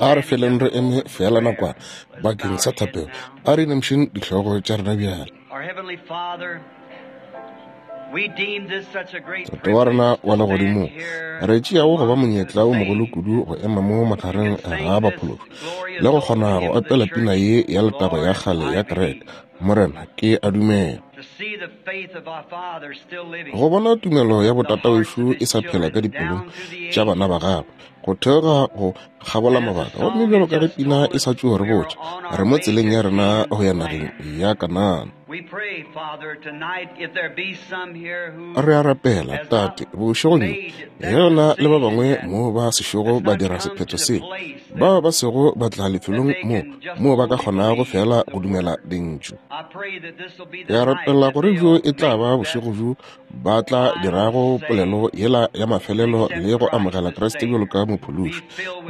A re feleng re eme feela nakwana bakeng sa thapelo. A re inamišeng dihlogo tša rena bjale. Tate wa rena wa legodimong, re tšeago go ba monyetla o mogolo kudu go ema mo magareng ga baphologi le go kgona go opela pina ye ya letago ya kgale ya kereke. Morena, ke a dumela. Go bona tumelo ya botatawešo e sa phela ka dipelong tša bana ba gagwe, go theoga go kgabola mabaka. Gomme bjalo ka ge pina e sa tšo re botša, re mo tseleng ya rena go ya nageng ya Kanana. Re a rapela, Tate, bošegong bjo, ge go na le ba bangwe mo ba sešogo ba dira sephetho se, bao ba sego ba tla lefelong mo, moo ba ka kgonago feela go dumela Lentšu. Ke a rapela gore bjo e tla ba bošego bjo ba tla dirago polelo yela ya mafelelo le go amogela Kriste bjalo ka Mophološi,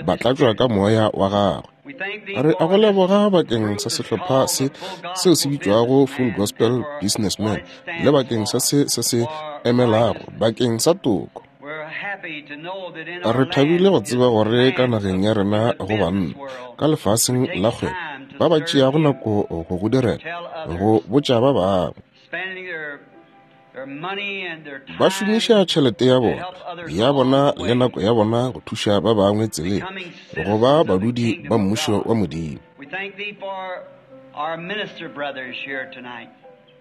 ba tlatšwa ka Moya wa Gagwe. Re a go leboga bakeng sa sehlopha se seo se bitšwago Full Gospel Businessmen le bakeng sa se se se emelago bakeng sa toko. Re thabile go tseba gore ka nageng ya rena go banna ka lefaseng la kgwebo ba ba tšeago nako go go direla, go botša ba bangwe. Ba šomiša tšhelete ya bona ya bona le nako ya bona go thuša ba bangwe tseleng go ba badudi ba Mmušo wa Modimo.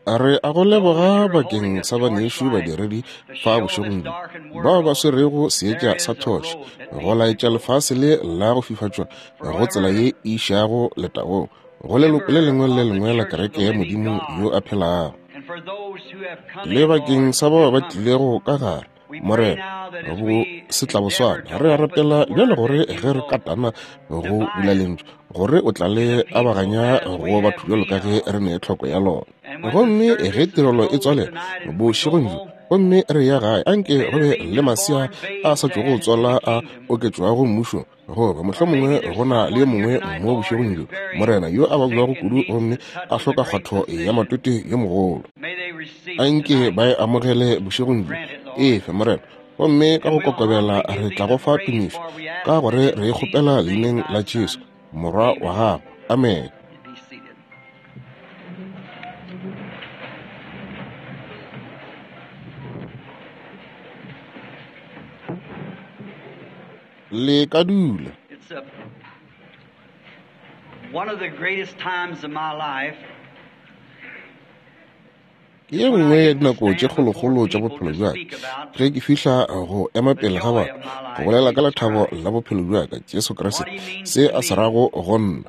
Re a go leboga bakeng sa banešu badiredi fa bošegong bjo, bao ba swerego seetša sa thoše go laetša lefase le la go fifatšwa go tsela ye e išago letagong, go leloko le lengwe le lengwe la kereke ya Modimo yo a phelago. Le bakeng sa bao ba tlilego ka gare, Morena, go setlaboswana, re a rapela bjale gore ge re katana go bula lentšu, gore o tla le abaganya go batho bjalo ka ge re ne tlhoko ya lona. Gomme ge tirelo e tswalela bošegong bjo, gomme re ya gae, anke go be le masea a sa tšogo tswala a oketšwago mmušong, Goba mohlomongwe go na le yo mongwe mo bošegong bjo, Morena, yo a babjago kudu gomme a hloka kgwatho ya matwete yo mogolo. Anke ba e amogele bošegong bjo. Efe, Morena. Gomme ka go kokobela re tla go fa tumišo, ka gore re e kgopela Leineng la Jesu, Morwa wa Gago. Amene. Le ka dula. Ke ye nngwe ya dinako tše kgolokgolo tša bophelo bja ka, ge ke fihla go ema pele ga batho go bolela ka lethabo la bophelo bja ka, Jesu Kriste, se a se rago go nna.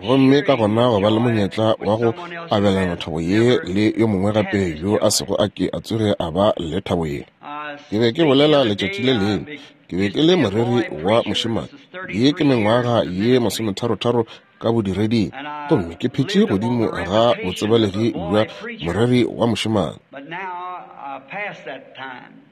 Gomme ka gona go ba le monyetla wa go abelana thabo ye le yo mongwe gape yo a sego a ke a tsoge a ba le thabo ye. Ke be ke bolela letšatši le lengwe, ke be ke le moreri wa mošemane, ye ke mengwaga ye masometharotharo ka bodireding, gomme ke phetše godimo ga botsebalegi bja moreri wa mošemane.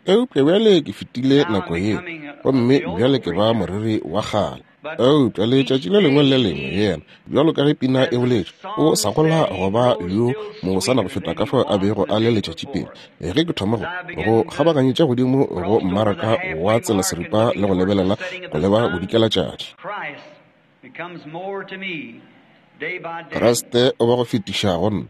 Eupša bjale ke fetile nako yeo, gomme bjale ke ba moreri wa kgale. Eupša letšatši le lengwe le le lengwe yena, bjalo ka ge pina e boletše, o sa gola go ba yo mobosana go feta ka fao a bego a le letšatši pele. Ge ke thoma go, go kgabaganyetša godimo go mmaraka wa tsela seripa le go lebelela go leba bodikelatšatši. Kriste o ba go fetiša go nna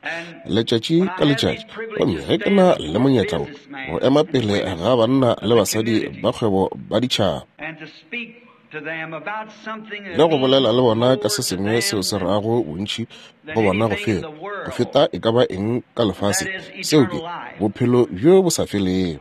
letšatši ka letšatši, gomme ge ke na le monyetla wo go ema pele ga banna le basadi ba kgwebo ba ditšhaba le go bolela le bona ka se sengwe seo se rago bontši go bona go feta go feta e ka ba eng ka lefaseng, seo ke bophelo bjo bo sa felego.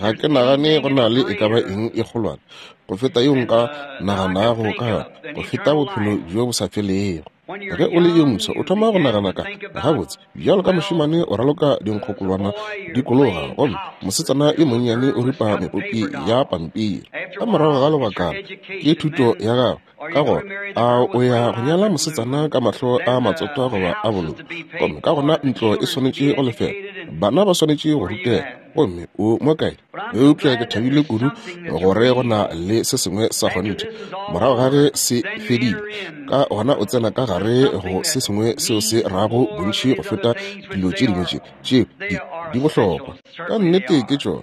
Ga ke nagane go na le e ka ba eng e kgolwane go feta yeo nka naganago ka yona, go feta bophelo bjo bo sa felego. Ge o le yo mofsa, o thoma go nagana ka, Gabotse, bjalo ka mošemane o raloka dinkgokolwana dikologa, gomme mosetsana yo monnyane o ripa mepopi ya pampiri. Ka morago ga lebakana, ke thuto ya gago. Ka gona, a o ya go nyala mosetsana ka mahlo a matsotwa goba a bolou? Gomme ka gona ntlo e swanetše go lefelwa, bana ba swanetše go rutega, gomme o mo kae? Eupša ke thabile kudu gore go na le se sengwe sa kgonthe. Morago ga ge se fedile, ka gona o tsena ka gare go se sengwe seo se rago bontši go feta dilo tše dingwe tše, tšeo di, Di bohlokwa. Ka nnete ke tšona,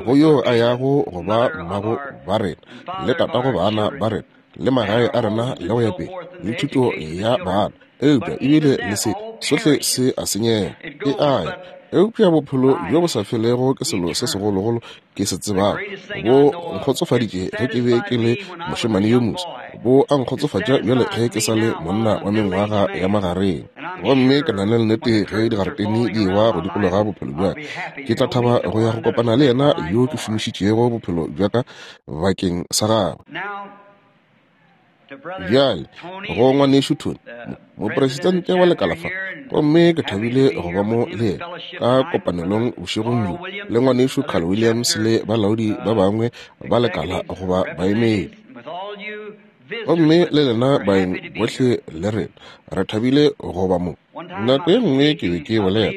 go yo a yago go ba mmago ba rena, le tatago bana ba rena, le magae a rena, le go ya pele, le thuto ya bana. Eupša ebile le se, sohle se a senyega. E a ya. Eupša bophelo bjo bo sa felego ke selo se segologolo ke se tsebago. Bo nkgotsofaditše ge ke be ke le mošemane yo moswa. Bo a nkgotsofatša bjale ge ke sa le monna wa mengwaga ya magareng. Gomme ke na le nnete ge digaretene di ewa go dikologa bophelo bja ka, ke tla thaba go ya go kopana le yena yo ke šomišitšego bophelo bja ka bakeng sa gagwe. Bjale, go Ngwanešu Tony, mopresidente wa lekala fa, gomme ke thabile go ba mo le yena ka kopanelong bošegong bjo, le Ngwanešu Carl Williams le balaodi ba bangwe ba lekala goba baemedi. Gomme le lena baeng bohle le rena, re thabile go ba mo. Nako ye nngwe ke be ke bolela,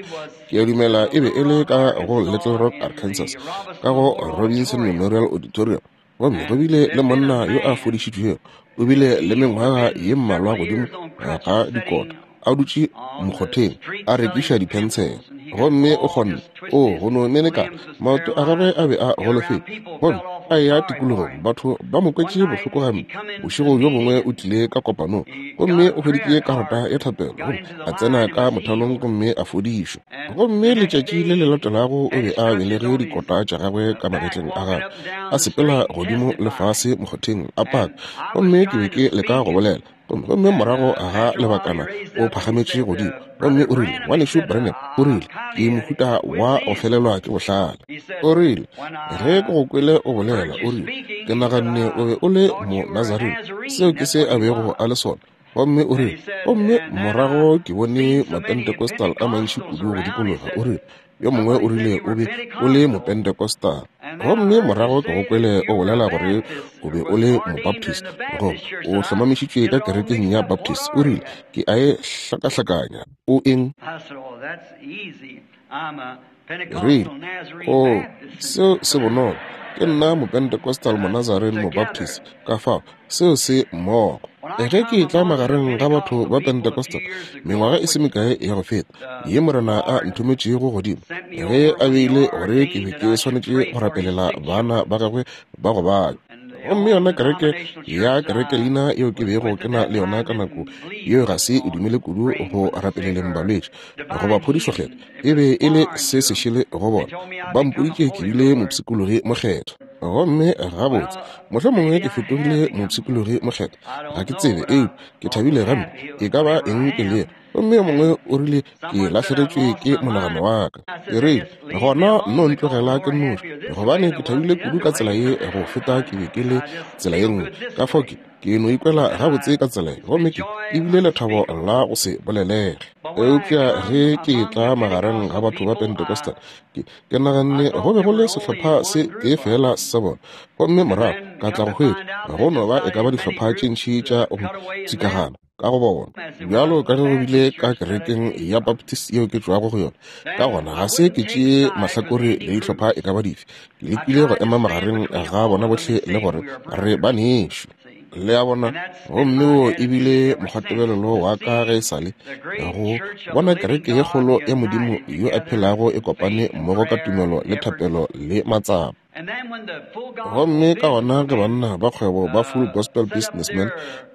ke a dumela e be e le ka go Little Rock, Arkansas, ka go Robinson Memorial Auditorium, Gomme go bile le monna yo a fodišitšwego, o bile le mengwaga ye mmalwa godimo ga dikota, a dutše mokgotheng, a rekiša diphensele. Gomme o kgonne, o, go no menekana, maoto a gagwe a be a golofetše. Gomme a eya tikologong, batho ba mo kwetše bohloko gampe. Bošego bjo bongwe o tlile ka kopanong, gomme o hweditše karata ya thapelo, gomme a tsena ka mothalong gomme a fodišwa. Gomme letšatši le le latelago o be a belege dikota tša gagwe ka magetleng a gagwe, a sepela godimo le fase mokgotheng a paka. Gomme ke be ke leka go bolela, gomme, gomme morago ga lebakana o phagametše godimo, gomme o rile, Ngwanešu Branham, o rile, ke mohuta wa go felelwa ke bohlale. O rile, Ge ke go kwele o bolela, o rile, ke naganne o be o le Monazarene. Seo ke se a bego a le sona. Gomme o rile, gomme morago ke bone Mapentecostal a mantši kudu go dikologa, o rile, yo mongwe o rile o be o le Mopentecostal. Gomme morago ke go kwele o bolela gore o be o le Mobaptist, goba o hlomamišitšwe ka kerekeng ya Baptist. O rile, Ke a e hlakahlakanya. O eng? Rile, Oo, seo se bonolo. Ke nna Mopentecostal Monazarene Mobaptist, ka fao seo se mmogo. Ge ke etla magareng ga batho ba Pentecostal, mengwaga e se mekae ya go feta, ye Morena a nthometšego godimo, ge a beile gore ke be ke swanetše go rapelela bana ba gagwe ba go babja. Gomme yona kereke ya kerekelina yeo ke bego ke na le yona ka nako yeo ga se e dumele kudu go rapeleleng balwetši goba phodišokgetho, e be e le se sešele go bona. Ba mpoditše ke bile mopshikologi mokgethwa. Gomme gabotse, mohlomongwe ke fetogile mopshikologi mokgethwa, ga ke tsebe, eupša ke thabile gampe, e ka ba eng ke lego. Gomme yo mongwe o rile ke lahlegetšwe ke monagano wa ka. Ke rile, gona nno ntlogela ke nnoši, gobane ke thabile kudu ka tsela ye go feta ke be ke le tsela ye nngwe. Ka fao ke, ke no ikwela gabotse ka tsela ye, gomme ke, e bile lethabo la go se bolelege. Eupša ge ke etla magareng ga batho ba Pentecostal, ke, ke naganne go be go le sehlopha se tee feela sa bona, gomme morago ka tla go hwetša go no ba e ka ba dihlopha tše ntši tša go tšikagana ka go bona, bjalo ka ge go bile ka kerekeng ya Baptist yeo ke tšwago go yona. Ka gona ga se ke tšee mahlakore le dihlopha e ka ba dife, ke lekile go ema magareng ga bona bohle le gore re banešu. Le a bona? Gomme wo e bile mokgwatebelelo wa ka ge e sa le, go bona kereke ye kgolo ya Modimo yo a phelago e kopane mmogo ka tumelo le thapelo le matsapa. Gomme ka gona ge banna ba kgwebo ba Full Gospel Businessmen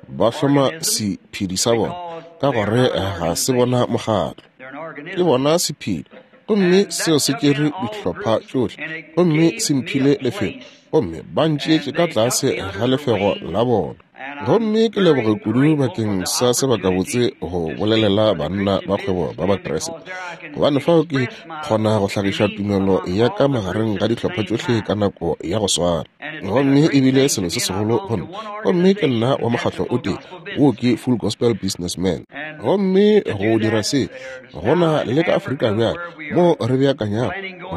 ba hloma sephedi sa bona, ka gore ga se bona mokgatlo, ke bona sephedi, gomme seo se tšere dihlopha tšohle, gomme se mphile lefelo, gomme ba ntšeetše ka tlase ga lefego la bona. Gomme ke leboge kudu bakeng sa sebakabotse go bolelela banna ba kgwebo ba Bakriste, gobane fao ke kgona go hlagiša tumelo ya ka magareng ga dihlopha tšohle ka nako ya go swana. Gomme e bile selo se segolo go nna. Gomme ke nna wa mokgatlo o tee, wo ke Full Gospel Businessmen. Gomme go dira se, go na le ka Afrika bjale, mo re beakanyago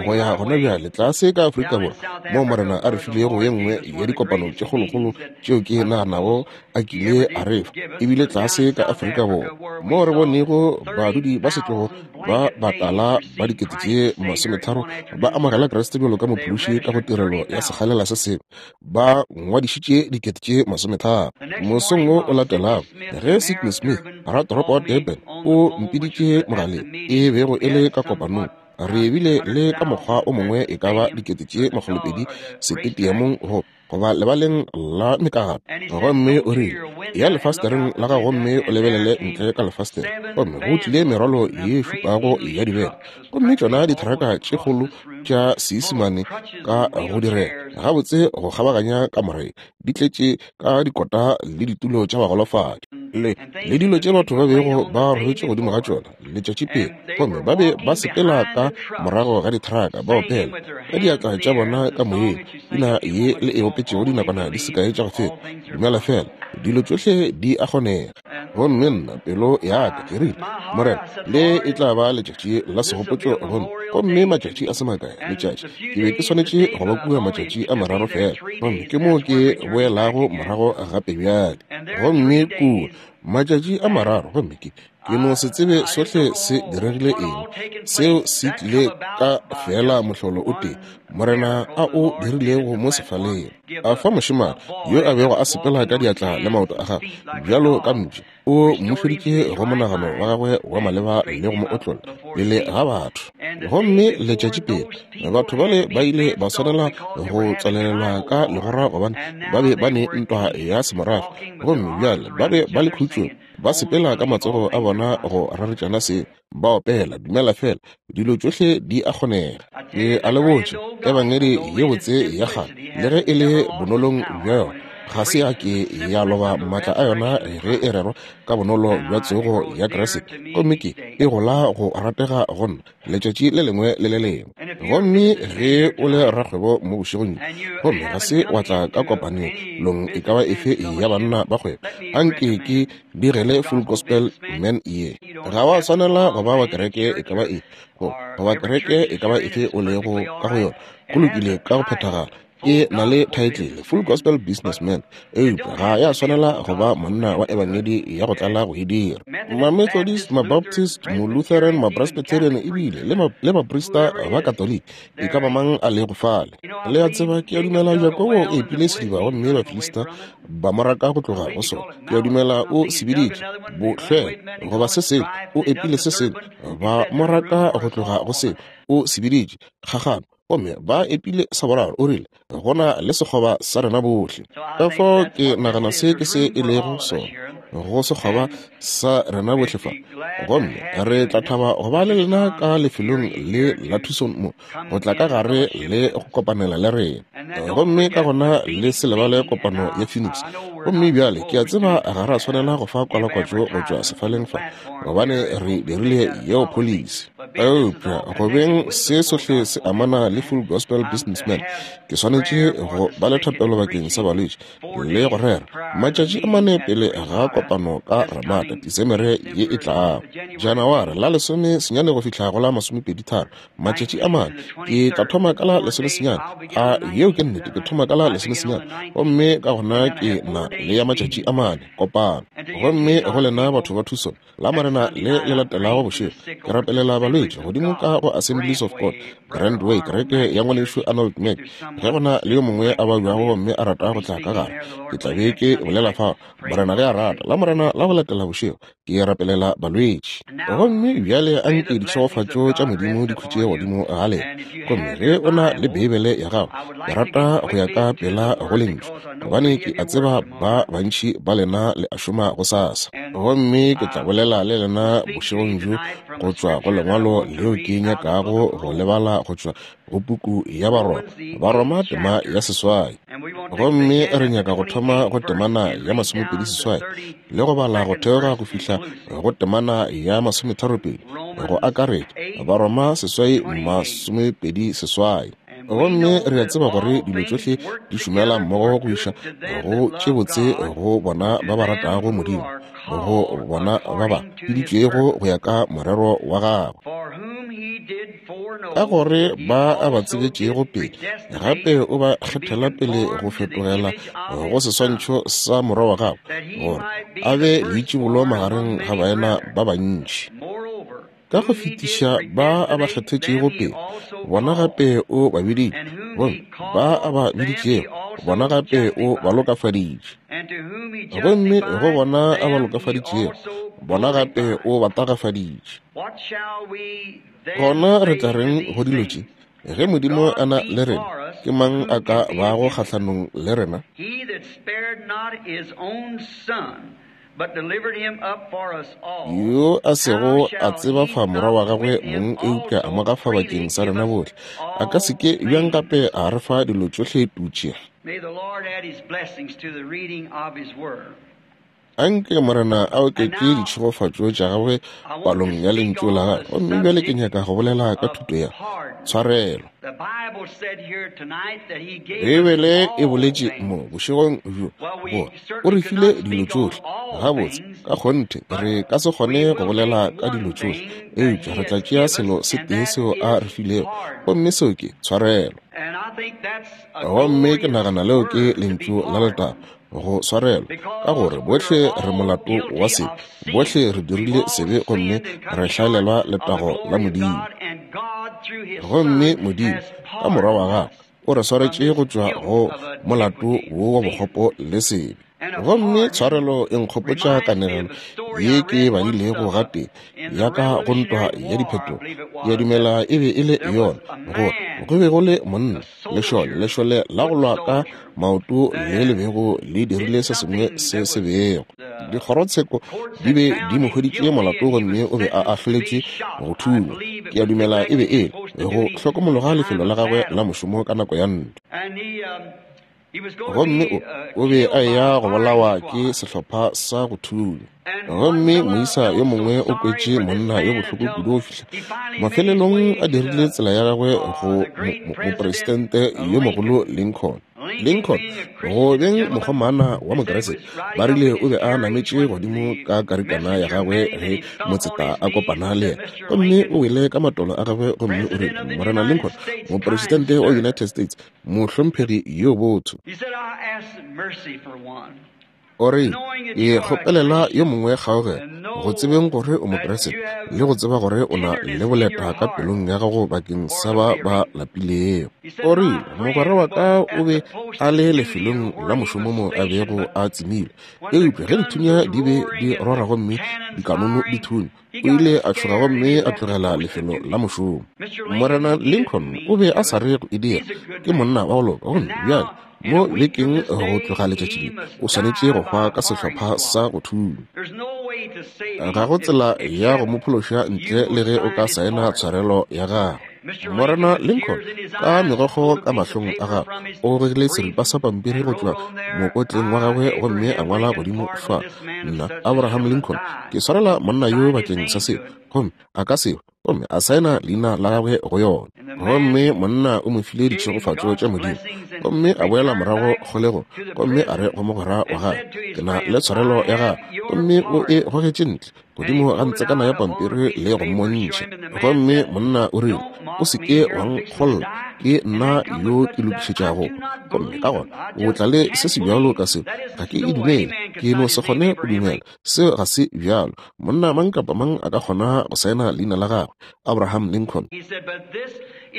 go ya gona bjale tlase ka Afrika Borwa, moo Morena a re filego ye nngwe ya dikopano tše kgolokgolo tšeo ke naganago a kile a re fa, ebile tlase ka Afrika Borwa, moo re bonego badudi ba setlogo ba batala ba 30,000 ba amogela Kriste bjalo ka Mophološi ka go tirelo ya sekgalela se sengwe, ba ngwadišitše 30,000. Mosong wo o latelago, ge Sidney Smith, ratoropo wa Durban, o mpiditše mogaleng, e bego e le ka kopanong. Re bile le ka mokgwa o mongwe e ka ba 200,000 setetiamong go goba lebaleng la mekgato. Gomme o rile, ya lefastereng la gago gomme o lebelele ntle ka lefastere. Gomme go tlile merwalo ye šupago ya dibele, gomme tšona ditheraka tše kgolo tša Seisemane ka go direga gabotse go kgabaganya kamore, di tletše ka dikota le ditulo tša bagolofadi le le dilo tše batho ba bego ba robetše godimo ga tšona letšatši pele. Gomme ba be ba sepela ka morago ga ditheraka ba opela ka diatla tša bona ka moyeng pina ye le e opetšego dinakwana di sekae tša go feta, dumela fela, dilo tšohle di a kgonega. Gomme nna pelo ya ka ke rile, Morena, le e tla ba letšatši la segopotšo gomme gomme matšatši a se makae letšatši ke be ke swanetše go ba kua matšatši a mararo fela, gomme ke moo ke boelago morago gape bjale. Gomme kua matšatši a mararo, gomme ke no se tsebe sohle se diregile eng. Seo se tlile ka fela mohlolo o tee Morena a o dirilego mo sefaleng. A fa mošemane yo a bego a sepela ka diatla le maoto a gagwe bjalo ka mpša, o mmušeditše go monagano wa gagwe wa maleba le go mo otlolla pele ga batho. Gomme letšatši pele batho bale ba ile ba swanela go tswalelelwa ka legora gobane ba be ba ne ntwa ya semorafe, gomme bjale ba be ba le khutšong, ba sepela ka matsogo a bona go raretšana se, ba opela dumela fela, dilo tšohle di a kgonega. Ke a le botša, ebangedi ye botse ya kgale, le ge e le bonolong bja yona, ga se ya ke ya loba maatla a yona ge e rerwa ka bonolo bja tsogo ya Kriste, gomme ke e gola go ratega go nna letšatši le lengwe le le lengwe. Gomme ge o le rakgwebo mo bošegong gomme ga se wa tla ka kopanelong e ka ba efe ya banna ba kgwebo, anke ke digele Full Gospel Men ye. Ga wa swanela go ba wa kereke e ka ba efe, goba kereke e ka ba efe o lego ka go yona, go lokile ka go phethagala. Ke na le title Full Gospel Businessman, eupša ga ya swanela go ba monna wa ebangedi ya go tlala go e dira. Ma-Methodist, Ma-Baptist, Mo-Lutheran, Ma-Presbyterian, ebile le baprista ba Katoliki, e ka ba mang a lego fale. Le a tseba, ke a dumela Jakobo o epile sediba gomme Bafilista ba mo raka go tloga go sona. Ke a dumela o se biditše bohlwela goba se sengwe, o epile se sengwe, ba mo raka go tloga go seo, o se biditše kgagano. Gomme ba epile sa boraro, o rile, go na le sekgoba sa rena bohle. Ka fao ke nagana se ke se e lego sona, go sekgoba sa rena bohle fa. Gomme re tla thaba go ba le lena ka lefelong le la thuso mo, go tla ka gare le go kopanela le rena. Gomme ka gona le se lebale kopano ya Phoenix. Gomme bjale ke a tseba ga ra swanela go fa kwalakwatšo go tšwa sefaleng fa, gobane re dirile yeo policy. Eupša go beng se sohle se amana le Full Gospel Businessman, ke swanetše go ba le thapelo bakeng sa balwetši le go rera matšatši a mane pele ga kopano ka Ramada Disemere ye e tlago, Janaware la 19 go fihla go la 23, matšatši a mane. Ke tla thoma ka la 19, a yeo ke nnete, ke thoma ka la 19, gomme ka gona ke na le ya matšatši a mane kopano. Gomme go lena batho ba Tucson, la Morena le le latelago bošego, ke rapelela balwetši godimo ka go Assemblies of God, Grand Way, kereke ya ngwanešu Arnold Mack. Ge go na le yo mongwe a babjago gomme a rata go tla ka gare, ke tla be ke bolela fao, Morena ge a rata. La Morena la go latela bošego, ke rapelela balwetši. Gomme bjale a nke ditšhegofatšo tša Modimo di khutše godimo ga lena. Gomme ge o na le Beibele ya gago, ke rata go ya ka pela go Lentšu, gobane ke a tseba ba bantši ba lena le a šoma gosasa. Gomme ke tla bolela le lena bošegong bjo go tšwa go lengwalo leo ke nyakago go lebala go tšwa go puku ya Baroma, Baroma tema ya 8. Gomme re nyaka go thoma go temana ya 28 le go bala go theoga go fihla go temana ya 32, go akaretša Baroma 8 28. Gomme re a tseba gore dilo tšohle di šomela mmogo go iša go tše botse go bona ba ba ratago Modimo, go bona ba ba biditšwego go ya ka morero wa gagwe. Ka gore ba a ba tsebetšego pele, gape o ba kgethela pele go fetogela go seswantšho sa morwa wa gagwe, gore a be leitšibolo magareng ga baena ba bantši. Ka go fetiša ba a ba kgethetšego pele, bona gape o ba biditše, gomme ba a ba biditšego, bona gape o ba lokafaditše. Gomme go bona a ba lokafaditšego, Bona gape o ba tagafaditše. Gona re tla reng go dilo tše? Ge Modimo a na le rena, ke mang a ka bago kgahlanong le rena? Yo a sego a tseba fa morwa wa gagwe mong eupša a mo gafa bakeng sa rena bohle, a ka se ke bjang gape a re fa dilo tšohle tutše? Anke Morena a oketše ditšhegofatšo tša gagwe palong ya lentšu la gagwe. Gomme bjale ke nyaka go bolela ka thuto ya tshwarelo. Beibele e boletše mo bošegong bjo gore o re file dilo tšohle. Gabotse, ka kgonthe re ka se kgone go bolela ka dilo tšohle, eupša re tla tšea selo se tee seo a re filego, gomme seo ke tshwarelo. Gomme ke nagana leo ke lentšu la letago, go swarelwa, ka gore bohle re molato wa sebe, bohle re dirile sebe gomme re hlaelelwa letago la Modimo. Gomme Modimo, ka Morwa wa gagwe, o re swaretše go tšwa go molato wo wa bokgopo le sebe. Gomme tshwarelo e nkgopotša kanegelo ye ke badilego gatee ya ka go ntwa ya diphetogo. Ke a dumela e be e le yona, gore go be go le monna, lešole, lešole la go lwa ka maoto le le bego le dirile se sengwe se se bego. Dikgorotsheko di be di mo hweditše molato gomme o be a ahloletšwe go thunywa. Ke a dumela e be e le go hlokomologa lefelo la gagwe la mošomo ka nako ya ntwa. Gomme o be a eya go bolawa ke sehlopha sa go thunya. Gomme moisa yo mongwe o kwetše monna yo bohloko kudu go fihla mafelelong a dirile tsela ya gagwe go mopresidente yo mogolo Lincoln. Lincoln, go beng mokgomana wa Mokeresete, ba rile o be a nametše godimo ka karikana ya gagwe ge motseta a kopana le yena. Gomme o wele ka matolo a gagwe gomme o rile, Morena Lincoln, mopresidente wa United States, mohlomphegi yo botho. O re, Ke kgopelela yo mongwe kgaogelo, go tsebeng gore o Mokeresete, le go tseba gore o na le boleta ka pelong ya gago bakeng sa ba ba lapilego. O rile, Mogwera wa ka o be a le lefelong la mošomo mo a bego a tsemilwe, eupša ge dithunya di be di rora gomme dikanono di thunya, o ile a tšhoga gomme a tlogela lefelo la mošomo. Morena Lincoln o be a sa re go e dira, ke monna wa go loka, gomme bjale mo bekeng go tloga letšatši le o swanetše go hwa ka sehlopha sa go thunya. Ga go tsela ya go mo phološa ntle le ge o ka saena tshwarelo ya gagwe. Morena Lincoln, ka megokgo ka mahlong a gagwe, o gogile seripa sa pampiri go tšwa mokotleng wa gagwe gomme a ngwala godimo fa, Nna, Abraham Lincoln, ke swarela monna yo bakeng sa seo, gomme a ka seo, gomme a saena leina la gagwe go yona. Gomme monna o mo file ditšhegofatšo tša Modimo, gomme a boela morago kgolegong, gomme a re go mogwera wa gagwe, Ke na le tshwarelo ya gagwe, gomme o e gogetše ntle godimo ga ntsekana ya pampiri le go mmontšha. Gomme monna o rile, O se ke wa nkgolla, ke nna yo ke lokišetšago. Gomme ka gona o tla le se se bjalo ka seo, ga ke e dumele, ke no se kgone go dumela. Seo ga se bjalo. Monna mang kapa mang a ka kgona go saena leina la gagwe, Abraham Lincoln.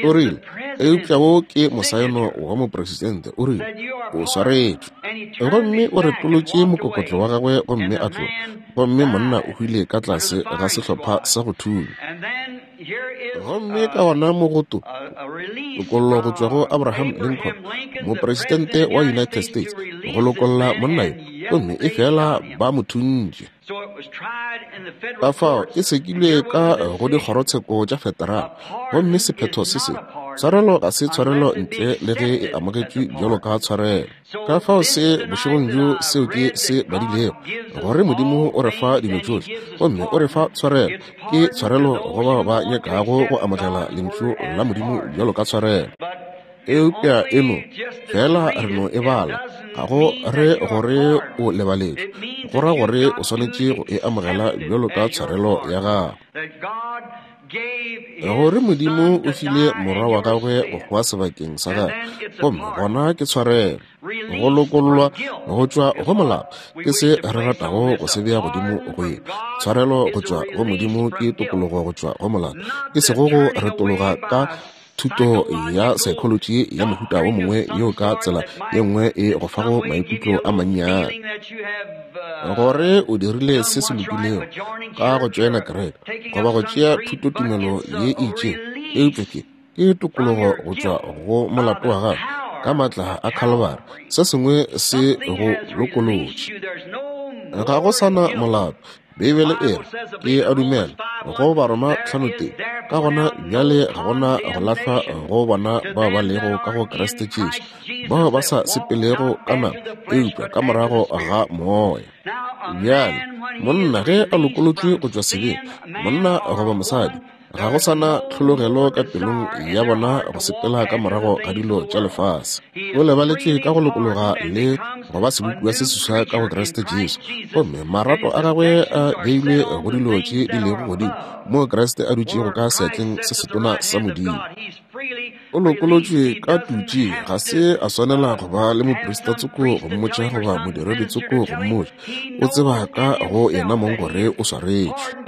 O rile, Eupša wo ke mosaeno wa mopresidente. O rile, O swaretšwe. Gomme o retolotše mokokotlo wa gagwe gomme a tloga. Gomme monna o hwile ka tlase ga sehlopha sa go thunya. Gomme ka gona mo go to, tokollo go tšwa go Abraham Lincoln, mopresidente wa United States, go lokolla monna yo, gomme efela ba mo thuntše. Ka fao e sekilwe ka go dikgorotsheko tša federal, gomme sephetho se se, tshwarelo ga se tshwarelo ntle le ge e amogetšwe bjalo ka tshwarelo. Ka fao se bošegong bjo seo ke se badilego, gore Modimo o re fa dilo tšohle, gomme o re fa tshwarelo, ke tshwarelo go bao ba nyakago go amogela Lentšu la Modimo bjalo ka tshwarelo. Eupša e no fela re no e bala, ga go re gore o lebaletšwe, go ra gore o swanetše go e amogela bjalo ka tshwarelo ya gago. Gore Modimo o file Morwa wa gagwe go hwa sebakeng sa gagwe, gomme gona ke tshwarelo. Go lokollwa go tšwa go molao ke se re ratago go se bea godimo go ye. Tshwarelo go tšwa go Modimo ke tokologo go tšwa go molao, e sego go retologa ka. thuto ya saekholotši ya mohuta wo mongwe yeo ka tsela ye nngwe e go fago maikutlo a mannyane gore o dirile se se lokilego ka go tšoena kereke goba go tšea thutotumelo ye e itšego, eupša ke ke tokologo go tšwa go molato wa gago ka maatla a Khalibari. Se sengwe se go lokolotše. Ga go sa na molato. Beibele e re, Ke a dumela, go Baroma 5:3, ka gona bjale ga gona go lahlwa go bona bao ba lego ka go Kriste Jesu, bao ba sa sepelego ka nama, eupša ka morago ga Moya. Bjale, monna ge a lokolotšwe go tšwa sebeng, monna goba mosadi, Ga go sa na tlhologelo ka pelong ya bona go sepela ka morago ga dilo tša lefase. O lebaletše ka go lokologa le go ba sebopiwa se seswa ka go Kriste Jesu, gomme marato a gagwe a beilwe go dilo tše di lego godimo, moo Kriste a dutšego ka seatleng se setona sa Modimo. O lokolotšwe ka tutši, ga se a swanela go ba le moprista tsoko go mmotša goba modiredi tsoko go mmotša. O tseba ka go yena mong gore o swaretšwe.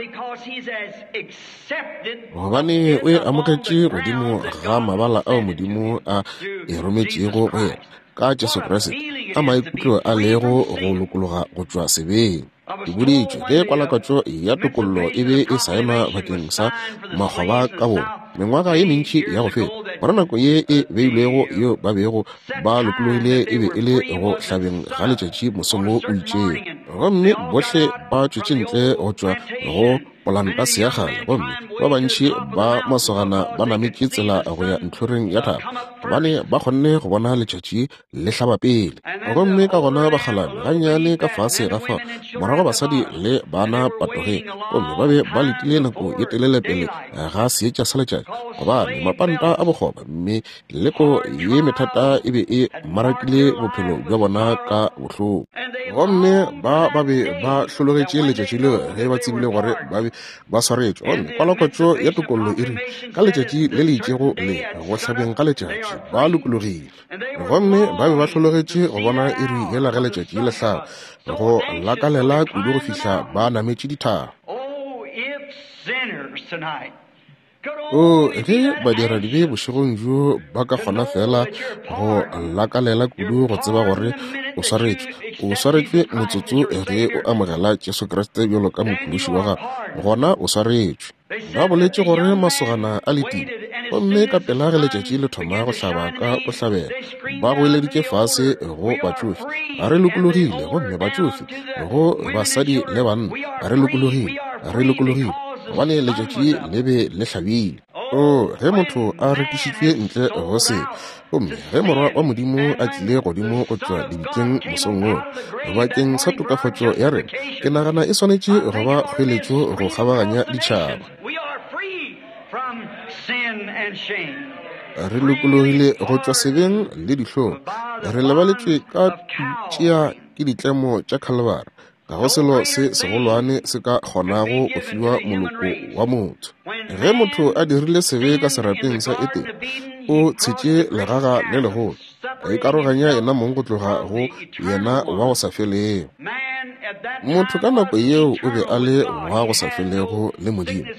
Gobane o e amogetše godimo ga mabala ao Modimo a e rometšego go yena ka Jesu Kriste, a maikutlo a lego go lokologa go tšwa sebeng. Ke boditšwe ge kwalakwatšo ya tokollo e be e saenwa bakeng sa makgoba ka bona mengwaga ye mentši ya go feta, gore nako ye e beilwego yeo ba bego ba lokologile e be e le go hlabeng ga letšatši mosong wo o itšego, gomme bohle ba tšwetše ntle go tšwa go polanta ya kgale, gomme ba bantši ba masogana ba nametše tsela go ya ntlhoreng ya thaba, gobane ba kgonne go bona letšatši le hlaba pele. Gomme ka gona bakgalabje gannyane ka fase ga fao, morago basadi le bana patogeng, gomme ba be ba letile nako ye telele pele ga seetša sa letšatši, gobane mapanta a bokgoba mme leko ye methata e be e marakile bophelo bja bona ka bohloko. Gomme ba ba be ba hlologetše letšatši leo ge ba tsebile gore ba be ba swaretšwe. Gomme kwalakwatšo ya tokollo e rile, ka letšatši le le itšego le go hlabeng ga letšatši ba lokologile. Gomme ba be ba hlologetše go bona iri yela ge letšatši le hlaba, go lakalela kudu go fihla ba nametše dithaba. O, ge badiradibe bošegong bjo ba ka kgona feela go lakalela kudu go tseba gore o swaretšwe, o swaretšwe motsotso ge o amogela Jesu Kriste bjalo ka Mophološi wa gago, gona o swaretšwe. Ba boletše gore masogana a letile, gomme ka pela ge letšatši le thoma go hlaba ka bohlabela, ba goeleditše fase go batšofe, Re lokologile! Gomme batšofe go basadi le banna, Re lokologile! Re lokologile! Gobane letšatši le be le hlabile. Oo, ge motho a rekišitšwe ntle go sebe, gomme ge Morwa wa Modimo a tlile godimo go tšwa lebitleng mosong wo, bakeng sa tokafatšo ya rena, ke nagana e swanetše go ba kgoeletšo go kgabaganya ditšhaba. Re lokologile go tšwa sebeng le dihlong. Re lebaletšwe ka tšea ke ditlemo tša Khalibari. Ga go selo se segolwane se ka kgonago go fiwa moloko wa motho. Ge motho a dirile sebe ka serapeng sa Edene, o tshetše legaga le legolo, a ikaroganya yena mong go tloga go yena wa go sa felego. Motho ka nako yeo o be a le wa go sa felego le Modimo.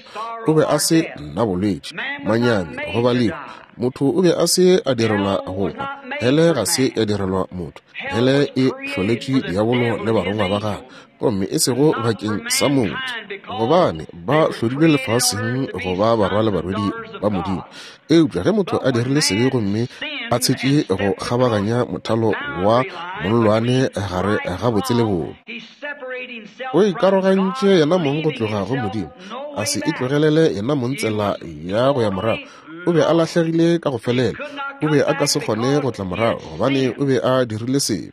O be a se na bolwetši, manyami goba lehu. Motho o be a se a direlwa go hwa. Hele ga se ya direlwa motho. Hele e hloletšwe diabolo le barongwa ba gagwe, gomme e sego bakeng sa motho, gobane ba hlodilwe lefaseng go ba barwa le barwedi ba Modimo. Eupša ge motho a dirile sebe gomme a tshetše go kgabaganya mothalo wa mollwane gare ga botse le bobe, o ikarogantše yena mong go tloga go Modimo, a se itlogelele yena mong tsela ya go ya morago. O be a lahlegile ka go felela. O be a ka se kgone go tla morago, gobane o be a dirile sebe.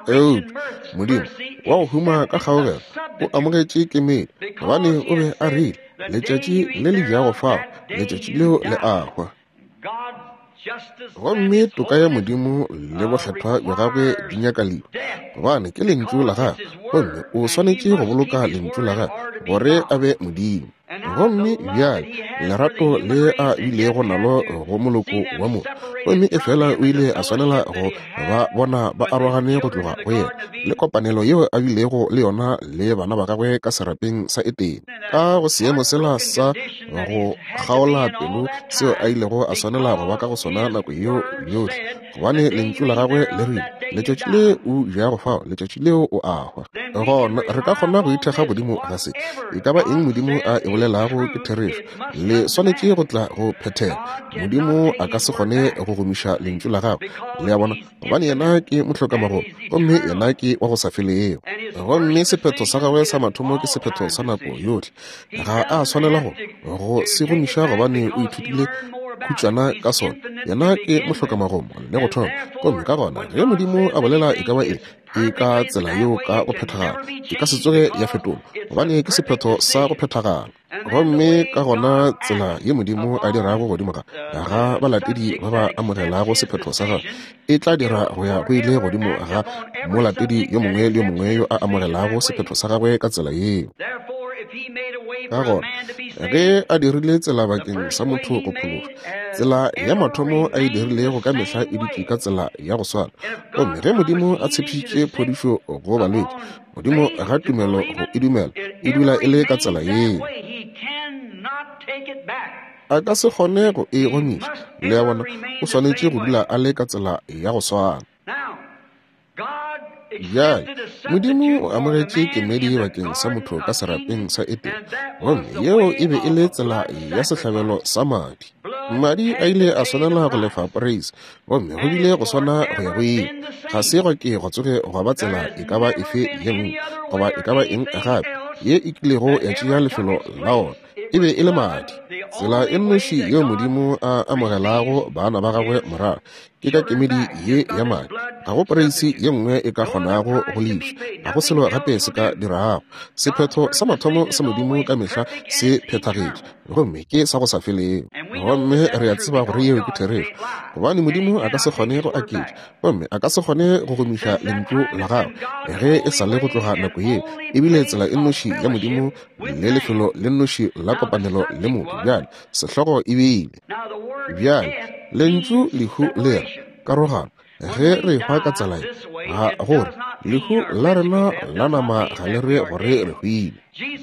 Eupša Modimo wa go huma ka kgaogelo o amogetše kemedi, gobane o be a rile, Letšatši le le jago fao, letšatši leo le a hwa. Gomme toka ya Modimo le bokgethwa bja gagwe di nyaka lehu, gobane ke lentšu la gagwe, gomme o swanetše go boloka lentšu la gagwe gore a be Modimo. Gomme bjale lerato le a bilego nalo go moloko wa motho, gomme efela o ile a swanela go ba bona ba arogane go tloga go yena, le kopanelo yeo a bilego le yona le bana ba gagwe ka serapeng sa Edene, ka go seemo sela sa Go kgaola pelo seo a ilego a swanela go ba ka go sona nako yeo yohle, gobane lentšu la gagwe le rile, Letšatši le o jago fao, letšatši leo o a hwa. Gona re ka kgona go ithekga godimo ga se. E ka ba eng Modimo a e bolelago ke therešo. Le swanetše go tla go phethega. Modimo a ka se kgone go gomiša lentšu la gagwe. Le a bona? Gobane yena ke mohlokamagomo, gomme yena ke wa go sa felego. Gomme sephetho sa gagwe sa mathomo ke sephetho sa nako yohle. Ga a swanela go go se gomiša gobane o ithutile khutšwana ka sona. Yena ke mohlokamagomo le go thoma. Gomme ka gona ge Modimo a bolela e ka ba eng, e ka tsela yeo ka go phethagala. E ka se tsoge ya fetolwa, gobane ke sephetho sa go phethagala. Gomme ka gona tsela ye Modimo a dirago godimo ga ga balatedi ba ba amogelago sephetho sa gagwe e tla dira go ya go ile godimo ga molatedi yo mongwe le yo mongwe yo a amogelago sephetho sa gagwe ka tsela yeo. Ka gona ge a dirile tsela bakeng sa motho go phološwa, tsela ya mathomo a e dirilego ka mehla e dutše ka tsela ya go swana. Gomme ge Modimo a tshepišitše phodišo go balwetši, godimo ga tumelo go e dumela, e dula e le ka tsela yeo. A ka se kgone go e gomiša. Le a bona, o swanetše go dula a le ka tsela ya go swana. Bjale, Modimo o amogetše kemedi bakeng sa motho ka serapeng sa Edene, gomme yeo e be e le tsela ya sehlabelo sa madi. Madi a ile a swanela go lefa poreisi, gomme go bile go swana go ya go ile. Ga se gwa ke gwa tsoge gwa ba tsela e ka ba efe ye nngwe goba e ka ba eng gape ye e kilego ya tšea lefelo la ona. E be e le madi. Tsela e nnoši yeo Modimo a amogelago bana ba gagwe morago ke ka kemedi ye ya madi. Ga go poreisi ye nngwe e ka kgonago go lefa. Ga go selo gape se ka dirago. Sephetho sa mathomo sa Modimo ka mehla se phethagetše, gomme ke sa go sa felego. Gomme re a tseba gore yeo ke therešo, gobane Modimo a ka se kgone go aketša, gomme a ka se kgone go gomiša lentšu la gagwe ge e sa le go tloga nako yeo. E bile tsela e nnoši ya Modimo le lefelo le nnoši la kopanelo le motho. Bjale, sehlogo e bile. Bjale, lentšu lehu le re karogano. Ge re hwa ka tsela ye, ga gore lehu la rena la nama ga le re gore re hwile.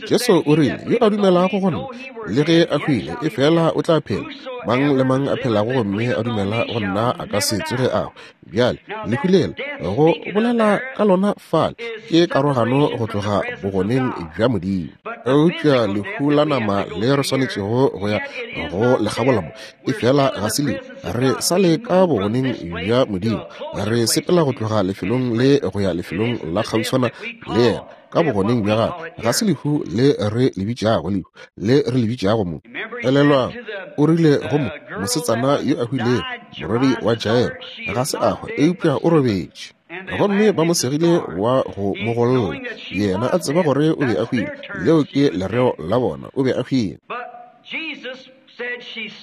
Jesu o rile, yo a dumelago go nna, le ge a hwile, e fela o tla phela. Mang le mang a phelago gomme a dumela go nna a ka se tsoge a hwa. Bjale, lehu lela, go bolela ka lona fale, ke karogano go tloga bogoneng bja Modimo. Eupša lehu la nama le re swanetšego go ya go le kgabola mo, e fela ga se lehu. Re sa le ka bogoneng bja Modimo. Re sepela go tloga lefelong le go ya lefelong la kgauswana le yena, ka bogoneng bja gagwe. Ga se lehu le re le bitšago lehu, le re le bitšago mo. Elelwang, o rile go mo mosetsana yo a hwilego, morwedi wa Jairo, ga se a hwa, eupša o robetše. Gomme ba mo segile wa go mo golla, yena a tseba gore o be a hwile. Leo ke lereo la bona, o be a hwile.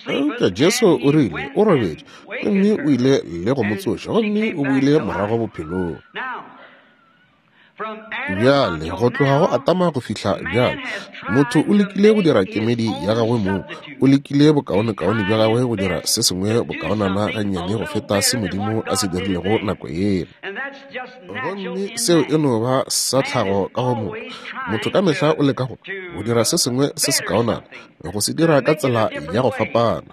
Eupša Jesu o rile o robetše, gomme o ile le go mo tsoša, gomme o boile morago bophelong. Bjale, go tloga go Adama go fihla bjale, motho o lekile go dira kemedi ya gagwe mong. O lekile bokaonekaone bja gagwe go dira se sengwe bokaonana gannyane go feta se Modimo a se dirilego nako yela. Gomme seo e no ba sa tlhago ka go motho. Motho ka mehla o leka go go dira se sengwe se sekaonana, go se dira ka tsela ya go fapana.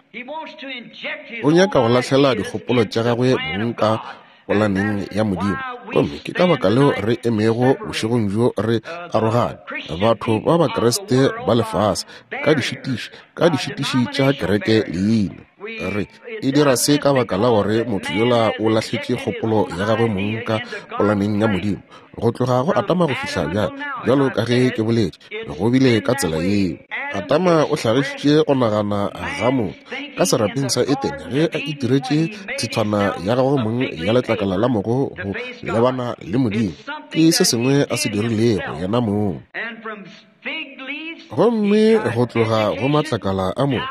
O nyaka go lahlela dikgopolo tša gagwe mong ka polaneng ya Modimo. Gomme ke ka baka leo re emego bošegong bjo re arogane, batho ba Bakriste ba lefase, ka dišitiši, ka dišitiši tša kereke leina. Re e dira se ka baka la gore motho yola o lahletše kgopolo ya gagwe mong ka polaneng ya Modimo. Go tloga go Adama go fihla bjale, bjalo ka ge ke boletše, go bile ka tsela yeo. Adama o hlagišitše go nagana ga motho ka serapeng sa Edene ge a itiretše thithwana ya gagwe mong ya letlakala la mogo go lebana le Modimo. Ke se sengwe a se dirilego yena mong. Gomme go tloga go matlakala a mogo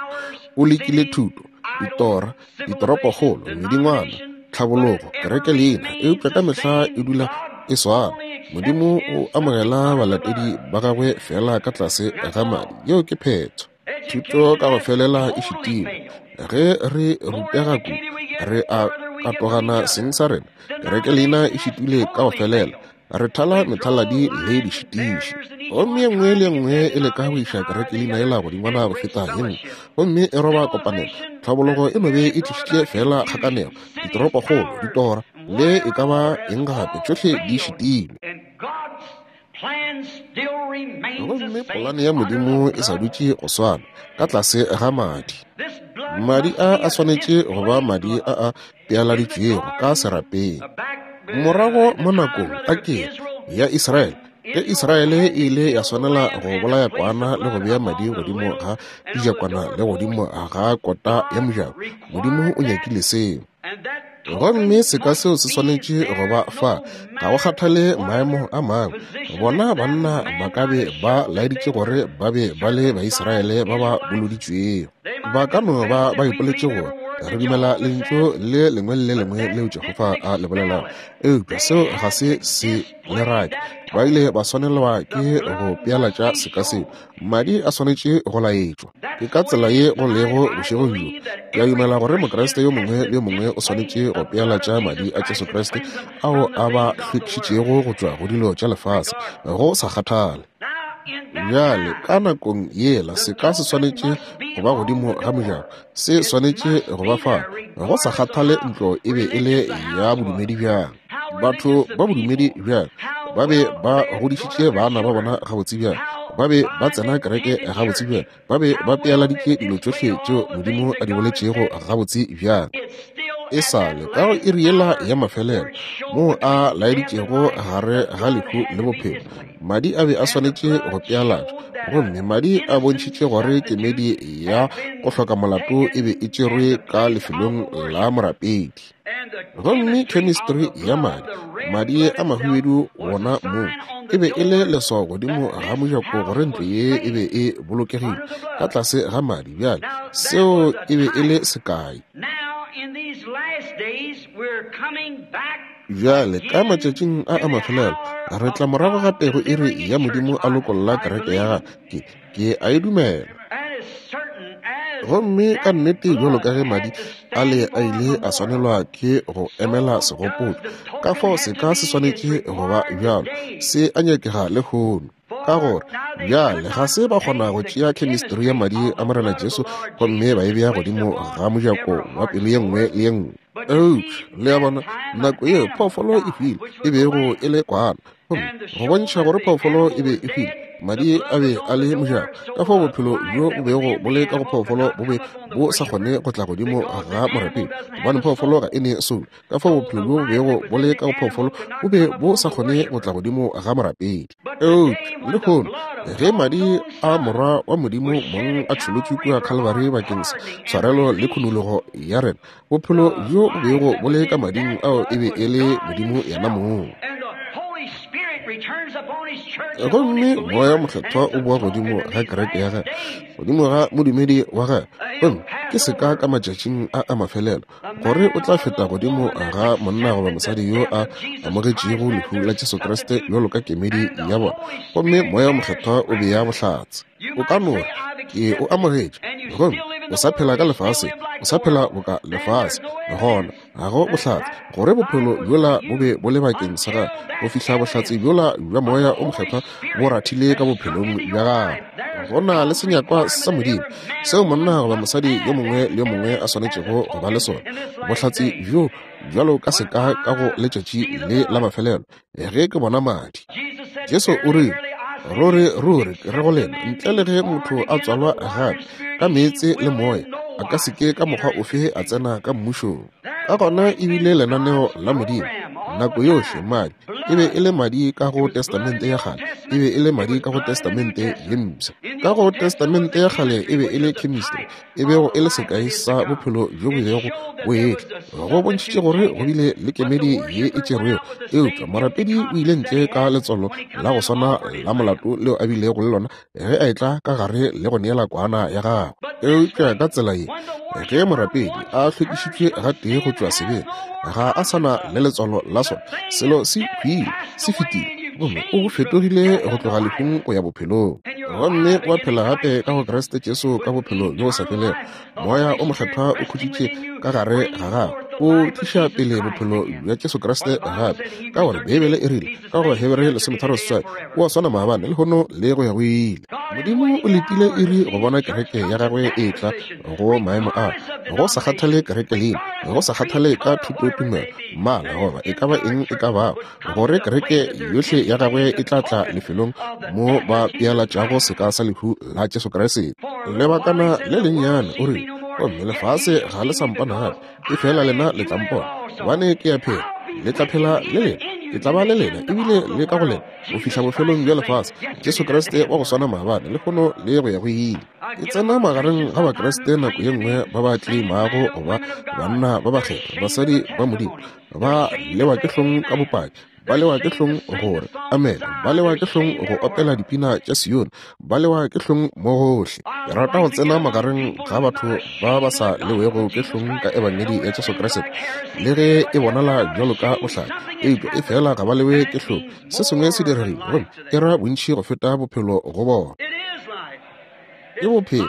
o lekile thuto, ditora, ditoropokgolo, medingwana, tlhabologo, kereke leina, eupša ka mehla e dula e swana. Modimo o amogela balatedi ba gagwe fela ka tlase ga madi. Yeo ke phetho. Thuto ka go felela e šitilwe. Ge re rutega kudu, re a katogana seng sa rena. Kereke leina e šitilwe ka go felela. Re thala methaladi le dišitiši. Gomme ye nngwe le ye nngwe e leka go iša kerekelina yela godingwana go feta ye nngwe, gomme e roba kopanelo. Tlhabologo e no be e tlišitše feela kgakanego, ditoropokgolo, ditora, le e ka ba eng gape, tšohle di šitilwe. Gomme polane ya Modimo e sa dutše go swana, ka tlase ga madi. Madi a a swanetše go ba madi a a pealaditšwego ka serapeng. Morago mo nakong a ke ya Israele, ge Israele e ile ya swanela go bolaya kwana le go bea madi godimo ga dijakwana le godimo ga kota ya mojako, Modimo o nyakile seo. Gomme seka seo se swanetše go ba fa, ga go kgathale maemo a mangwe. Bona banna ba ka be ba laeditše gore ba be ba le Baisraele ba ba boloditšwego. Ba ka no ba ba ipoletše gore re dumela lentšu le lengwe le le lengwe leo Jehofa a le bolelago, eupša seo ga se se le rake. Ba ile ba swanelwa ke go pealatša seka seo. Madi a swanetše go laetšwa. Ke ka tsela ye go lego bošegong bjo. Ke a dumela gore Mokriste yo mongwe le yo mongwe o swanetše go pealatša madi a Jesu Kriste ao a ba hlwekišitšego go tšwa go dilo tša lefase, go sa kgathale. Bjale, ka nakong yela seka se swanetše go ba godimo ga mojako, se swanetše go ba fa, go sa kgathale ntlo e be e le ya bodumedi bjang. Batho ba bodumedi bjang ba be ba godišitše bana ba bona gabotse bjang, ba be ba tsena kereke gabotse bjang, ba be ba pealaditše dilo tšohle tšeo Modimo a di boletšego gabotse bjang. E sa le ka go iri yela ya mafelelo moo a laeditšego gare ga lehu le bophelo, madi a be a swanetše go pealatšwa, gomme madi a bontšhitše gore kemedi ya go hloka molato e be e tšerwe ka lefelong la morapedi. Gomme chemistry ya madi, madi a mahubedu wona moo, e be e le leswao godimo ga mojako gore ntlo ye e be e bolokegile ka tlase ga madi. Bjale, seo e be e le sekai. Bjale, ka matšatšing a a mafelelo, re tla morago gape go iri ya Modimo a lokolla kereke ya gagwe. Ke a e dumela. Gomme ka nnete bjalo ka ge madi ale a ile a swanelwa ke go emela segopotšo, ka fao seka se swanetše go ba bjalo, se a nyakega lehono. Ka gore bjale ga se ba kgona go tšea chemistry ya madi a Morena Jesu gomme ba e bea godimo ga mojako wa pelo ye nngwe le ye nngwe. Eupša, le a bona, nako yeo phoofolo e hwile, e bego e le kwana, gomme go bontšha gore phoofolo e be e hwile, madi a be a le mojako, ka fao bophelo bjo bo bego bo le ka go phoofolo bo be bo sa kgone go tla godimo ga morapedi, gobane phoofolo ga e ne soulo. Ka fao bophelo bjo bo bego bo le ka go phoofolo bo be bo sa kgone go tla godimo ga morapedi. Eupša lehono, ge madi a Morwa wa Modimo mong a tšholotšwe kua Calvary bakeng sa tshwarelo le khunologo ya rena, bophelo bjo bo bego bo le ka mading ao e be e le Modimo yena mong. Gomme Moya Mokgethwa o boa godimo ga kereke ya gagwe, godimo ga modumedi wa gagwe, gomme ke seka ka matšatšing a a mafelelo gore o tla feta godimo ga monna goba mosadi yo a amogetšego lehu la Jesu Kriste bjalo ka kemedi ya bona, gomme Moya Mokgethwa o bea bohlatse. O ka no re, Ke o amogetše, gomme o sa phela ka lefaseng, o sa phela boka lefase. Gona ga go bohlatse gore bophelo bjola bo be bo le bakeng sa gagwe go fihla bohlatse bjola bja Moya o Mokgethwa bo rathile ka bophelong bja gagwe. Go na le senyakwa sa Modimo seo monna goba mosadi yo mongwe le yo mongwe a swanetšego go ba le sona. Bohlatse bjo bjalo ka seka ka go letšatši le la mafelelo ge ke bona madi. Jesu o rile, Ruri, ruri, ke re go lena, ntle le ge motho a tswalwa gape ka meetse le moya, a ka se ke ka mokgwa ofe a tsena ka mmušong. Ka gona e bile lenaneo la Modimo nako yohle madi e be e le madi ka go Testamente ya Kgale, e be e le madi ka go Testamente ye Mpsha. Ka go Testamente ya Kgale e be e le chemistry, e bego e le sekai sa bophelo bjo bo bego bo etla. Go bontšhitše gore go bile le kemedi ye e tšerwego, eupša morapedi o ile ntle ka letswalo la go swana la molato leo a bilego le lona ge a etla ka gare le go neela kwana ya gagwe. Eupša ka tsela ye, ge morapedi a hlwekišitšwe gatee go tšwa sebeng, ga a sa na le letswalo la sona. Selo se hwile, se fetile, gomme o fetogile go tloga lehung go ya bophelong, gomme wa phela gape ka go Kriste Jesu ka bophelo bjo bo sa felego. Moya o Mokgethwa o khutšitše ka gare ga gago. O tliša pele bophelo bja Jesu Kriste gape, ka gore Beibele e rile ka go Hebere 13:8, O a swana maabane, lehono le go ya go ile. Modimo o letile iri go bona kereke ya gagwe e etla go maemo a, go sa kgathale kereke leina, go sa kgathale ka thutotumelo, mmala, goba e ka ba eng e ka bago, gore kereke yohle ya gagwe e tla tla lefelong mo ba pealatšago seka sa lehu la Jesu Kriste. Lebakana le lennyane, o rile, gomme lefase ga le sa mpona gape, efela lena le tla mpona, gobane ke a phela, le tla phela le lena, ke tla ba le lena, ebile le ka go lena, go fihla bofelong bja lefase. Jesu Kriste wa go swana maabane, lehono le go ya go ile. Ke tsena magareng ga Bakriste nako ye nngwe ba ba tleimago go ba banna ba bakgethwa, basadi ba Modimo, ba lewa ke hlong ka bopaki, ba lewa ke hlong gore amene, ba lewa ke hlong go opela dipina tša Sione, ba lewa ke hlong mo gohle. Ke rata go tsena magareng ga batho ba ba sa lewego ke hlong ka ebangedi ya Jesu Kriste, le ge e bonala bjalo ka bohlale, eupša e fela ga ba lewe ke hlong. Se sengwe se diregile, gomme e ra bontši go feta bophelo go bona. Ke bophelo,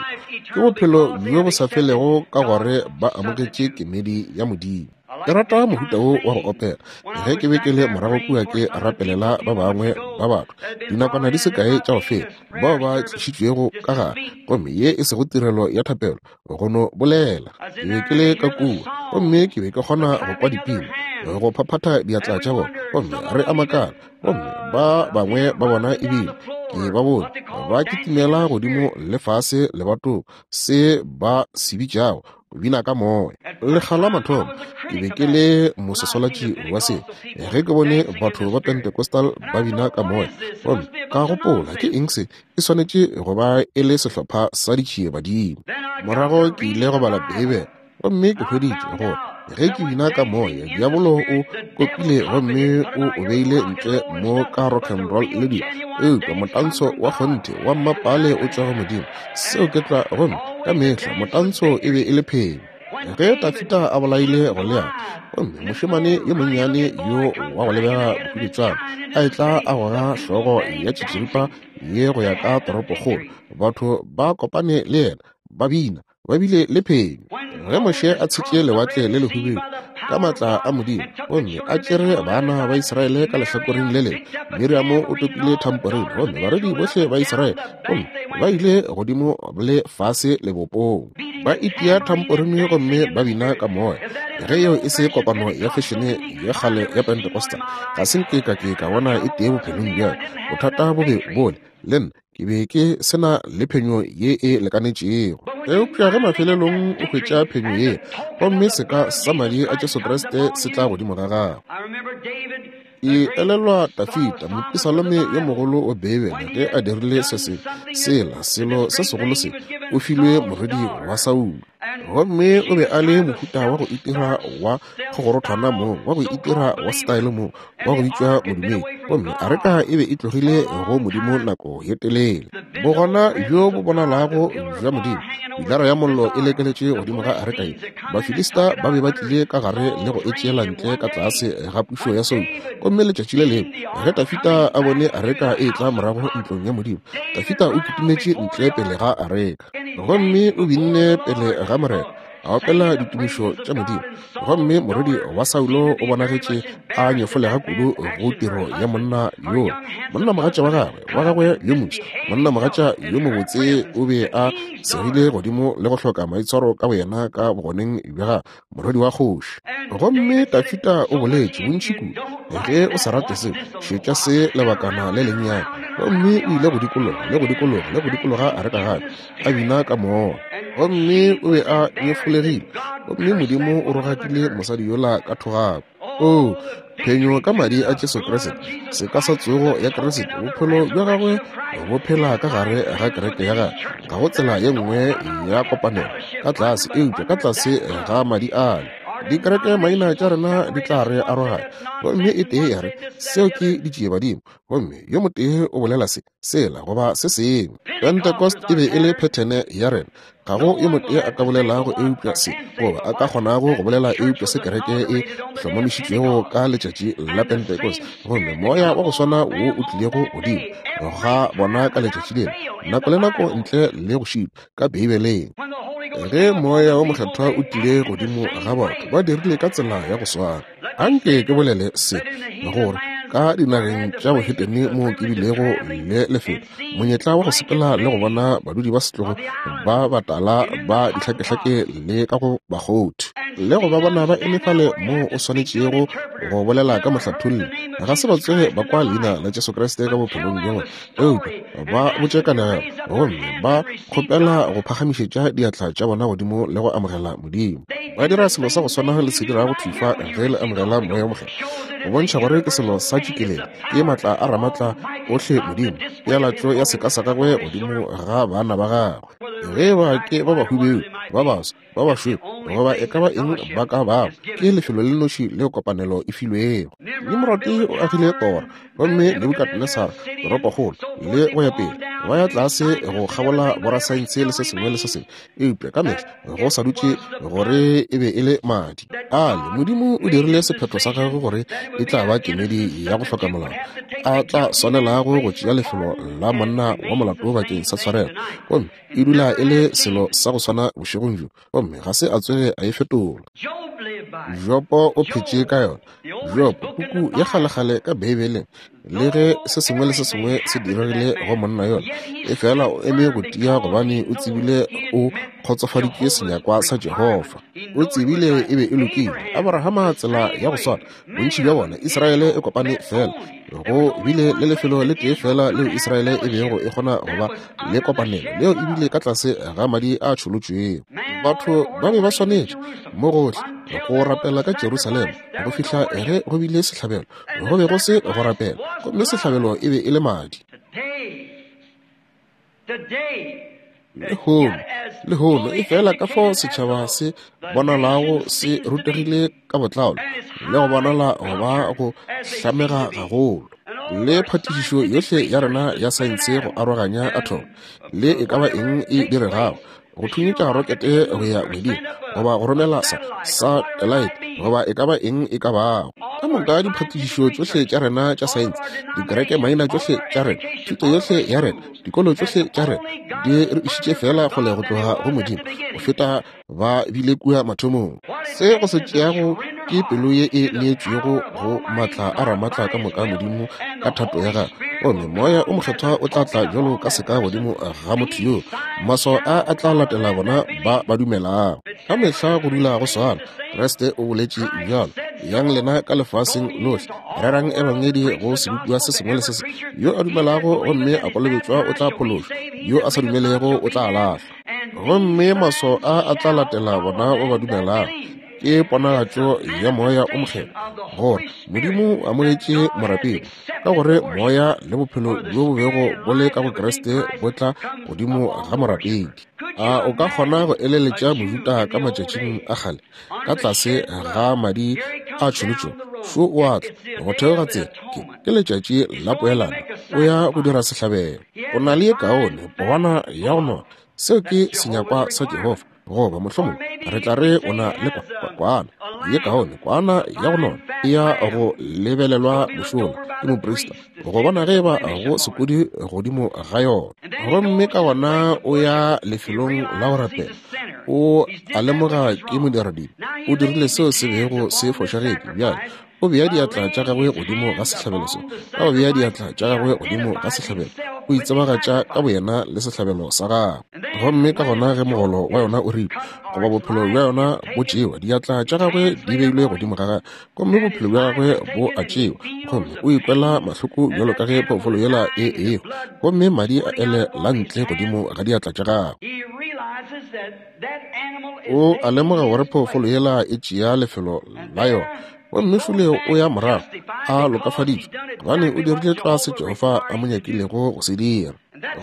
ke bophelo bjo bo sa felego ka gore ba amogetše kemedi ya Modimo. Ke rata mohuta wo wa go opela. Ge ke be ke le morago kua ke rapelela ba bangwe ba batho, dinakwana di se kae tša go feta, bao ba tlišitšwego ka gare, gomme ye e sego tirelo ya thapelo, go no bolela. Ke be ke le ka kua, gomme ke be ke kgona go kwa dipina, go phaphatha diatla tša bona, gomme re a makala, gomme ba bangwe ba bona ebile ke ba bone ba kitimela godimo le fase lebatong, se ba se bitšago go bina ka moya. Lekga la mathomo ke be ke le mososolatši wa se, ge ke bone batho ba Pentecostal ba bina ka moya, gomme ka gopola, ke eng se? E swanetše go ba e le sehlopha sa ditšiebadimo. Morago ke ile go bala Beibele, gomme ke hweditše gore ge ke bina ka moya, diabolo o kopile gomme o o beile ntle mo ka rock and roll le dilo, eupša motantsho wa kgonthe wa mmapale o tšwa go Modimo. Seo ke tlwa, gomme ka mehla motantsho e be e le phenyo. Ge Dafida a bolaile Goliate, gomme mošemane yo monnyane yo wa go lebega bohwibetswana a etla a goga hlogo ya tšitširipa ye go ya ka toropokgolo, batho ba kopane le yena ba bina, ba bile le phenyo. Ge Moshe a tshetše lewatle le lehubedu ka maatla a Modimo, gomme a tšere bana ba Israele ka lehlakoreng le lengwe, Miriamo o topile thamporine, gomme barwedi bohle ba Israele, gomme ba ile godimo le fase lebopong, ba itia thamporine gomme ba bina ka moya. Ge yeo e se kopano ya fešene ya kgale ya Pentecostal, ga se nke ka ke ka bona e tee bophelong bja ka. Bothata bo be bole le nna, ke be ke se na le phenyo ye e lekanetšego. Eupša ge mafelelong o hwetša phenyo ye, gomme seka sa madi a Jesu Kriste se tla godimo ga gago. Ke elelwa Dafida, mopisalome yo mogolo wa Beibele, ge a dirile se se sela selo se segolo se, o filwe morwedi wa Saulo. Gomme o be a le mohuta wa go itira wa kgogorothwana mong, wa go itira wa style mong, wa go bitšwa modumedi. Gomme areka e be e tlogile go Modimo nako ye telele. Bogona bjo bo bonalago bja Modimo, pilara ya mollo e lekeletše godimo ga areka ye. Bafilista ba be ba tlile ka gare le go e tšeela ntle ka tlase ga pušo ya Saulo. Gomme letšatši le lengwe ge Dafida a bone areka e etla morago ntlong ya Modimo, Dafida o kitimetše ntle pele ga areka. Gomme o binne pele ga Morena, a opela ditumišo tša Modimo. Gomme morwedi wa Saulo o bonagetše a nyefolega kudu go tiro ya monna yola. Monnamogatša wa gagwe, wa gagwe yo moswa, monnamogatša yo mobotse, o be a segile godimo le go hloka maitshwaro ka boyena ka bogoneng bja gagwe, morwedi wa kgoši. Gomme Dafida o boletše bontši kudu, ge o sa rate se, šetša se lebakana le lennyane. Gomme o ile go dikologa le go dikologa le go dikologa areka gape, a bina ka moya. Gomme o be a nyefolegile, gomme Modimo o rogakile mosadi yola ka thogako. Oo, phenyo ka madi a Jesu Kriste, seka sa tsogo ya Kriste, bophelo bja gagwe bo phela ka gare ga kereke ya gagwe. Ga go tsela ye nngwe ya kopanelo ka tlase eupša ka tlase ga madi ale. Dikereke maina tša rena di tla re aroganya, gomme e tee ya re seo ke ditšiebadimo, gomme yo motee o bolela se, sela goba se sengwe. Pentecost e be e le phethene ya rena. Ga go yo motee a ka bolelago eupša se, goba a ka kgonago go bolela eupša se kereke e hlomamišitšwego ka letšatši la Pentecost, gomme moya wa go swana wo o tlilego godimo ga bona ka letšatši lela, nako le nako ntle le go šitwa, ka Beibeleng. Ge Moya wo Mokgethwa o tlile godimo ga batho, ba dirile ka tsela ya go swana. Anke ke bolele se, gore ka dinageng tša bohetene moo ke bilego le lefelo, monyetla wa go sepela le go bona badudi ba setlogo ba batala ba dihlakehlake le ka go bakgothi, le go ba bona ba eme fale moo o swanetšego go bolela ka mohlatholli, ga se ba tsoge ba kwa leina la Jesu Kriste ka bophelong bja bona, eupša ba botše kanegelo gomme ba kgopela go phagamišetša diatla tša bona godimo le go amogela Modimo. Ba dira selo sa go swana le se dirago thufa ge le amogela Moya wo Mokgethwa, go bontšha gore ke selo sa tšikelelo, ke maatla a Ramatla ohle Modimo, pealatšo ya seka sa gagwe godimo ga bana ba gagwe. Ge ba ke ba bahubedu, ba baso, ba bašweu, goba e ka ba eng ba ka bago, ke lefelo le noši leo kopanelo e filwego. Nimrode o agile tora, gomme Nebukadnesar toropokgolo, le go ya pele, ba ya tlase go kgabola borasaense le se sengwe le se sengwe, eupša ka mehla go sa dutše gore e be e le madi ale. Modimo o dirile sephetho sa gagwe gore e tla ba kemedi ya go hloka molao a tla swanelago go tšea lefelo la monna wa molato bakeng sa tshwarelo, gomme e dula e le selo sa go swana bošegong bjo, gomme ga se a tsoge a e fetola. Jopo o phetše ka yona. Jopo, puku ya kgalekgale ka Beibeleng, le ge se sengwe le se sengwe se diregile go monna yola, e fela o eme go tia gobane o tsebile o kgotsofaditše senyakwa sa Jehofa. O tsebile e be e lokile. Abrahama tsela ya go swana, bontši bja bona, Israele e kopane fela. Go bile le lefelo le tee fela leo Israele e bego e kgona go ba le kopanelo, leo e bile ka tlase ga madi a tšholotšwego. Batho ba be ba swanetše mo gohle go rapela ka Jerusalema go fihla ge go bile sehlabelo. Go be go se go rapela, gomme sehlabelo e be e le madi. Lehono, lehono, e fela ka fao setšhaba se bonalago se rutegile ka botlalo le go bonala go ba go hlamega gagolo, le phatišišo yohle ya rena ya saense go aroganya athomo le e ka ba eng e diregago, go thunyetša rokete go ya ngweding, goba go romela sa satellite, goba e ka ba eng e ka bago. Ka moka diphatišišo tšohle tša rena tša saense, dikereke maina tšohle tša rena, thuto yohle ya rena, dikolo tšohle tša rena, di re išitše feela kgole go tloga go Modimo go feta ba bile kua mathomong. Se go se tšeago ke pelo ye e neetšwego go maatla a Ramatla ka moka Modimo ka thato ya gagwe, gomme Moya o Mokgethwa o tla tla bjalo ka seka godimo ga motho yoo. Maswao a a tla latela bona ba ba dumelago. Ka mehla go dula go swana. Kriste o boletše bjalo, Yang lena ka lefaseng lohle, rerang ebangedi go sebopiwa se sengwe le se sengwe. Yo a dumelago gomme a kolobetšwa o tla phološwa, yo a sa dumelego o tla lahlwa. Gomme maswao a a tla latela bona ba ba dumelago. Ke ponagatšo ya Moya o Mokgethwa, gore Modimo o amogetše morapedi, ka gore Moya le bophelo bjo bo bego bo le ka go Kriste bo tla godimo ga morapedi. A o ka kgona go eleletša Mojuda ka matšatšing a kgale, ka tlase ga madi a tšholotšwego? Šo o a tla go theoga tsela, ke, ke letšatši la poelano, o ya go dira sehlabelo. O na le ye kaone pohwana ya go nona. Seo ke senyakwa sa Jehofa. Goba mohlomongwe re tla re o na le kwana ye kaone, kwana ya go nona e ya go lebelelwa mošola ke moprista go bona ge e ba go sekodi godimo ga yona. Gomme ka gona o ya lefelong la go rapela, o a lemoga ke modiradibe, o dirile seo se bego se fošagetše. Bjale o bea diatla tša gagwe godimo ga sehlabelo se. Ka go bea diatla tša gagwe godimo ga sehlabelo, o itsebagatša ka boyena le sehlabelo sa gagwe. Gomme ka gona ge mogolo wa yona o ripwa, goba bophelo bja yona bo tšewa, diatla tša gagwe di beilwe godimo ga gagwe, gomme bophelo bja gagwe bo a tšewa, gomme o ikwela mahloko bjalo ka ge phoofolo yela e ehwa, gomme madi a ele la ntle godimo ga diatla tša gagwe. O a lemoga gore phoofolo yela e tšea lefelo la yona, gomme šole o ya morago a lokafaditšwe, gobane o dirile tlwa se Jehofa a mo nyakilego go se dira.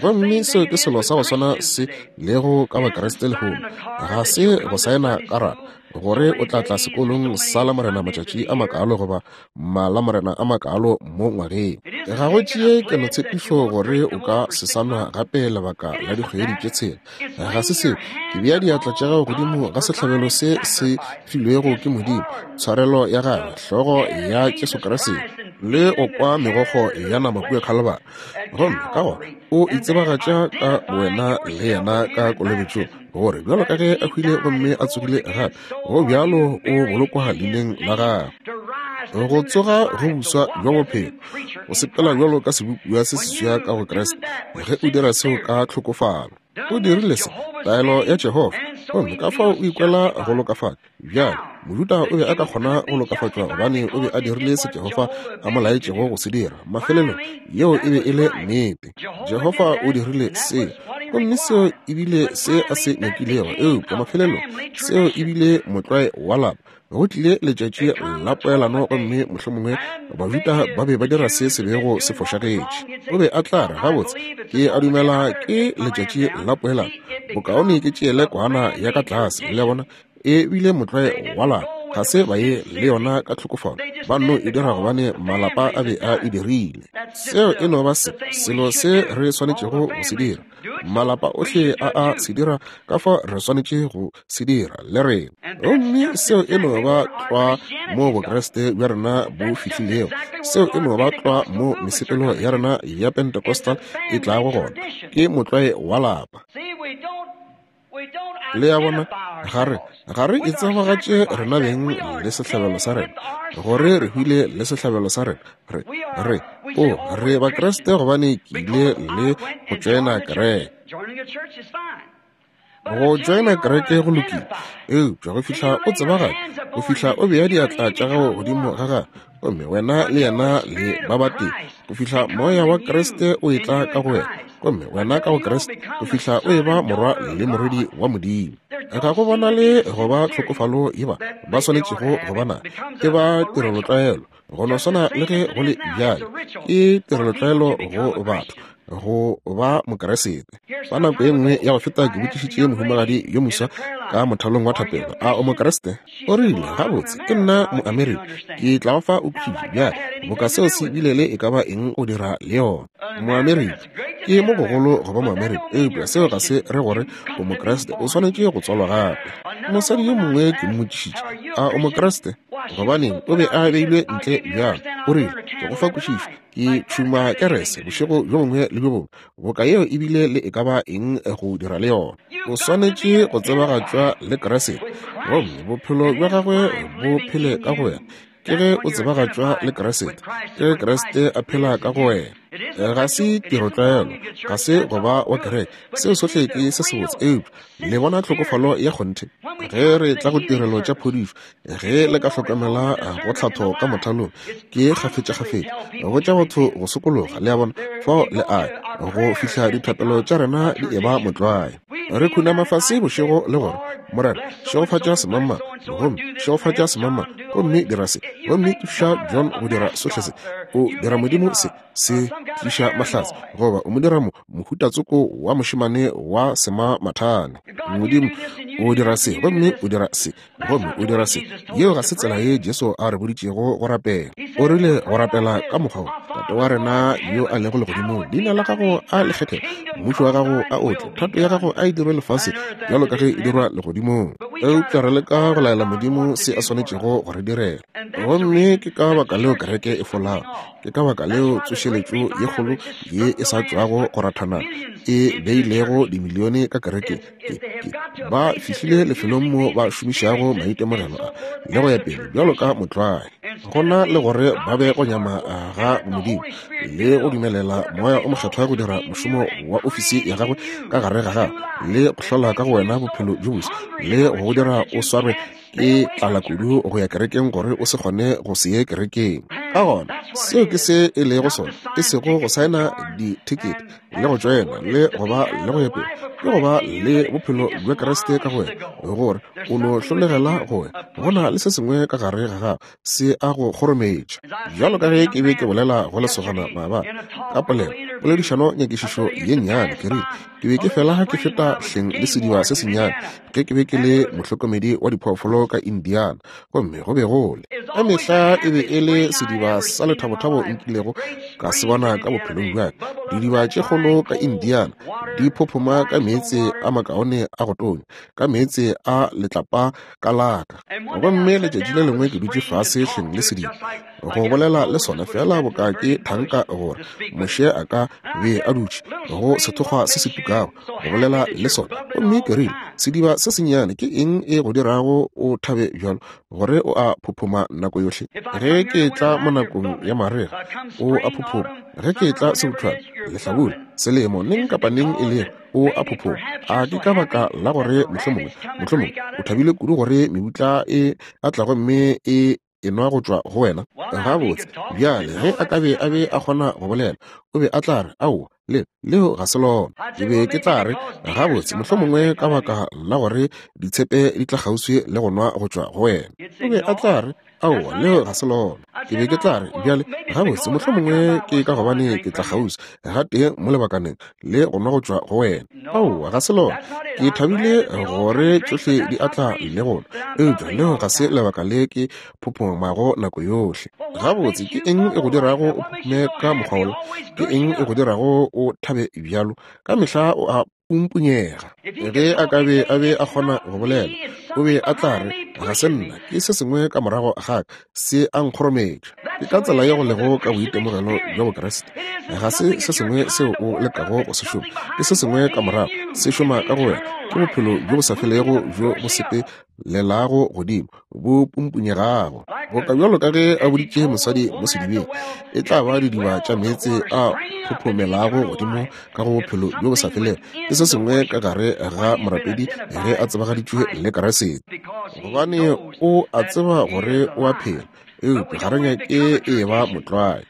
Gomme seo ke selo sa go swana se lego ka Bakriste lehono. Ga se go saena karata gore o tla tla sekolong sa Lamorena matšatši a makalo goba Malamorena a makalo mo ngwageng. Ga go tšee kelotshepišo gore o ka se sa nwa gape lebaka la dikgwedi tše tshela. Ga se seo. Ke bea diatla tša gago godimo ga sehlabelo se se filwego ke Modimo, tshwarelo ya gagwe, hlogo ya Jesu Kriste. Le go kwa megokgo ya nama kua Khalibari. Gomme ka gona o itsebagatša ka wena le yena ka kolobetšong, gore bjalo ka ge a hwile gomme a tsogile gape, go bjalo o bolokwa leineng la gagwe. Go tsoga go buswa bja bophelo, go sepela bjalo ka sebopiwa se seswa ka go Kriste, ge o dira seo ka tlhokofalo. O dirile se, taelo ya Jehofa, gomme ka fao o ikwela go lokafatšwa. Bjale, Mojuda o be a ka kgona go lokafatšwa gobane o be a dirile se Jehofa a mo laetšego go se dira. Mafelelong, yeo e be e le nnete. Jehofa o dirile seo, gomme seo e bile se a se nyakilego. Eupša mafelelong, seo e bile motlwae wa lapa. Go tlile letšatši la poelano, gomme mohlomongwe Bajuda ba be ba dira se se bego se fošagetše. O be a tla re, Gabotse, ke a dumela ke letšatši la poelano. Bokaone ke tšeele kwana ya ka tlase. Le a bona? E bile motlwae wa lapa. Ga se ba ye le yona ka tlhokofalo. Ba nno e dira gobane malapa a be a e dirile. Seo e no ba se, selo se re swanetšego go se dira. Malapa ohle a a se dira, ka fao re swanetše go se dira le rena. Gomme seo e no ba tlwa mo Bokriste bja rena bo fihlilego. Seo e no ba tlwa mo mesepelo ya rena ya Pentecostal e tlago gona. Ke motlwae wa lapa. Le a bona, ga re, ga re itsebagatše rena beng le sehlabelo sa rena, gore re hwile le sehlabelo sa rena. Re, re, o, re Bakriste gobane ke ile le go tšoena kereke. Go tšoena kereke go lokile, eupša go fihla o tsebagatša, go fihla o bea diatla tša gago godimo ga gagwe, gomme wena le yena le ba batee, go fihla moya wa Kriste o etla ka go wena, gomme wena ka go Kriste, go fihla o eba morwa le morwedi wa Modimo. Ga go bonale go ba tlhokofalo ye ba ba swanetšego go ba na, e ba tirelotlwaelo, go no swana le ge go le bjale, ke tirelotlwaelo go batho go ba Mokeresete. Fa nako e nngwe ya go feta ke botšišitše mohumagadi yo moswa ka mothalong wa thapelo, a o Mokeresete? O rile, Gabotse, ke nna Moamerika, ke tla go fa o khudu. Bjale, boka seo se bile le e ka ba eng go dira le yona. Moamerika, ke mo gogolo go ba Moamerika, eupša seo ga se re gore o Mokriste, o swanetše go tswalwa gape. Mosadi yo mongwe ke mmotšišitše, a o Mokriste? Gobaneng, o be a beilwe ntle bjalo. O rile, Ke go fa kwešišo, ke tšhuma kerese bošego bjo bongwe le bjo bongwe. Boka yeo e bile le e ka ba eng go dira le yona. O swanetše go tsebagatšwa le Kriste, gomme bophelo bja gagwe bo phele ka go wena. Ke ge o tsebagatšwa le Kriste, ke ge Kriste a phela ka go wena. Ga se tirotlwaelo, ga se go ba wa kereke, seo sohle ke se sebotse, eupša le bona tlhokofalo ya kgonthe ge re tla go tirelo tša phodišo. Ge le ka hlokomela go tlhatho ka mothalong, ke kgafetšakgafetša go tša batho go sokologa, le a bona, fao le a go fihla dithapelo tša rena di eba motlwae. Re khunama fase bošego le gore, Morena, šegofatša semangmang, gomme šegofatša semangmang, gomme dira se, gomme thuša John go dira sohle se. O dira Modimo se, se tliša mahlatse, goba o mo dira mo, mohuta tsoko wa mošemane wa semamathane. Modimo, o dira se, gomme o dira se, gomme o dira se. Yeo ga se tsela ye Jesu a re boditšego go rapela. O rile go rapela ka mokgwa wo: Tate wa rena yo a lego legodimong, leina la gago a le kgethege, mmušo wa gago a o tle, thato ya gago a e dirwe lefase bjalo ka ge e dirwa legodimong. Eupša re leka go laela Modimo se a swanetšego go re direla. Gomme ke ka baka leo kereke e folago. Ke ka baka leo tsošeletšo ye kgolo ye e sa tšwago go rathana e beilego dimilione ka kerekeng. Ke, ke, ba fihlile lefelong mo ba šomišago maitemogelo a le go ya pele bjalo ka motlwae, go na le gore ba be go nyama ga Modimo le go dumelela Moya o Mokgethwa go dira mošomo wa ofisi ya gagwe ka gare ga gago le go hlola ka go wena bophelo bjo boswa le go go dira o swarwe ke tlala kudu go ya kerekeng gore o se kgone go se ye kerekeng. Ka gona seo ke se e lego sona, e sego go saena dithekete le go tšoena le go ba le go ya pele, ke go ba le bophelo bja Kriste ka go wena, gore o no hlolegela go wena. Go na le se sengwe ka gare ga gago se a go kgorometša. Bjalo ka ge ke be ke bolela go lesogana maabane ka polelo, poledišano nyakišišo ye nnyane, ke rile ke be ke fela ke feta hleng le sediba se sennyane ge ke be ke le mohlokomedi wa diphoofolo ka Indiana, gomme go be go le ka mehla e be e le sediba sa lethabothabo nkilego ka se bona ka bophelong bja ka. Didiba tše kgolo ka Indiana di phophoma ka meetse a makaone a go tonya, ka meetse a letlapa ka laka. Gomme letšatši le lengwe ke dutše fase hleng le sediba, go bolela le sona feela boka ke thanka gore Moshe a ka be a dutše go sethokgwa se se tukago, go bolela le sona. Gomme ke rile, Sediba se sennyane, ke eng e go dirago o thabe bjalo, gore o a phophoma nako yohle? Ge ke etla mo nakong ya marega, o a phophoma. Ge ke etla sebuthwane, lehlabula, selemo, neng kapa neng e lego, o a phophoma. A ke ka baka la gore mohlomongwe, mohlomongwe o thabile kudu gore mebutla e a tla gomme e enwa go tšwa go wena? Gabotse, bjale, ge a ka be a be a kgona go bolela, o be a tla re, Aowa, le, leo ga se lona. Ke be ke tla re, Gabotse, mohlomongwe ka baka la gore ditshepe di tla kgauswi le go nwa go tšwa go wena. O be a tla re, Aowa, leo ga se lona. Ke be ke tla re, Bjale, gabotse, mohlomongwe ke ka gobane ke tla kgauswi gatee mo lebakaneng le go nwa go tšwa go wena. Aowa, ga se lona. Ke thabile gore tšohle di a tla le go nwa, eupša leo ga se lebaka le ke phophomago nako yohle. Gabotse, ke eng e go dirago o phophume ka mokgwa wola? Ke eng e go dirago o thabe bjalo? Ka mehla o a pumpunyega. Ge a ka be a be a kgona go bolela, o be a tla re, Ga se nna, ke se sengwe ka morago ga ka, se a nkgorometša. Ke ka tsela ye go lego ka boitemogelo bja Bokriste. Ga se se sengwe seo o lekago go se šoma, ke se sengwe ka morago, se šoma ka go wena. Ke bophelo bjo bo sa felego bjo bo sepelelago godimo, bo pumpunyegago. Boka bjalo ka ge a boditše mosadi mo sedibeng, e tla ba didiba tša meetse a phophomelago godimo ka go bophelo bjo bo sa felego. Ke se sengwe ka gare ga morapedi ge a tsebagaditšwe le Kriste, gobane o a tseba gore o a phela, eupša ga re nyake e ba motlwae.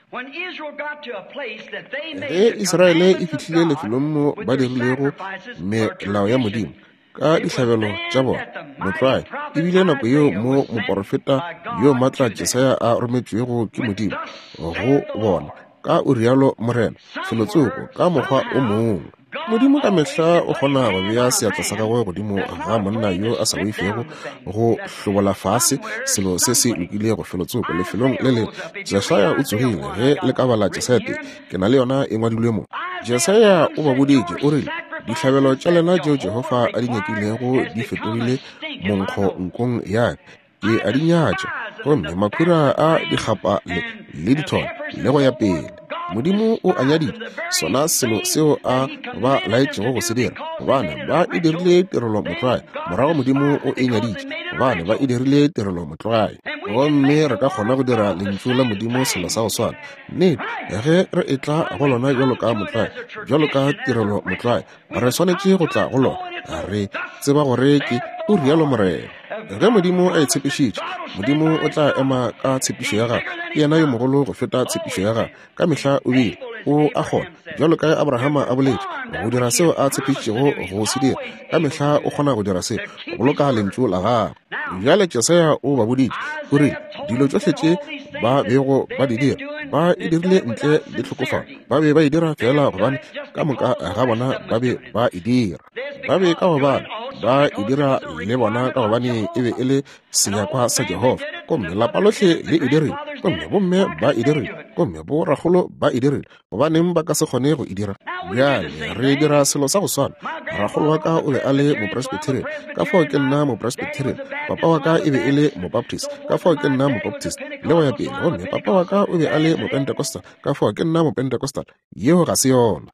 Ge Israele e fihlile lefelong mo ba dirilego melao ya Modimo ka dihlabelo tša bona motlwae, e bile nako yeo mo moporofeta yo matla Jesaya a rometšwego ke Modimo go bona, ka o rialo Morena, felotsoko ka mokgwa o mongwe. Modimo ka mehla o kgona go bea seatla sa gagwe godimo ga monna yo a sa boifego go hlobola fase selo se se lokilego felotsoko lefelong le lengwe. Jesaya o tsogile, ge le ka bala Jesaya 3, ke na le yona e ngwadilwe mo. Jesaya o ba boditše, o rile, Dihlabelo tša lena tšeo Jehofa a di nyakilego di fetogile monkgo nkong ya ka, ke a di nyatša, gomme makhura a dikgapa le, le ditholo le go ya pele. Modimo o a nyaditše sona selo seo a ba laetšego go se dira, gobane ba e dirile tirelo motlwae. Morago Modimo o e nyaditše, gobane ba e dirile tirelo motlwae. Gomme re ka kgona go dira Lentšu la Modimo selo sa go swana. Nnete, ge re etla go lona bjalo ka motlwae, bjalo ka tirelo motlwae, re swanetše go tla go lona re tseba gore ke o rialo Morena. Ge Modimo a e tshepišitše, Modimo o tla ema ka tshepišo ya gagwe. Ke yena yo mogolo go feta tshepišo ya gagwe. Ka mehla o bile o a kgona, bjalo ka ge Abrahama a boletše, go dira seo a tshepišitšego go se dira. Ka mehla o kgona go dira seo, go boloka lentšu la gagwe. Bjale Jesaya o ba boditše, o rile, dilo tšohle tše ba bego ba di dira, ba e dirile ntle le tlhokofalo. Ba be ba e dira feela gobane ka moka ga bona ba be ba e dira. Ba be ka gobane ba e dira le bona ka gobane e be e le senyakwa sa Jehofa. Gomme lapa lohle le e dirile, gomme bomme ba e dirile, gomme borakgolo ba e dirile. Gobaneng ba ka se kgone go e dira? Bjale re dira selo sa go swana. Rakgolo wa ka o be a le Mopresbyterian, ka fao ke nna Mopresbyterian. Papa wa ka e be e le Mobaptist, ka fao ke nna Mobaptist, le go ya pele. Gomme papa wa ka o be a le Mopentecostal, ka fao ke nna Mopentecostal. Yeo ga se yona.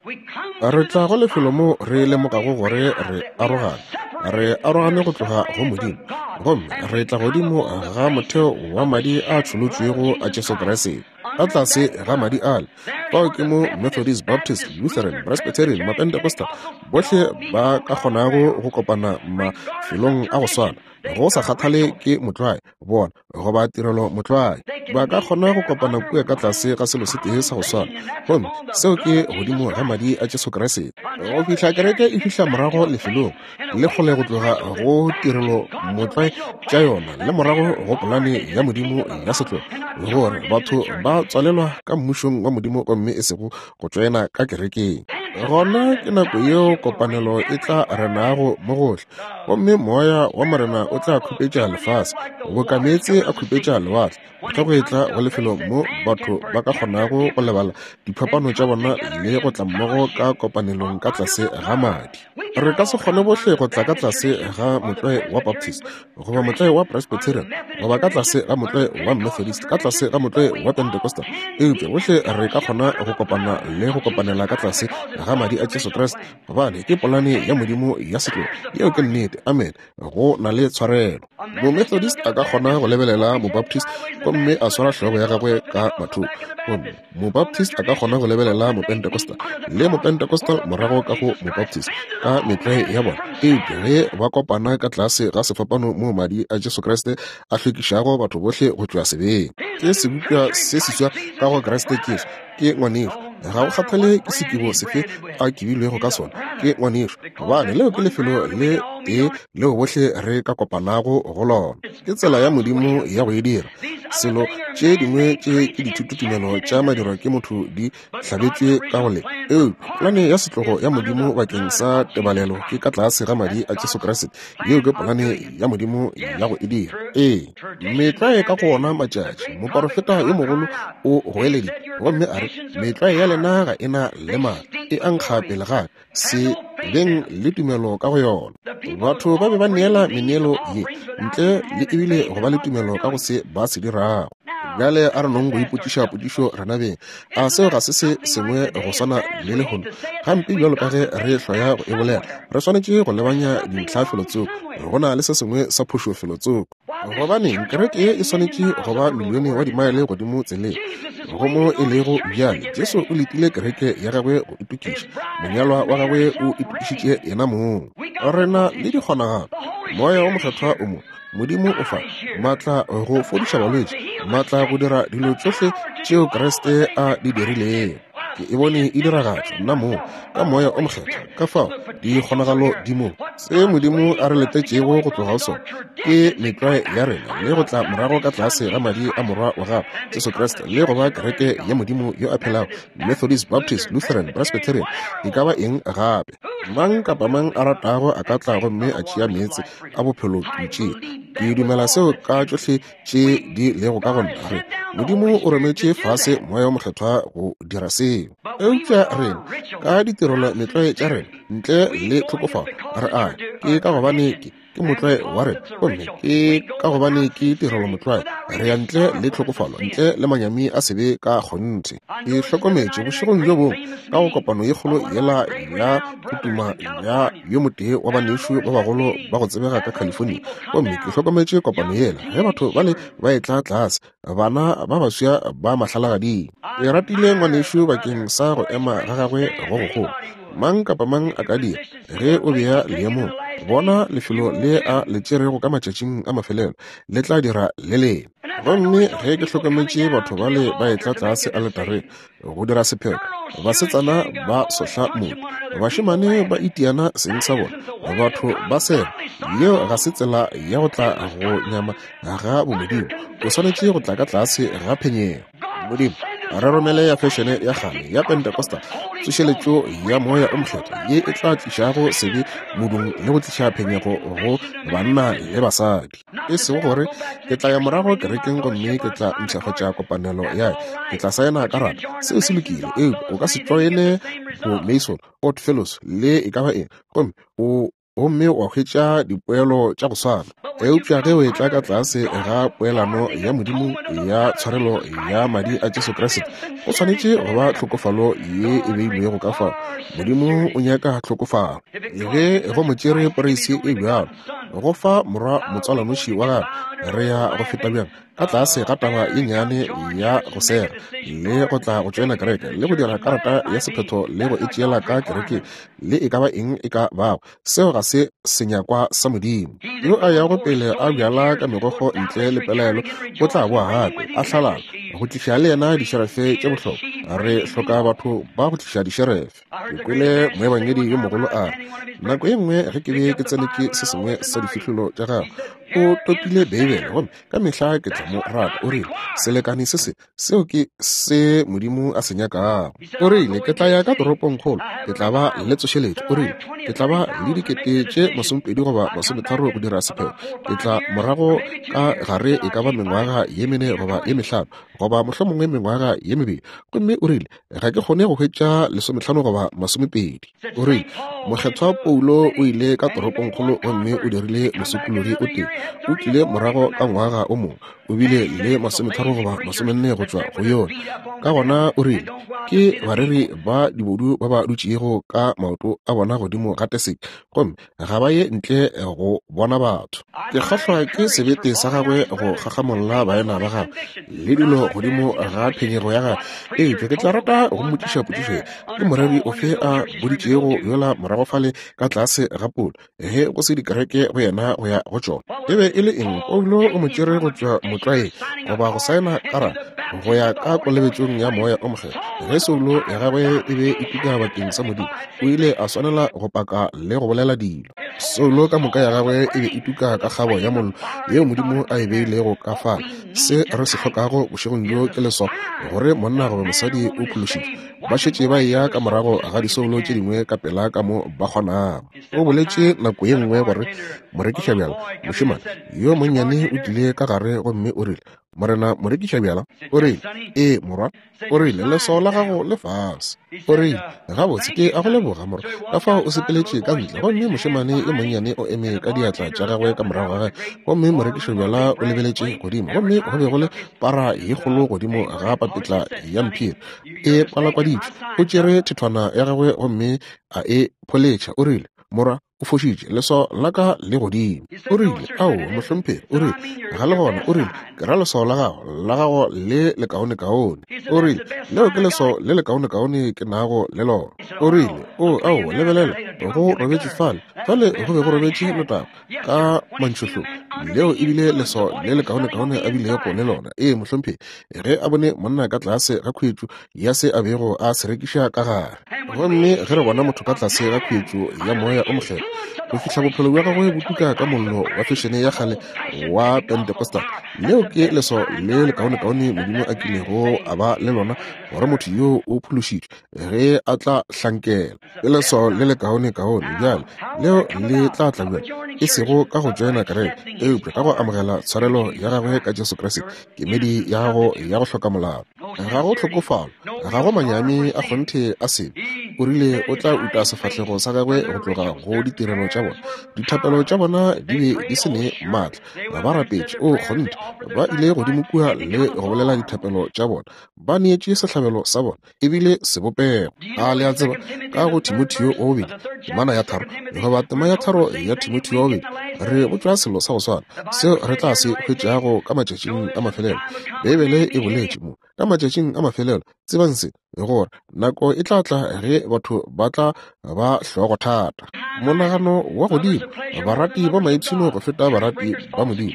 Re tla go lefelo mo re lemogago gore re arogane, re arogane go tloga go Modimo, gomme re tla godimo ga motheo wa madi a tšholotšwego a Jesu Kriste. Ka tlase ga madi ale, fao ke mo Methodist, Baptist, Lutheran, Presbyterian, Mapentecostal, bohle ba ka kgonago go kopana mafelong a go swana, go sa kgathale ke motlwae bona goba tirelo motlwae, ba ka kgona go kopana kua ka tlase ga selo se tee sa go swana, gomme seo ke godimo ga madi a Jesu Kriste. Go fihla kereke e fihla morago lefelong le kgole go tloga go tirelo motlwae tša yona le morago go polane ya Modimo ya setlogo, gore batho ba tswalelwa ka mmušong wa Modimo gomme e sego go tšoena ka kerekeng. Gona ke nako yeo kopanelo e tla renago mo gohle, gomme Moya wa Morena o tla khupetša lefase boka meetse a khupetša lewatle, ge go etla go lefelo mo batho ba ka kgonago go lebala diphapano tša bona le go tla mmogo ka kopanelong ka tlase ga madi. Re ka se kgone bohle go tla ka tlase ga motlwae wa Baptist, goba motlwae wa Presbyterian, goba ka tlase ga motlwae wa Methodist, ka tlase ga motlwae wa Pentecostal, eupša bohle re ka kgona go kopana le go kopanela ka tlase ga madi a Jesu Kriste, gobane ke polane ya Modimo ya setlogo. Yeo ke nnete. Amen. Go na le tshwarelo. Momethodist a ka kgona go lebelela Mobaptist gomme a swara hlogo ya gagwe ka mathoko, gomme Mobaptist a ka kgona go lebelela Mopentecostal, le Mopentecostal morago ka go Mobaptist, ka metlwae ya bona. Eupša ge ba kopana ka tlase ga sefapano moo Madi a Jesu Kriste a hlwekišago batho bohle go tšwa sebeng, ke sebopša se seswa ka go Kriste Jesu. Ke ngwanešu, ga go kgathale ke sekibo sefe a kibilwego ka sona, ke ngwanešu, gobane leo ke lefelo le tee leo bohle re ka kopanago go lona. Ke tsela ya Modimo ya go e dira. Selo tše dingwe tše ke dithutotumelo tša madirwa ke motho di hlabetšwe ka go le, eupša polane ya setlogo ya Modimo bakeng sa tebalelo ke ka tlase ga madi a Jesu Kriste. Yeo ke polane ya Modimo ya go e dira. Ee, metlwae ka go ona matšatši, moporofeta yo mogolo o goeleditše gomme a re, Metlwae ya lena ga e na le maatla, e a nkga pele ga ka. Se beng le tumelo ka go yona. Batho ba be ba neela meneelo ye ntle le ebile go ba le tumelo ka go se ba se dirago. Bjale a re nong go ipotšiša potšišo rena beng, a seo ga se se sengwe go swana le lehono? Gampe bjalo ka ge re hloya go e bolela, re swanetše go lebanya dintlha felotsoko. Go na le se sengwe sa phošo felotsoko. Gobaneng, kereke ye e swanetše go ba milione wa dimaele godimo tseleng go mo e lego bjale. Jesu o letile kereke ya gagwe go itokiša. Monyalwa wa gagwe o itokišitše yena mong. Re na le dikgonagalo. Moya wo Mokgethwa o mo. Modimo o fa maatla go fodiša balwetši, maatla go dira dilo tšohle tšeo Kriste a di dirilego. Ke e bone e diragatšwa nna moo ka Moya o Mokgethwa. Ka fao dikgonagalo di mo. Se Modimo a re letetšego go tloga go sona ke metlwae ya rena le go tla morago ka tlase ga madi a Morwa wa gagwe Jesu Kriste le go ba kereke ya Modimo yo a phelago, Methodist, Baptist, Lutheran, Presbyterian, e ka ba eng gape. Mang kapa mang a ratago a ka tla gomme a tšea meetse a bophelo ntšeng. Ke dumela seo ka tšohle tše di lego ka go nna, re Modimo o rometše fase Moya wo Mokgethwa go dira seo. Eupša rena ka ditirelo metlwae tša rena ntle le tlhokofalo re a ke ka gobane ke ke motlwae wa rena, gomme ke ka gobane ke tirelo motlwae, re ya ntle le tlhokofalo, ntle le manyami a sebe ka kgonthe. Ke hlokometše bošegong bjo bongwe ka go kopano ye kgolo yela ya go tuma ya yo motee wa banešu ba bagolo ba go tsebega ka California, gomme ke hlokometše kopano yela ge batho bale ba etla tlase, bana ba baswa ba mahlalagading. Ke ratile ngwanešu bakeng sa go ema ga gagwe go gogolo. Mang kapa mang a ka dira, ge o bea leemong, bona lefelo le a le tšerego ka matšatšing a mafelelo, le tla dira le lengwe. Gomme ge ke hlokometše batho bale ba etla tlase aletareng go dira sephetho, basetsana ba sohla motho, bašemane ba itiana seng sa bona, batho ba seba, yeo ga se tsela ya go tla go nyama ga bomodimo. O swanetše go tla ka tlase ga phenyego. Modimo, re romele ya fešene ya kgale ya Pentecostal, tsošeletšo ya Moya o Mokgethwa ye e tla tlišago sebe modung le go tliša phenyego go banna le basadi. E sego gore ke tla ya morago kerekeng gomme ke tla mpshafatša kopanelo ya ke tla saena karata. Seo se lokile, eupša o ka se tšoene bo Mason, Odd Fellows le e ka ba eng, gomme o gomme wa hwetša dipoelo tša go swana. Eupša ge o etla ka tlase ga poelano ya Modimo ya tshwarelo ya madi a Jesu Kriste, go swanetše go ba tlhokofalo ye e beilwego ka fao. Modimo o nyaka tlhokofalo. Ge go mo tšere poreisi e bjalo go fa morwa motswalanoši wa gagwe, re ya go feta bjang ka tlase ga taba ye nnyane ya go sega le go tla go tšoena kereke le go dira karata ya sephetho le go e tšeela ka kerekeng le e ka ba eng e ka bago. Seo ga se senyakwa sa Modimo. Yo a yago pele a bjala ka megokgo ntle le pelaelo o tla boa gape a hlalala go tliša le yena dišerefe tše bohlokwa. Re hloka batho ba go tliša dišerefe. Ke kwele moebangedi yo mogolo a re, nako ye nngwe ge ke be ke tsenetše se sengwe sa difihlolo tša gagwe. O topile Beibele, gomme ka mehla ke tla mo rata. O rile, Selekane se se, seo ke se Modimo a se nyakago. O rile, Ke tla ya ka toropongkgolo, ke tla ba le tsošeletšo. O rile, Ke tla ba le dikete tše 20 goba 30 go dira sephetho. Ke tla morago ka gare e ka ba mengwaga ye mene goba ye mehlano, goba mohlomongwe mengwaga ye mebedi. Gomme o rile, Ga ke kgone go hwetša 15 goba 20. O rile, Mokgethwa Paulo o ile ka toropongkgolo gomme o dirile mosokologi o tee. O tlile morago ka ngwaga o mongwe, o bile le 30 goba 40 go tšwa go yona. Ka gona o rile, Ke bareri ba dibodu ba ba dutšego ka maoto a bona godimo ga teseke, gomme ga ba ye ntle go bona batho. Ke kgahlwa ke sebete sa gagwe go gagamolla baena ba gagwe le dilo godimo ga phenyego ya gagwe. Eupša ke tla rata go mmotšiša potšišo ye, Ke moreri ofe a boditšego yola morago fale ka tlase ga polo, ge go se dikereke go yena go ya go tšona? E be e le eng? Paulo o mo tšere go tšwa motlwaeng, goba go saena karata, go ya ka kolobetšong ya Moya o Mokgethwa. Ge soulo ya gagwe e be e tuka bakeng sa Modimo, o ile a swanela go paka le go bolela dilo. Soulo ka moka ya gagwe e be e tuka ka kgabo ya mollo yeo Modimo a e beilego ka fale. Se re se hlokago bošegong bjo ke leswao gore monna goba mosadi o phološitšwe. Ba šetše ba eya ka morago ga disoulo tše dingwe ka pela ka mo ba kgonago. O boletše nako ye nngwe gore morekišabjala, mošemane yo monnyane o tlile ka gare gomme o rile, Morena morekišabjala, o rile, Ee, morwa. O rile, Leswao la gago le fase. O rile, Gabotse, ke a go leboga, morwa. Ka fao o sepeletše ka ntle, gomme mošemane yo monnyane o eme ka diatla tša gagwe ka morago ga gagwe, gomme morekišabjala o lebeletše godimo, gomme go be go le para ye kgolo godimo ga papetla ya mphiri e kwalakwaditšwe. O tšere thethwana ya gagwe gomme a e pholetšha. O rile, Morwa, o fošitše, leswao la ka le godimo. O rile, Aowa, mohlomphegi. O rile, Ga le gona. O rile, Ke ra leswao la gago, la gago le lekaonekaone. O rile, Leo ke leswao le lekaonekaone ke nago le lona. O rile, O, aowa, lebelela, go robetše fale, fale go be go robetše letago ka mantšhohlong. Leo e bile leswao le lekaonekaone a bilego le lona. Ee, mohlomphegi, ge a bone monna ka tlase ga khuetšo ya se a bego a se rekiša ka gare. Gomme ge re bona motho ka tlase ga khuetšo ya Moya o Mokgethwa, go fihla bophelo bja gagwe bo tuka ka mollo wa fešene ya kgale wa Pentecostal, leo ke leswao le lekaonekaone Modimo a kilego a ba le lona gore motho yoo o phološitšwe ge a tla hlankela. Ke leswao le lekaonekaone. Bjale, leo le tla tla bjang? E sego ka go tšoena kereke, eupša ka go amogela tshwarelo ya gagwe ka Jesu Kriste, kemedi ya gago ya go hloka molato. Ga go tlhokofalo, ga go manyami a kgonthe a sebe. O rile o tla uta sefahlego sa gagwe go tloga go ditirelo tša bona. Dithapelo tša bona di be di se ne maatla. Ba rapetše, o kgonthe, ba ile godimo kua le go bolela dithapelo tša bona. Ba neetše sehlabelo sa bona, e bile sebopego. A le a tseba, ka go Timotheo wa bobedi, temana ya tharo, goba tema ya tharo ya Timotheo wa bobedi, re botšwa selo sa go swana seo re tla se hwetšago ka matšatšing a mafelelo. Beibele e boletše mo, ka matšatšing a mafelelo, tsebang se, gore nako e tla tla ge batho ba tla ba hlogothata, monagano wa godimo, barati ba maipshino go feta barati ba Modimo,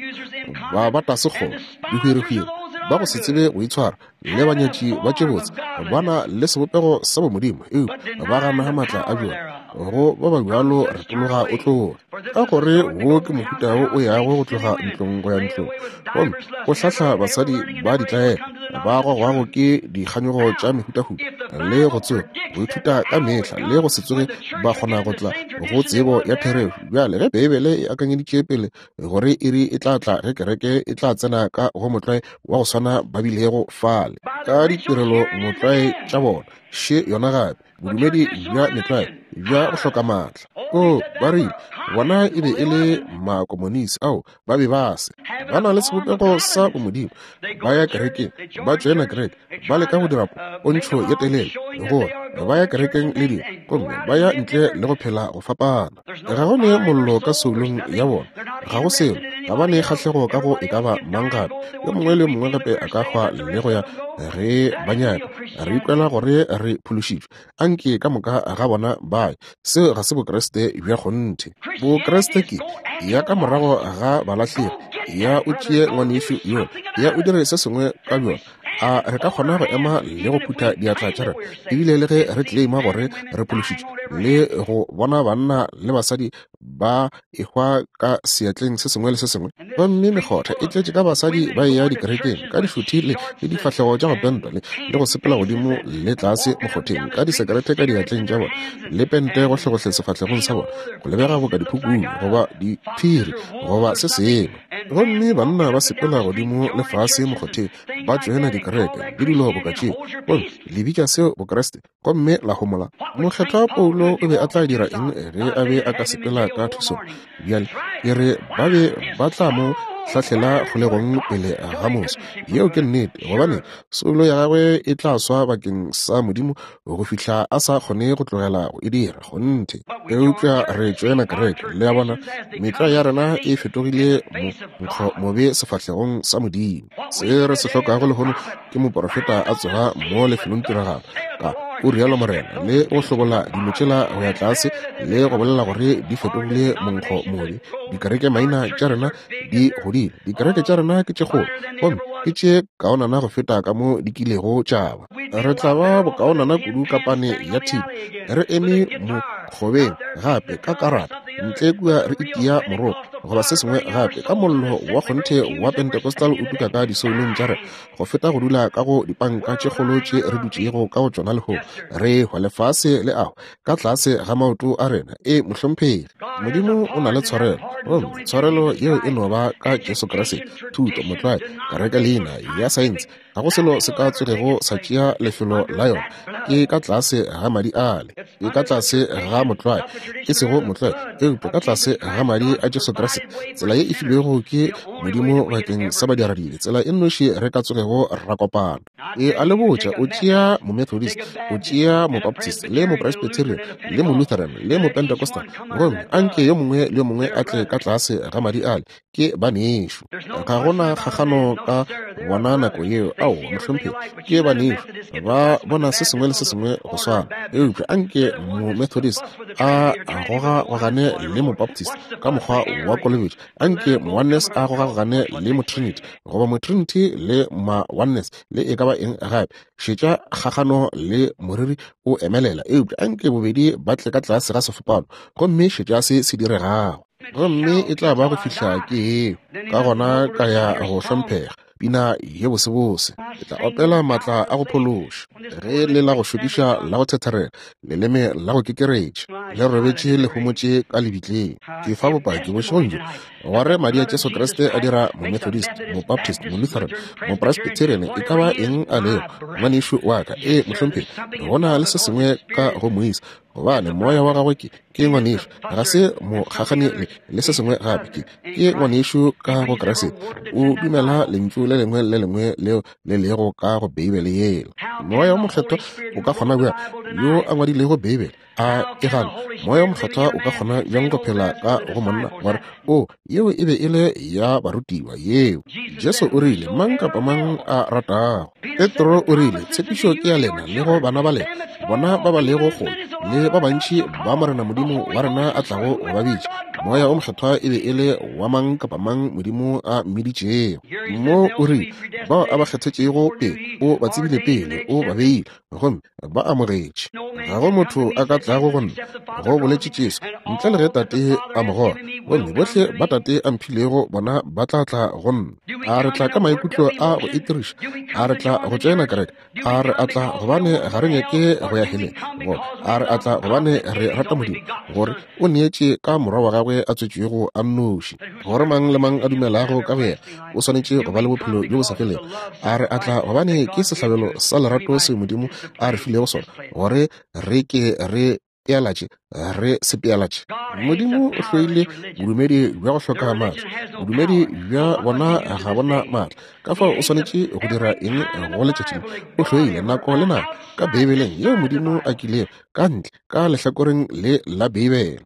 ba bata sekgoba, dihwirihwiri, ba go se tsebe go itshwara, le banyatši ba tše botse ba na le sebopego sa bomodimo, eupša ba gana maatla a bjona. Go ba ba bjalo retologa o tloge, ka gore wo ke mohuta wo o yago go tloga ntlong go ya ntlong, gomme o hlahla basadi ba ditlaela ba gogwago ke dikganyogo tša mehutahuta le go tsoga go ithuta ka mehla le go se tsoge ba kgona go tla go tsebo ya therešo. Bjale ge Beibele e akanyeditše pele gore iri e tla tla ge kereke e tla tsena ka go motlwae wa go swana ba bilego fale ka ditirelo motlwae tša bona, še yona gape, bodumedi bja metlwae bja go hloka maatla. O, ba rile, bona e be e le makomonisi, ao ba be ba se ba na le sebopego sa bomodimo, ba ya kerekeng, ba tšoena kereke, ba leka go dira pontšho ye telele gore ba ya kerekeng le dilo, gomme ba ya ntle le go phela go fapana. Ga go ne mollo ka soulong ya bona, ga go selo, ga ba ne kgahlego ka go e ka ba mang gape. Yo mongwe le yo mongwe gape a ka hwa le go ya ge ba nyaka. Re ikwela gore re phološitšwe. Anke ka moka ga bona ba ye. Seo ga se Bokriste bja kgonthe. Bokriste ke, ya ka morago ga balahlegi, ya o tšee ngwanešu yola, ya o dire se sengwe ka bjona. A re ka kgona go ema le go phutha diatla tša rena, ebile le ge re claima gore re phološitšwe, le go bona banna le basadi ba ehwa ka seatleng se sengwe le se sengwe. Gomme mekgotha e tletše ka basadi ba eya dikerekeng ka dišuthi le difahlego tša go pentwa le go sepela godimo le tlase mokgotheng ka disekerete ka diatleng tša bona le pente gohlegohle sefahlegong sa bona, go lebega boka diphukung goba diphiri goba se sengwe. Gomme banna ba sepela godimo le fase mokgotheng ba tšoena dikereke le dilo boka tšeo, gomme le bitša seo Bokriste, gomme la homola. Mokgethwa Paulo o be a tla dira eng ge a be a ka sepela ka thusong? Bjale ke re ba be ba tla mo hlahlela kgolegong pele ga moso. Yeo ke nnete, gobane soulo ya gagwe e tla swa bakeng sa Modimo go fihla a sa kgone go tlogela go e dira. Kgonthe. Eupša re tšoena kereke, le a bona, metlwae ya rena e fetogile monkgo mobe sefahlegong sa Modimo. Se re se hlokago lehono ke moporofeta a tsoga mo lefelongtiragalo ka o rialo Morena, le go hlobola dilo tšela go ya tlase le go bolela gore di fetogile monkgo mobe. Dikereke maina tša rena di godile, dikereke tša rena ke tše kgolo gomme ke tše kaonana go feta ka mo di kilego tša ba. Re tla ba bokaonana kudu ka pane ya thipa re eme mokgobeng gape ka karata ntle kua re itia moropa goba se sengwe gape ka mollo wa kgonthe wa Pentecostal o tuka ka disoulong tša rena go feta go dula ka go dipanka tše kgolo tše re dutšego ka go tšona lehono, re hwa lefase le ago ka tlase ga maoto a rena. E, mohlomphegi, Modimo o na le tshwarelo, gomme tshwarelo yeo e no ba ka Jesu Kriste. Thuto, motlwae, kereke leina ya saense, ga go selo se ka tsogego sa tšea lefelo la yona. Ke ka tlase ga madi ale, ke ka tlase ga motlwae, e sego motlwae, eupša ka tlase ga madi a Jesu Kriste, tsela ye e filwego ke Modimo bakeng sa badiradibe, tsela e nnoši re ka tsogego ra kopana. E a le botša, o tšea Momethodist, o tšea Mobaptist, le Mopresbyterian, le Molutheran, le Mopentecostal, gomme anke yo mongwe le yo mongwe a tle ka tlase ga madi ale, ke banešu. Ga gona kgagano ka bona nako yeo. Aowa, mohlomphegi, ke banešu. Ba bona se sengwe le se sengwe go swana. Eupša anke Momethodist a gogagogane le Mobaptist ka mokgwa wa kolobetšo, anke Mooneness a gogagogane le Motrinity, goba Motrinity le Ma-Oneness, le e ka ba eng gape. Šetša kgagano le moriri o emelela. Eupša anke bobedi ba tle ka tlase ga sefapano, gomme šetša se se diregago. Gomme e tla ba go fihla ke eo, ka gona ka ya go hlomphega pina ye bosebose. Ke tla opela maatla a go phološa, ge le la go šokiša la go thetherela, leleme la go kekeretša le robetše le homotše ka lebitleng. Ke fa bopaki bošegong bjo gore madi a Jesu Kriste a dira Momethodist, Mobaptist, Molutheran, Mopresbyterian, e ka ba eng a lego, ngwanešu wa ka. Ee, mohlomphegi, go na le se sengwe ka go moisa, gobane moya wa gagwe ke ke ngwanešu, ga se mokgagane le, le se sengwe gape, ke ke ngwanešu ka go Kriste. O dumela lentšu le lengwe le lengwe leo le lego ka go Beibele yela. Moya wo Mokgethwa o ka kgona bjang, yo a ngwadilego Beibele, a e gana? Moya wo Mokgethwa o ka kgona bjang go phela ka go monna gore o yeo e be e le ya barutiwa yeo? Jesu o rile, Mang kapa mang a ratago. Petro o rile, Tshepišo ke ya lena le go bana ba lena, bona ba ba lego kgole, le ba bantši ba Morena Modimo wa rena a tlago go ba bitša. Moya o Mokgethwa e be e le wa mang kapa mang Modimo a mmiditšego. Mo o rile, Bao a ba kgethetšego pele, o ba tsebile pele, o ba beile, gomme ba amogetše. Ga go motho a ka tlago go nna, go boletše Jesu, ntle le ge Tate a mo goga. Gomme bohle ba Tate a mphilego bona ba tla tla go nna. A re tla ka maikutlo a go itiriša? A re tla go tšoena kereke? A re a tla gobane ga re nyake go ya heleng? Goba a re a tla gobane re rata Modimo, gore o neetše ka Morwa wa gagwe a tswetšwego a nnoši, gore mang le mang a dumelago ka go yena o swanetše go ba le bophelo bjo bo sa felego? A re a tla gobane ke sehlabelo sa lerato seo Modimo a re filego sona, gore re ke re pealatše, re se pealatše. Modimo o hloile bodumedi bja go hloka maatla. Bodumedi bja bona ga bona maatla. Ka fao o swanetše go dira eng go letšatši le? O hloile nako le nako ka Beibeleng yeo Modimo a kilego ka ntle ka lehlakoreng le la Beibele.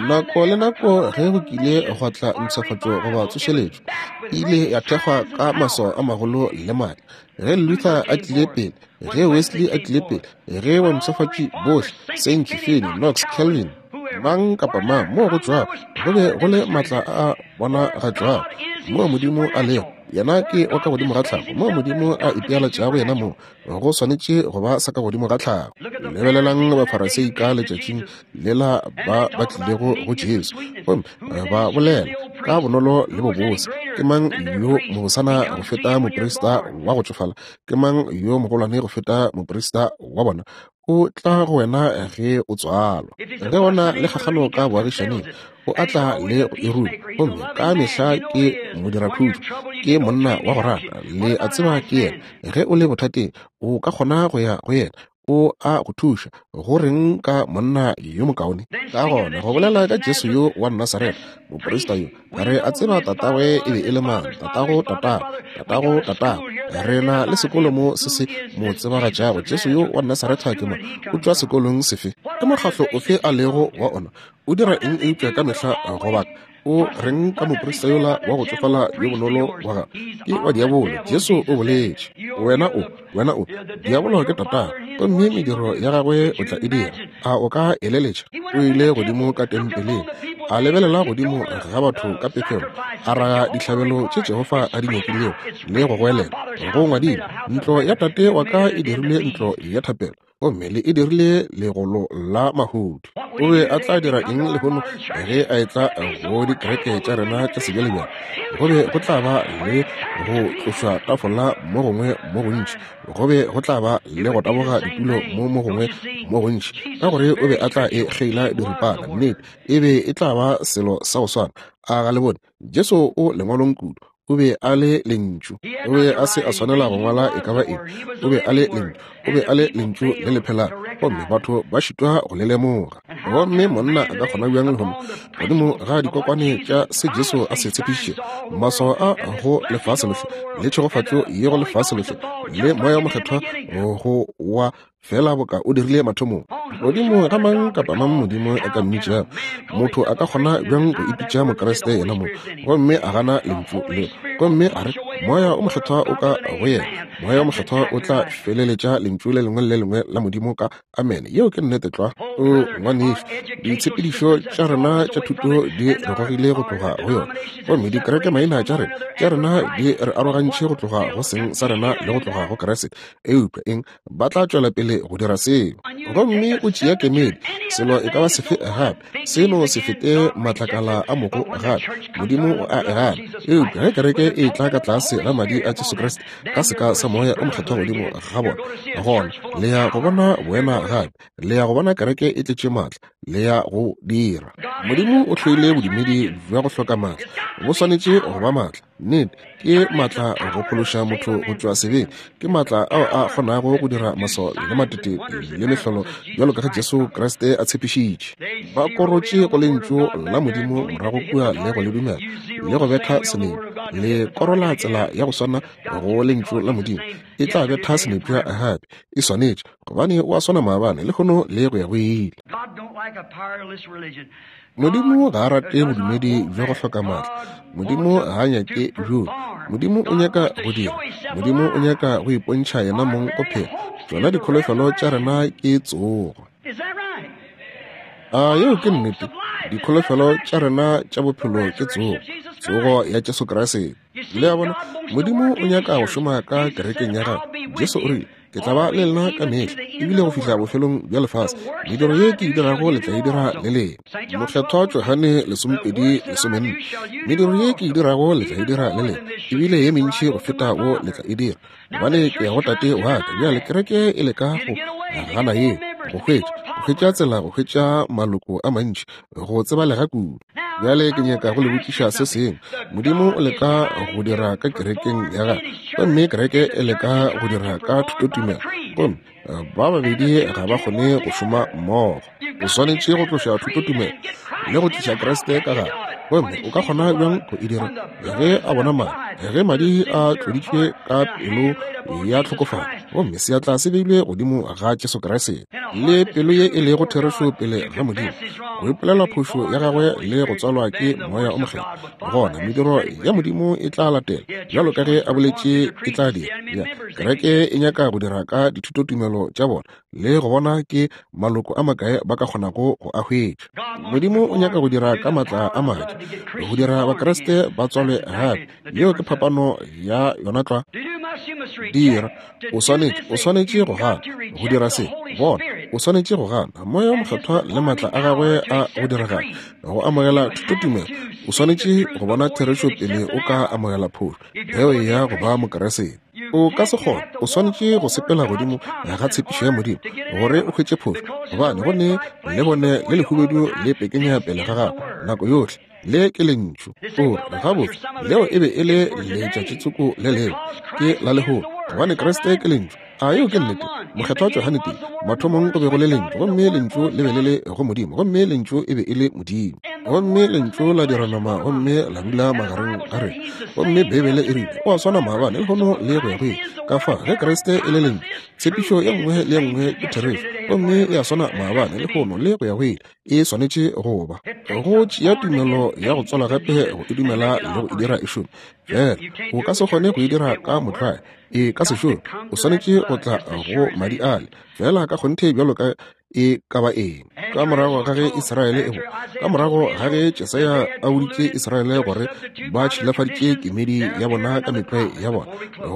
Nako le nako ge go kile gwa tla mpshafatšo goba tsošeletšo, e ile ya thekgwa ka maswao a magolo le maatla. Ge Luther a tlile pele, ge Wesley a tlile pele, ge bampshafatši bohle, Sankey, Finney, Knox, Calvin, mang kapa mang, moo go tšwago, go be go le maatla a bonagatšwago, moo Modimo a lego. Yena ke wa ka godimo ga tlhago. Moo Modimo a ipealatšago yena mong, go swanetše go ba sa ka godimo ga tlhago. Lebelelang Bafarasei ka letšatšing lela ba ba tlilego go Jesu, gomme ba bolela ka bonolo le bobose, Ke mang yo mobosana go feta moprista wa go tšofala? Ke mang yo mogolwane go feta moprista wa bona? O tla go wena ge o tswalwa. Ge o na le kgakgano ka boagišaneng, o a tla le go e ruma. Gomme ka mehla ke modirakhutšo, ke monna wa go rata, le a tseba ke yena. Ge o le bothateng, o ka kgona go ya go yena, o a go thuša. Go reng ka monna yo mokaone? Ka gona go bolela ka Jesu yo wa Nasaretha, moprista yo, re a tseba tatagwe e be e le mang, tatago tatago, tatago tatago. Re na le sekolo mo se se mo tsebagatšago. Jesu yo wa Nasaretha ke mang? O tšwa sekolong sefe? Ke mokgahlo ofe a lego wa ona? O dira eng eupša ka mehla go baka? O reng ka moprista yola wa go tsofala yo bonolo wa gago? Ke wa diabolo. Jesu o boletše. Wena o, wena o, diabolo ke tatago, gomme mediro ya gagwe o tla e dira. A o ka eleletša? O ile godimo ka tempeleng, a lebelela godimo ga batho ka pefelo, a raga dihlabelo tše Jehofa a di nyakilego, le go goelela, Go ngwadilwe, Ntlo ya Tate wa ka e dirilwe ntlo ya thapelo, gomme le e dirile legolo la mahodu. O be a tla dira eng lehono ge a etla go dikereke tša rena tša sebjalebjale? Go be go tla ba le go tlošwa tafola mo gongwe mo gontši, go be go tla ba le go taboga ditulo mo mo gongwe mo gontši, ka gore o be a tla e kgeila diripana. Nnete, e be e tla ba selo sa go swana. A ga le bone? Jesu o lengwalong kudu. O be a le Lentšu. O be a se a swanela go ngwala e ka ba eng. O be a le Lentšu. O be a le Lentšu le le phelang, gomme batho ba šitwa go le lemoga. Gomme monna a ka kgona bjang lehono, godimo ga dikokwane tša se Jesu a se tshepišitšego, maswao a go lefase lohle, le tšhegofatšo ye go lefase lohle, le Moya wo Mokgethwa go wa fela boka o dirile mathomong. Godimo ga mang kapa mang Modimo a ka mmitšago, motho a ka kgona bjang go ipitša Mokriste yena mong gomme a gana Lentšu leo, gomme a re Moya o Mokgethwa o ka go yena? Moya o Mokgethwa o tla feleletša Lentšu le lengwe le le lengwe la Modimo ka amene. Yeo ke nnete tlwa. O ngwanešu, ditshepedišo tša rena tša thuto di re gogile go tloga go yona, gomme dikereke maina tša rena tša rena di re arogantšhe go tloga go seng sa rena le go tloga go Kriste. Eupša eng? Ba tla tšwela pele go dira seo. Gomme o tšea kemedi, selo e ka ba sefe gape, seno se fete matlakala a mogo gape. Modimo o a e gana. Eupša ge kereke e tla ka tlase ga Madi a Jesu Kriste, ka seka sa Moya o Mokgethwa godimo ga bona, gona le ya go bona boena gape. Le ya go bona kereke e tletše maatla. Le ya go dira. Modimo o hloile bodumedi bja go hloka maatla. Bo swanetše go ba maatla. Nnete, ke maatla go phološa motho go tšwa sebeng. Ke maatla ao a kgonago go dira maswao le matete le mehlolo bjalo ka ge Jesu Kriste a tshepišitše. Ba korotše go Lentšu la Modimo morago kua le go le dumela le go betha senepša. Le korola tsela ya go swana go Lentšu la Modimo, e tla betha senepša gape. E swanetše, gobane o a swana maabane, lehono le go ya go ile. Modimo ga a rate bodumedi bja go hloka maatla. Modimo ga a nyake bjoo. Modimo o nyaka go dira. Modimo o nyaka go ipontšha yena mong go phela. Tšona dikholofelo tša rena ke tsogo. A yeo ke nnete? Dikholofelo tša rena tša bophelo ke tsogo, tsogo ya Jesu Kriste. Le a bona, Modimo o nyaka go šoma ka kerekeng ya gagwe. Jesu o rile, Ke tla ba le lena ka mehla, ebile go fihla bofelong bja lefase. Mediro ye ke e dirago le tla e dira le lena. Mokgethwa Johane 20:14. Mediro ye ke e dirago le tla e dira le lena, ebile ye mentši go feta wo le tla e dira, gobane ke ya go Tate wa ka. Bjale kereke e leka go gana yeo, go hwetša, go hwetša tsela go hwetša maloko a mantši, go tsebalega kudu. Bjale ke nyaka go le botšiša se sengwe. Modimo o leka go dira ka kerekeng ya gagwe, gomme kereke e leka go dira ka thutotumelo, gomme eh, ba babedi ga ba kgone go šoma mmogo. O swanetše go tloša thutotumelo le go tliša Kriste ka gare. Gomme o ka kgona bjang go e dira? Ge a bona madi, ge madi a tloditšwe ka pelo ya tlhokofalo, gomme seatla se beilwe godimo ga Jesu Kriste, le pelo ye e lego therešo pele ga Modimo, go ipolela phošo ya gagwe le go tswalwa ke Moya o Mokgethwa, gona mediro ya Modimo e tla latela, bjalo ka ge a boletše e tla dira. Ya, kereke e nyaka go dira ka dithutotumelo tša bona le go bona ke maloko a makae ba ka kgonago go a hwetša. Modimo o nyaka go dira ka maatla a madi, go dira Bakriste ba tswalwe gape. Yeo ke phapano ya yona tlwa. Dira, o swanetše, o swanetše go gana go dira se. Bona, o swanetše go gana Moya wo Mokgethwa le maatla a gagwe a go diragala, go amogela thutotumelo. O swanetše go bona therešo pele o ka amogela phošo ge o eya go ba Mokeresete. O ka se kgone, o swanetše go sepela godimo ga tshepišo ya Modimo gore o hwetše phošo, gobane go ne lebone le lehubedu le pekenya pele ga gago nako yohle. Le ke Lentšu. O re, Gabotse, leo e be e le letšatšitsoko le lengwe. Ke la lehono, gobane Kriste ke Lentšu. A yeo ke nnete? Mokgethwa Johane tee, Mathomong go be go le Lentšu, gomme Lentšu le be le le go Modimo, gomme Lentšu e be e le Modimo. Gomme Lentšu la dira nama gomme la dula magareng ga rena. Gomme Beibele e rile, O a swana maabane, lehono, le go ya go ile. Ka fa, ge Kriste e le Lentšu, tshepišo ye nngwe le ye nngwe ke therešo, gomme e a swana maabane, lehono, le go ya go ile. E swanetše go ba. Go tšea tumelo ya go tswala gape go e dumela le go e dira e šome. Fela o ka se kgone go e dira ka motlwae, e ka se šome. O swanetše go tla go madi ale, fela ka kgonthe bjalo ka e ka ba eng. Ka morago ga ge Israele e bo, ka morago ga ge Jesaya a boditše Israele gore ba tšhilafaditše kemedi ya bona ka metlwae ya bona,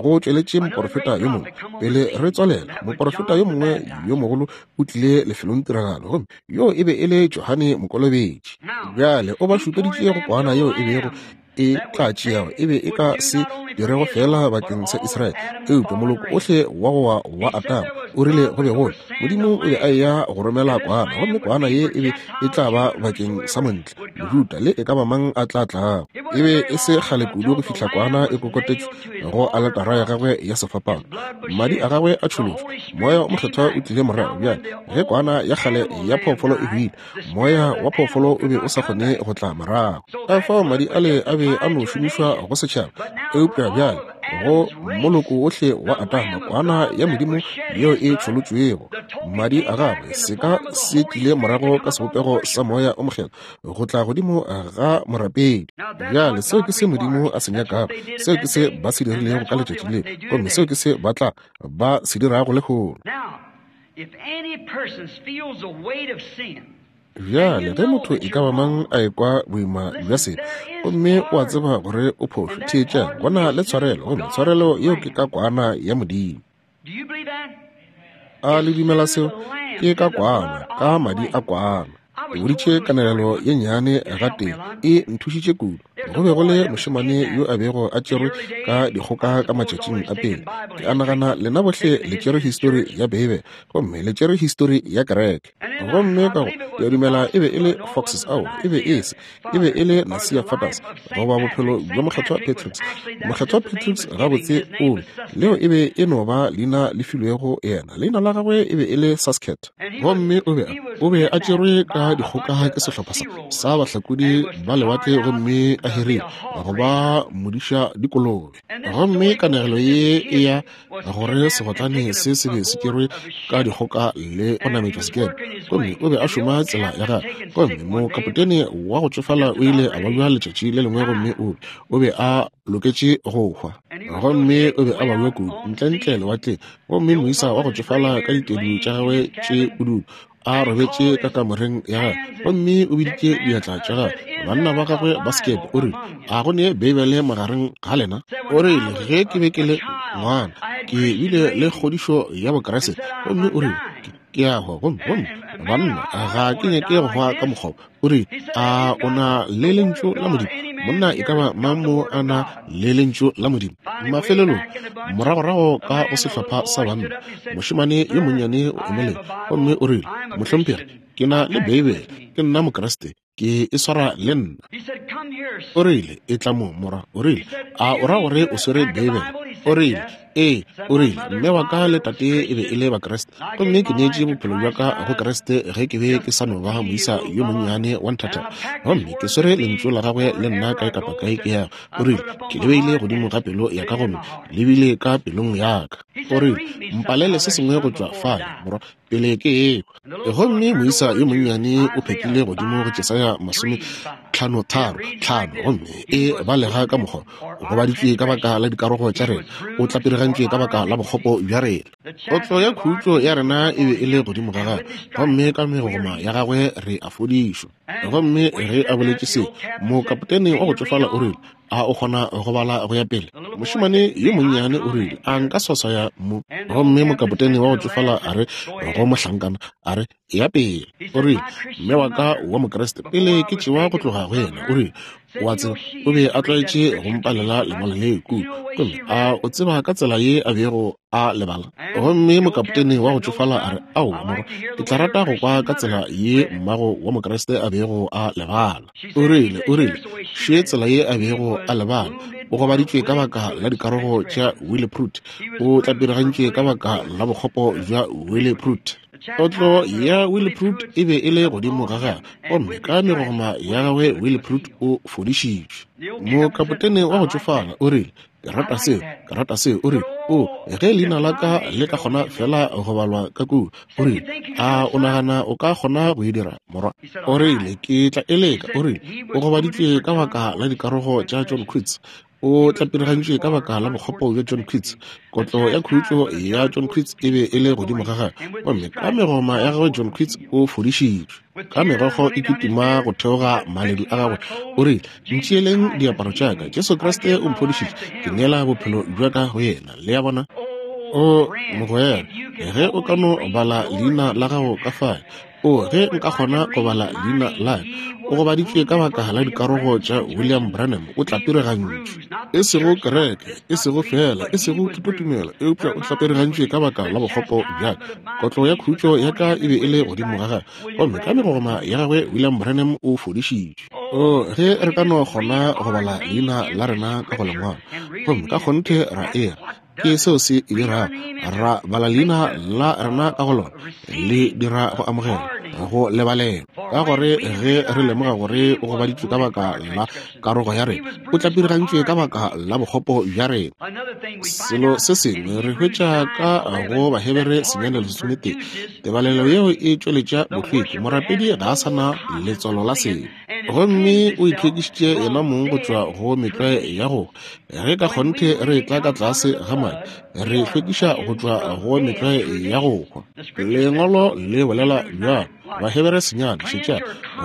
go tšweletše moporofeta yo mongwe. Pele re tswalela, moporofeta yo mongwe yo mogolo o tlile lefelongtiragalo, gomme yo e be e le Johane Mokolobetši. Bjale o ba šupeditše go kwana yeo e bego e tla tšeago e be e ka se dirego feela bakeng sa Israele, eupša moloko ohle wa go wa wa Adama. O rile go be go le Modimo o be a eya go romela kwana, gomme kwana ye e be e tla ba bakeng sa montle, Mojuda le e ka ba mang a tla tlago. E be e se kgale kudu go fihla kwana e kokotetšwe go aletara ya gagwe ya sefapano, madi a gagwe a tšholotšwe, Moya wo Mokgethwa o tlile morago. Bjale ge kwana ya kgale ya phoofolo e hwile, moya wa phoofolo o be o sa kgone go tla morago. Ka fao madi ale a be a no šomišwa go setšhaba, eupša bjale go moloko wohle wa Adama, kwana ya Modimo yeo e tšholotšwego, madi a gagwe, seka se tlile morago ka sebopego sa Moya o Mokgethwa go tla godimo ga morapedi. Bjale seo ke se Modimo a se nyakago, seo ke se ba se dirilego ka letšatši leo, gomme seo ke se ba tla ba se dirago lehono. Bjale, ge motho e ka ba mang a ekwa boima bja sebe gomme o a tseba gore o phošo, theetšang, go na le tshwarelo, gomme tshwarelo yeo ke ka kwana ya Modimo. A le dumela seo? Ke ka kwana, ka madi a kwana. Ke boditše kanegelo ye nnyane gatee, e nthušitše kudu. Go be go le mošemane yo a bego a tšerwe ka dikgoka ka matšatšing a pele. Ke a nagana lena bohle le tšere histori ya Beibele, gomme le tšere histori ya kereke. Gomme ka go, ke a dumela e be e le Foxes, ao, e be e se, e be e le Nasia Fathers, goba bophelo bja Mokgethwa Patrick's. Mokgethwa Patrick's gabotse o be, leo e be e no ba leina le filwego yena. Leina la gagwe e be e le Sasket. Gomme o be a, o be a tšerwe ka dikgoka ke sehlopha sa, sa bahlakodi ba lewatle gomme a hirilwe go ba modiša dikolobe. Gomme kanegelo ye e ya gore segotlane se se be se tšerwe ka dikgoka le go nametšwa sekepe, gomme o be a šoma tsela ya gagwe. Gomme mokapotene wa go tšofala o ile a babja letšatši le lengwe gomme o be, o be a loketše go hwa. Gomme o be a babja kudu, ntlentle lewatleng. Gomme moisa wa go tšofala ka ditedu tša gagwe tše pududu a robetše ka kamoreng ya gagwe, gomme o biditše diatla tša gagwe banna ba gagwe ba sekepe, o rile, A go ne Beibele magareng ga lena? O rile, Ge ke be ke le ngwana, ke bile le kgodišo ya Bokriste. Gomme o rile, Ke a hwa, gomme, gomme banna, ga ke nyake go hwa ka mokgwa wo. O rile, A o na le Lentšu la Modimo? Monna e ka ba mang mo a na le Lentšu la Modimo? Mafelelong, moragorago ka go sehlopha sa banna, mošemane yo monnyane o emelela gomme o rile, Mohlomphegi, ke na le Beibele. Ke nna Mokriste. Ke e swara le nna. O rile, Etla mo, morwa. O rile, A o ra gore o swere Beibele? O rile, Ee. O rile, Mme wa ka le tate e be e le Bakriste, gomme ke neetše bophelo bja ka go Kriste ge ke be ke sa no ba moisa yo monnyane wa nthathana. Gomme ke swere Lentšu la Gagwe le nna kae kapa kae ke yago. O rile, Ke le beile godimo ga pelo ya ka gomme le bile ka pelong ya ka. O rile, Mpalele se sengwe go tšwa fale, morwa, pele ke ekwa. Gomme moisa yo monnyane o phetlile godimo go Jesaya 53:5, gomme e balega ka mokgwa, O gobaditšwe ka baka la dikarogo tša rena, o tlapirega. tlapirigantšwe ka baka la bokgopo bja rena. Kotlo ya khutšo ya rena e be e le godimo ga gagwe, gomme ka megogoma ya gagwe re a fodišwa. Gomme ge a boletše se, mokapotene wa go tšofala o rile, A o kgona go bala go ya pele? Mošemane yo monnyane o rile, A nka swaswaya mo? Gomme mokapotene wa go tšofala a re go mohlankana, a re, Eya pele. O rile, Mme wa ka wa Mokriste, pele ke tšewa go tloga go yena, o rile, O a tseba, o be a tlwaetše go mpalela lengwalo le kua. Gomme a o tseba ka tsela ye a bego a le bala? Gomme mokapotene wa go tšofala a re, Aowa, morwa, ke tla rata go kwa ka tsela ye mmago wa Mokriste a bego a le bala. O rile, o rile, Še tsela ye a bego a le bala. O gobaditšwe ka baka la dikarogo tša Willeprut. O tlapirigantšwe ka baka la bokgopo bja Willeprut. Kotlo ya Willeprut e be e le godimo ga gagwe, gomme ka megogoma ya gagwe Willeprut o fodišitšwe. Mokapotene wa go tšofala o rile, Ke rata seo, ke rata seo. O rile, O, ge leina la ka le ka kgona fela go balwa ka kua. O rile, A o nagana o ka kgona go e dira, morwa? O rile, Ke tla e leka. O rile, O gobaditšwe ka baka la dikarogo tša John Quits. O tlapirigantšwe ka baka la bokgopo bja John Quits. Kotlo ya khutšo ya John Quits e be e le godimo ga gagwe, gomme ka megoma ya gagwe John Quits o fodišitšwe. Ka megokgo e kitima go theoga maledu a gagwe, o rile, Ntšeeleng diaparo tša ka. Jesu Kriste o mphodišitše. Ke neela bophelo bja ka go yena. Le a bona? O mogwera, ge o ka no bala leina la gago ka fale, O, ge nka kgona go bala leina la ka. O gobaditšwe ka baka la dikarogo tša William Branham, o tlapirigantšwe. E sego kereke, e sego feela, e sego thutotumelo, eupša o tlapirigantšwe ka baka la bokgopo bja ka. Kotlo ya khutšo ya ka e be e le godimo ga gagwe, gomme ka megogoma ya gagwe William Branham o fodišitšwe. O, ge re ka no kgona go bala leina la rena ka go lengwalo, gomme ka kgonthe ra e ra, Ke seo se e dirago. Ra bala leina la rena ka go lona, le dira go amogela, go lebalelwa. Ka gore ge re lemoga gore o gobaditšwe ka baka la karogo ya rena, o tlapirigantšwe ka baka la bokgopo bja rena. Selo se sengwe re hwetša ka go Bahebere 9:11, tebalelo yeo e tšweletša bohlweki, morapedi ga a sa na letswalo la sebe. Gomme o itlhwekišitše yena mong go tšwa go metlwae ya go Ge ka kgonthe re etla ka tlase ga madi, re hlwekiša go tšwa go metlwae ya go hwa. Lengwalo le bolela bjalo, Bahebere senyane, šetša,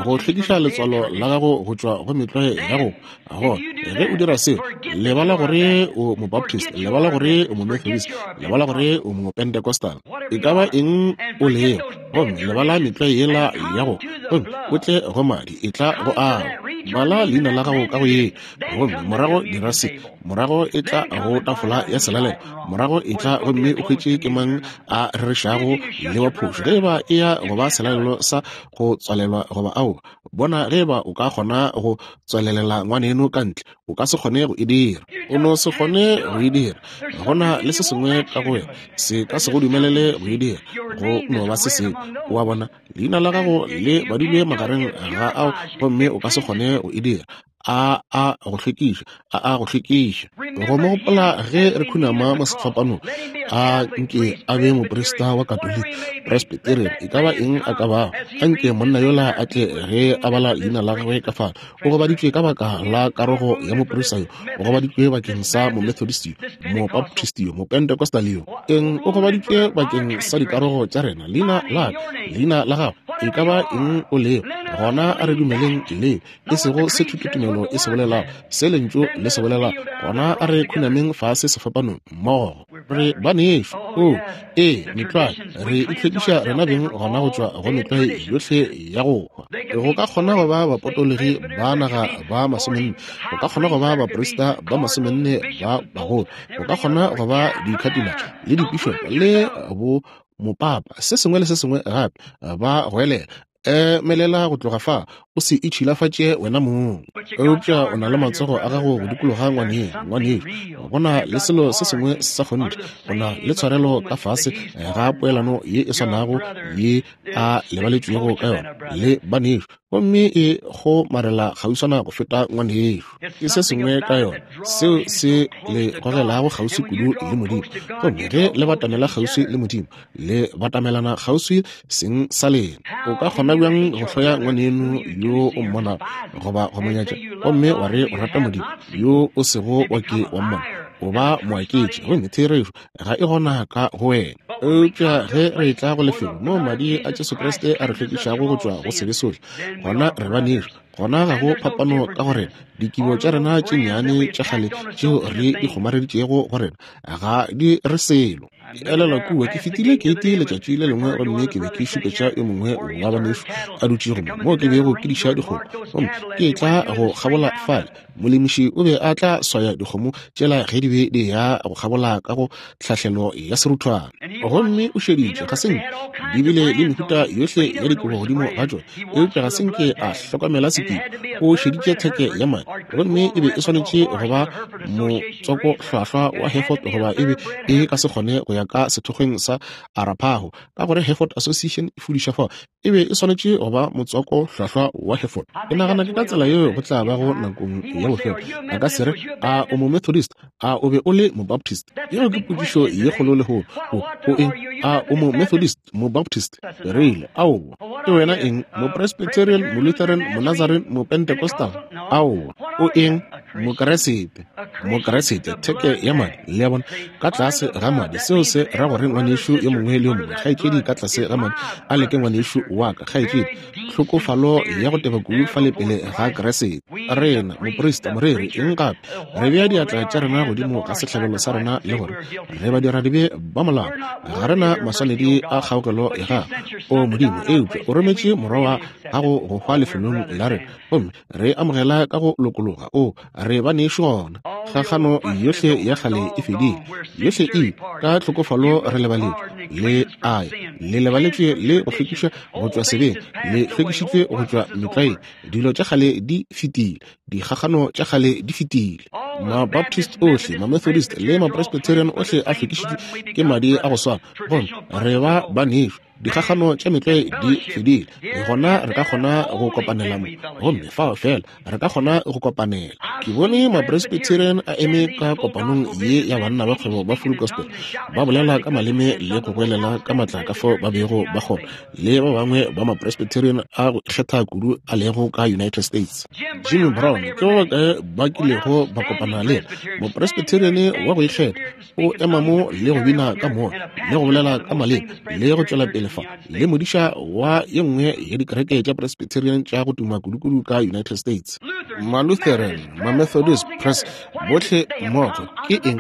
go hlwekiša letswalo la gago go tšwa go metlwae ya go hwa. Gona, ge o dira seo, lebala gore o Mobaptist, lebala gore o Momethodist, lebala gore o Mopentecostal, e ka ba eng o lego, gomme lebala metlwae yela ya go, gomme o tle go madi, etla go ao. Bala leina la gago ka go ye. Gomme morago dira se, morago e tla go tafola ya selalelo, morago e tla gomme o hwetše ke mang a rerešago le wa phošo, ge eba e ya go ba selalelo sa go tswalelwa goba aowa. Bona ge eba o ka kgona go tswalelela ngwaneno ka ntle. O ka se kgone go e dira. O no se kgone go e dira. Go na le se sengwe ka go wena se ka se go dumelele go e dira. Go no ba se sengwe. O a bona, leina la gago le badilwe magareng ga ao, gomme o ka se kgone go e dira. A a go hlwekiša, a a go hlwekiša. Go mo gopola ge re khunama mo sefapanong, a nke a be moprista wa Katoliki, Presbyterian, e ka ba eng a ka bago, a nke monna yola a tle ge a bala leina la gagwe ka fale. O gobaditšwe ka baka la karogo ya moprista yo, o gobaditšwe bakeng sa Momethodist yo, Mobaptist yo, Mopentecostal yo. Eng, o gobaditšwe bakeng sa dikarogo tša rena, leina la ka, leina la gago, e ka ba eng o lego. Gona a re dumeleng leo. E sego se thutotumelo e se bolelago, se Lentšu le se bolelago, gona a re khunameng fase sefapanong mmogo. Re banešu. Oo, ee, metlwae. Re itlhwekiša rena beng gona go tšwa go metlwae yohle ya go hwa. Go ka kgona go ba bapotologi ba naga ba masomenne, go ka kgona go ba baprista ba masomenne ba bagolo, go ka kgona go ba dikhatina le dipišopo le bo mopapa, se sengwe le se sengwe gape, ba goelela, Emelela go tloga fa, o se itšhilafatše wena mong. Eupša o na le matsogo a gago go dikologa ngwaneng, ngwanešu. Go na le selo se sengwe sa kgonthe. O na le tshwarelo ka fase ga poelano ye e swanago ye a lebaletšwego ka yona le banešu, gomme e kgomarela kgauswana go feta ngwanešu. Ke se sengwe ka yona seo se le gogelago kgauswi kudu le Modimo. Gomme ge le batamela kgauswi le Modimo, le batamelana kgauswi seng sa lena. O ka kgona bjang go hloya ngwaneno yo o mmonago goba go mo nyatša, gomme wa re o rata Modimo yo o sego wa ke wa mmona? O ba moaketši, gomme therešo ga e gona ka go wena. Eupša ge re etla go lefelo moo Madi a Jesu Kriste a re hlwekišago go tšwa go sebe sohle, gona re ba nešo. Gona ga go phapano ka go rena. Dikibo tša rena tše nnyane tša kgale tšeo re di kgomareditšego go rena ga di re selo. Ke elelwa kua, ke fetile keiti letšatši le lengwe gomme ke be ke šupetša yo mongwe wa banešu a dutšego mo, moo ke bego ke diša dikgomo. Gomme ke etla go kgabola fale, molemiši o be a tla swaya dikgomo tšela ge di be di ya go kgabola ka go tlhahlelo ya seruthwana. Gomme o šeditše, ga se nke di bile le mehuta yohle ya dikobo godimo ga tšona, eupša ga se nke a hlokomela sekibo. O šeditše theke ya madi, gomme e be e swanetše go ba motswako hlwahlwa wa Hereford goba e be e ka se kgone go ya ka sethokgweng sa Arapaho, ka gore Hereford Association e fudiša fao. E be e swanetše go ba motswako hlwahlwa wa Hereford. Ke nagana ke ka tsela yeo go tla bago nakong ya bofelo. A ka se re, A o Momethodist? A o be o le Mobaptist? Yeo ke potšišo ye kgolo lehono. O, o eng? A o Momethodist? Mobaptist? Re ile, aowa. Ke wena eng? Mopresbyterian, Molutheran, Monazarene, Mopentecostal? Aowa. O eng? Mokeresete. Mokeresete, theke ya madi. Le a bona? Ka tlase ga madi. Seo se ra gore ngwanešu yo mongwe le yo mongwe, kgaetšedi, ka tlase ga madi a le ke ngwanešu wa ka, kgaetšedi. Tlhokofalo ya go teba kudu fale pele ga Keresete. Rena, moprista, moreri, eng gape, re bea diatla tša rena godimo ga sehlabelo sa rena le gore re badiradibe ba molao, ga re na maswanedi a kgaogelo ya gago, O Modimo, eupša o rometše Morwa wa gago go hwa lefelong la rena, gomme re amogela ka go lokologa. O re ba nešo gona. Kgakgano yohle ya kgale e fedile, yohle e ka tlhokofalo re lebaletšwe, le aya le lebaletšwe le go hlwekišwa go tšwa sebeng, le hlwekišitšwe go tšwa metlwaeng. Dilo tša kgale di fetile, dikgakgano tša kgale di fetile. Mabaptist ohle, Mamethodist le Mapresbyterian ohle a hlwekišitšwe ke madi a go swana, gomme re ba ba nešo. Dikgakgano tša metlwae di fedile, gona re ka kgona go kopanela mo, gomme fao fela re ka kgona go kopanela. Ke bone Mapresbyterian a eme ka kopanong ye ya banna ba kgwebo ba Full Gospel, ba bolela ka maleme le go goelela ka matla ka fao ba bego ba kgona, le ba bangwe ba Mapresbyterian a go ikgetha kudu a lego ka United States. Jimmy Brown ke ba bakae ba kilego ba kopana le yena, Mopresbyterian wa go ikgetha, o ema mo le go bina ka moya le go bolela ka maleme le go tšwela pele fa, le modiša wa ye nngwe ya dikereke tša Presbyterian tša go tuma kudukudu ka United States. Malutheran, Mamethodist, Press, bohle mmogo ke eng?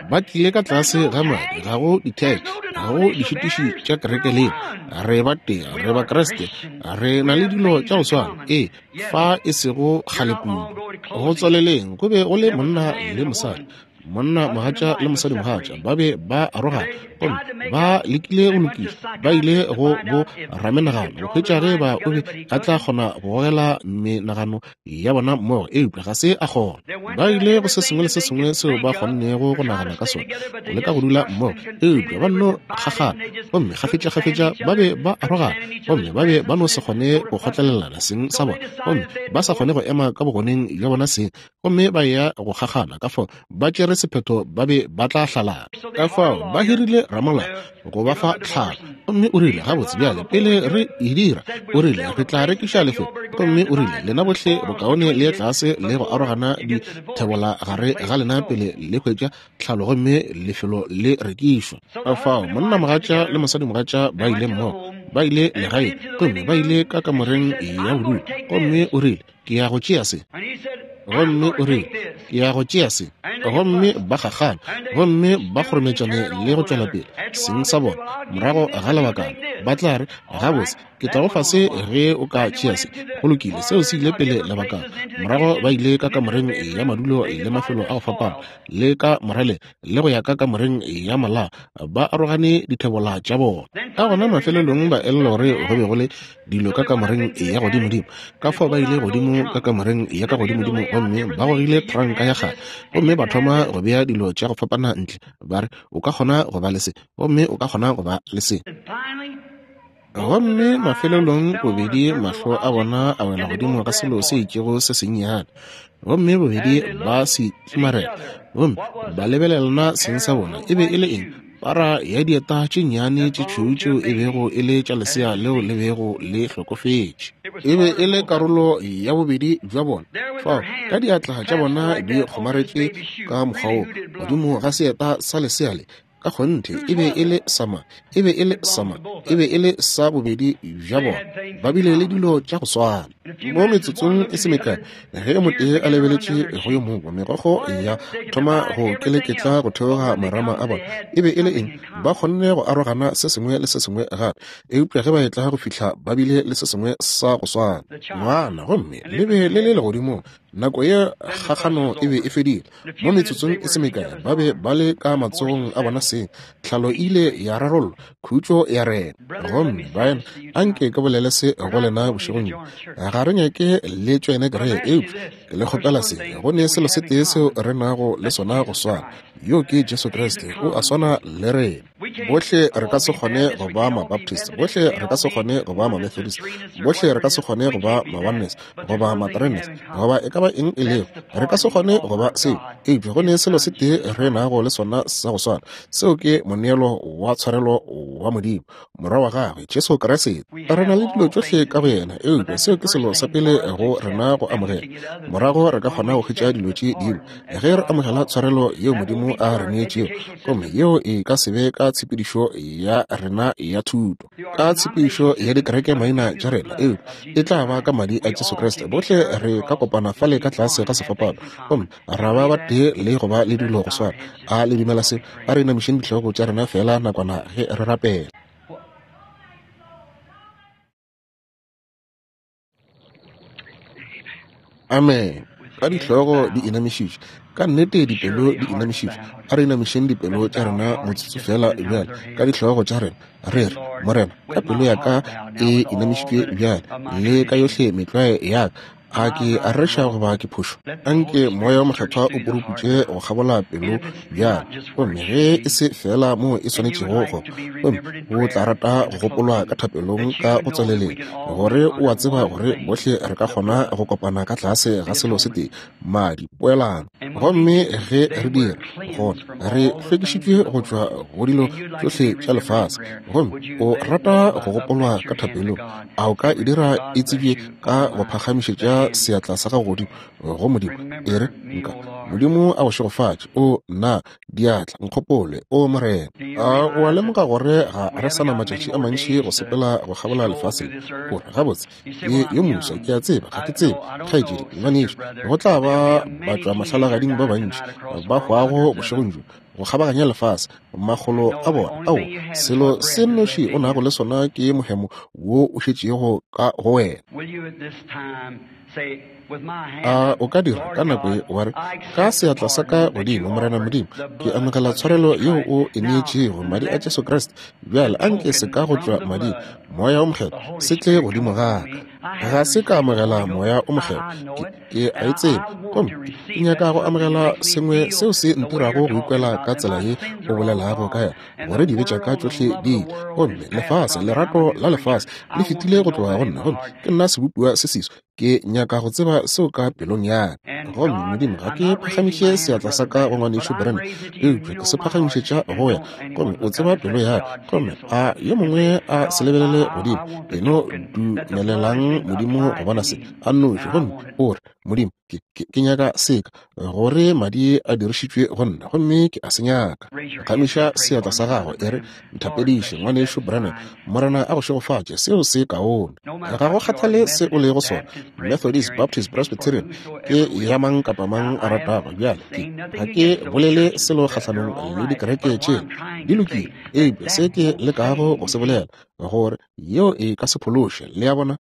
Ba tlile ka tlase ga madi. Ga go ditheke, ga go dišitiši tša kereke lena. Re ba tee, re ba Kriste, re na le dilo tša go swana. Ee, fa e sego kgale kudu, go tswaleleng go be go le monna le mosadi, monna mogatša le mosadi mogatša, ba be ba arogana gomme ba lekile go lokiša. Ba ile go bo ramenagano go hwetša ge ba o be a tla kgona go gogela menagano ya bona mmogo, eupša ga se a kgona. Ba ile go se sengwe le se sengwe seo ba kgonnego go nagana ka sona go leka go dula mmogo, eupša ba nno kgakgana gomme kgafetšakgafetša ba be ba arogana gomme ba be ba no se kgone go kgotlelelana seng sa bona, gomme ba sa kgone go ema ka bogoneng bja bona seng, gomme ba ya go kgakgana. Ka fao ba tšere sephetho ba be ba tla hlalana. Ka fao ba hirile ramolao go ba fa tlhalo, gomme o rile, Gabotse bjale, pele re e dira, o rile, re tla rekiša lefelo. Gomme o rile, Lena bohle bokaone le ye tlase le go arogana dithebola gare ga lena pele le hwetša tlhalo gomme lefelo le rekišwa. Ka fao monnamogatša le mosadimogatša ba ile mmogo, ba ile legaeng, gomme ba ile ka kamoreng ya bodulo, gomme o rile, Ke ya go tšea se. Gomme o rile, Ke ya go tšea se. Gomme ba kgakgana, gomme ba kgorometšane le go tšwela pele seng sa bona. Morago ga lebakana ba tla re, Gabotse, ke tla go fa se ge o ka tšea se. Go lokile, seo se ile pele lebakana. Morago ba ile ka kamoreng ya madulo le mafelo a go fapana, le ka moraleng, le go ya ka kamoreng ya malao, ba arogane dithebola tša bona. Ka gona mafelelong ba elelwa gore go be go le dilo ka kamoreng ya godimodimo. Ka fao ba ile godimo ka kamoreng ya ka godimodimo gomme ba gogile tranka ya kgale gomme ba thoma go bea dilo tša go fapana ntle, ba re, O ka kgona go ba le se, gomme o ka kgona go ba le se. Gomme mafelelong bobedi mahlo a bona a wela godimo ga selo se itšego se sennyane, gomme bobedi ba se tlimarela gomme ba lebelelana seng sa bona. E be e le eng? Para ya dieta tše nnyane tše tšhweu tšeo e bego e le tša lesea leo le bego le hlokofetše. E be e le karolo ya bobedi bja bona. Fao, ka diatla tša bona di kgomaretše ka mokgwa wo, godimo ga seeta sa lesea le, ka kgonthe e be e le sa mang? E be e le sa mang? E be e le sa bobedi bja bona. Ba bile le dilo tša go swana. Mo metsotsong e se mekae, ge motee a lebeletše go yo mongwe, megokgo ya thoma go keleketla go theoga marama a bona. E be e le eng? Ba kgonne go arogana se sengwe le se sengwe gape, eupša ge ba etla go fihla ba bile le se sengwe sa go swana. Ngwana, gomme le be le le legodimong. Nako ye kgakgano e be e fedile. Mo metsotsong e se mekae ba be ba le ka matsogong a bona seng. Tlhalo e ile ya rarollwa, khutšo ya rena. Gomme baena, anke ke bolele se go lena bošegong bjo. Ga re nyake le tšoene kereke, eupša ke le kgopela se. Go ne selo se tee seo re nago le sona go swana, yoo ke Jesu Kriste. O a swana le rena. Bohle re ka se kgone go ba Mabaptist, bohle re ka se kgone go ba Mamethodist, bohle re ka se kgone go ba Maoneness, goba Matrenes, goba e ka ba eng e lego. Re ka se kgone go ba seo, eupša go ne selo se tee re nago le sona sa go swana, seo ke moneelo wa tshwarelo wa Modimo, Morwa wa Gagwe, Jesu Kriste. Re na le dilo tšohle ka go Yena, eupša seo ke selo sa pele go rena go amogela. Morago re ka kgona go hwetša dilo tše dingwe ge re amogela tshwarelo yeo Modimo a re neetšego, gomme yeo e ka se be ka tshepedišo ya rena ya thuto, ka tshepedišo ya dikereke maina tša rena, eupša e tla ba ka madi a Jesu Kriste. Bohle re ka kopana fale ka tlase ga sefapano gomme ra ba batee le go ba le dilo go swana. A le dumela se? A re inamišeng dihlogo tša rena feela nakwana ge re rapela. Amen. Ka dihlogo di inamišitšwe, ka nnete dipelo di inamišitšwe, a re inamišeng dipelo tša rena motsotso feela bjale, ka dihlogo tša rena, re re, Morena, ka pelo ya ka e inamišitšwe bjale, le ka yohle metlwae ya ka, a ke a reša goba ke phošo? Anke Moya wo Mokgethwa o puruputše go kgabola pelo bjale, gomme ge e se feela moo e swanetšego go, gomme o tla rata go gopolwa ka thapelong ka go tsweleleng, gore o a tseba gore bohle re ka kgona go kopana ka tlase ga selo se tee, madi, poelano. Gomme ge re dira, gona re hlwekišitšwe go tšwa go dilo tšohle tša lefase. Gomme o rata go gopolwa ka thapelong, a o ka e dira e tsebje ka go phagamišetša seatla sa gago godimo go Modimo? E re, Nka. Modimo a go šegofatše. O nna, diatla, nkgopole, o Morena. A o a lemoga gore ga re sa na matšatši a mantši go sepela go kgabola lefase le? O re, Gabotse, ke yo moswa, ke a tseba, ga ke tsebe, kgaetšedi, ngwanešu, go tla ba batšwamahlalagading ba bantši ba hwago bošegong bjo go kgabaganya lefase, makgolo a bona. Ao, selo se nnoši o nago le sona ke mohemo wo o šetšego ka go wena. A o ka dira ka nako ye wa re, Ka seatla sa ka godimo, Morena Modimo, ke amogela tshwarelo yeo o e neetšego, madi a Jesu Kriste. Bjale a nke se ka go tšwa mading, Moya wo Mokgethwa, se tle godimo ga ka. Ga se ka amogela Moya wo Mokgethwa. Ke, ke a e tseba. Gomme ke nyaka go amogela sengwe seo se ntirago go ikwela ka tsela ye o bolelago ka yona, gore dibe tša ka tšohle di ile. Gomme lefase, lerato la lefase, le fetile go tloga go nna, gomme ke nna sebopiwa se seswa. Ke nyaka go tseba seo ka pelong ya ka. Gomme, Modimo, ga ke phagamiše seatla sa ka go Ngwanešu Branham, eupša ke se phagamišetša go wena. Gomme o tseba pelo ya ka. Gomme a yo mongwe a se lebelele godimo. E no dumelelang Modimo go bona se a nnoši. Gomme o re, Modimo, ke, ke, ke nyaka seka, gore madi a dirišitšwe go nna, gomme ke a se nyaka. Phagamiša seatla sa gago, e re, Nthapediše, Ngwanešu Branham. Morena a go šegofatše. Seo se kaone. Ga go kgathale se o lego sona, Methodist, Baptist, Presbyterian, ke ya mang kapa mang a ratago. Bjale, ke, ga ke bolele selo kgahlanong le dikereke tšela. Di lokile. Eupša se ke lekago go se bolela, gore yeo e ka se phološe. Le a bona?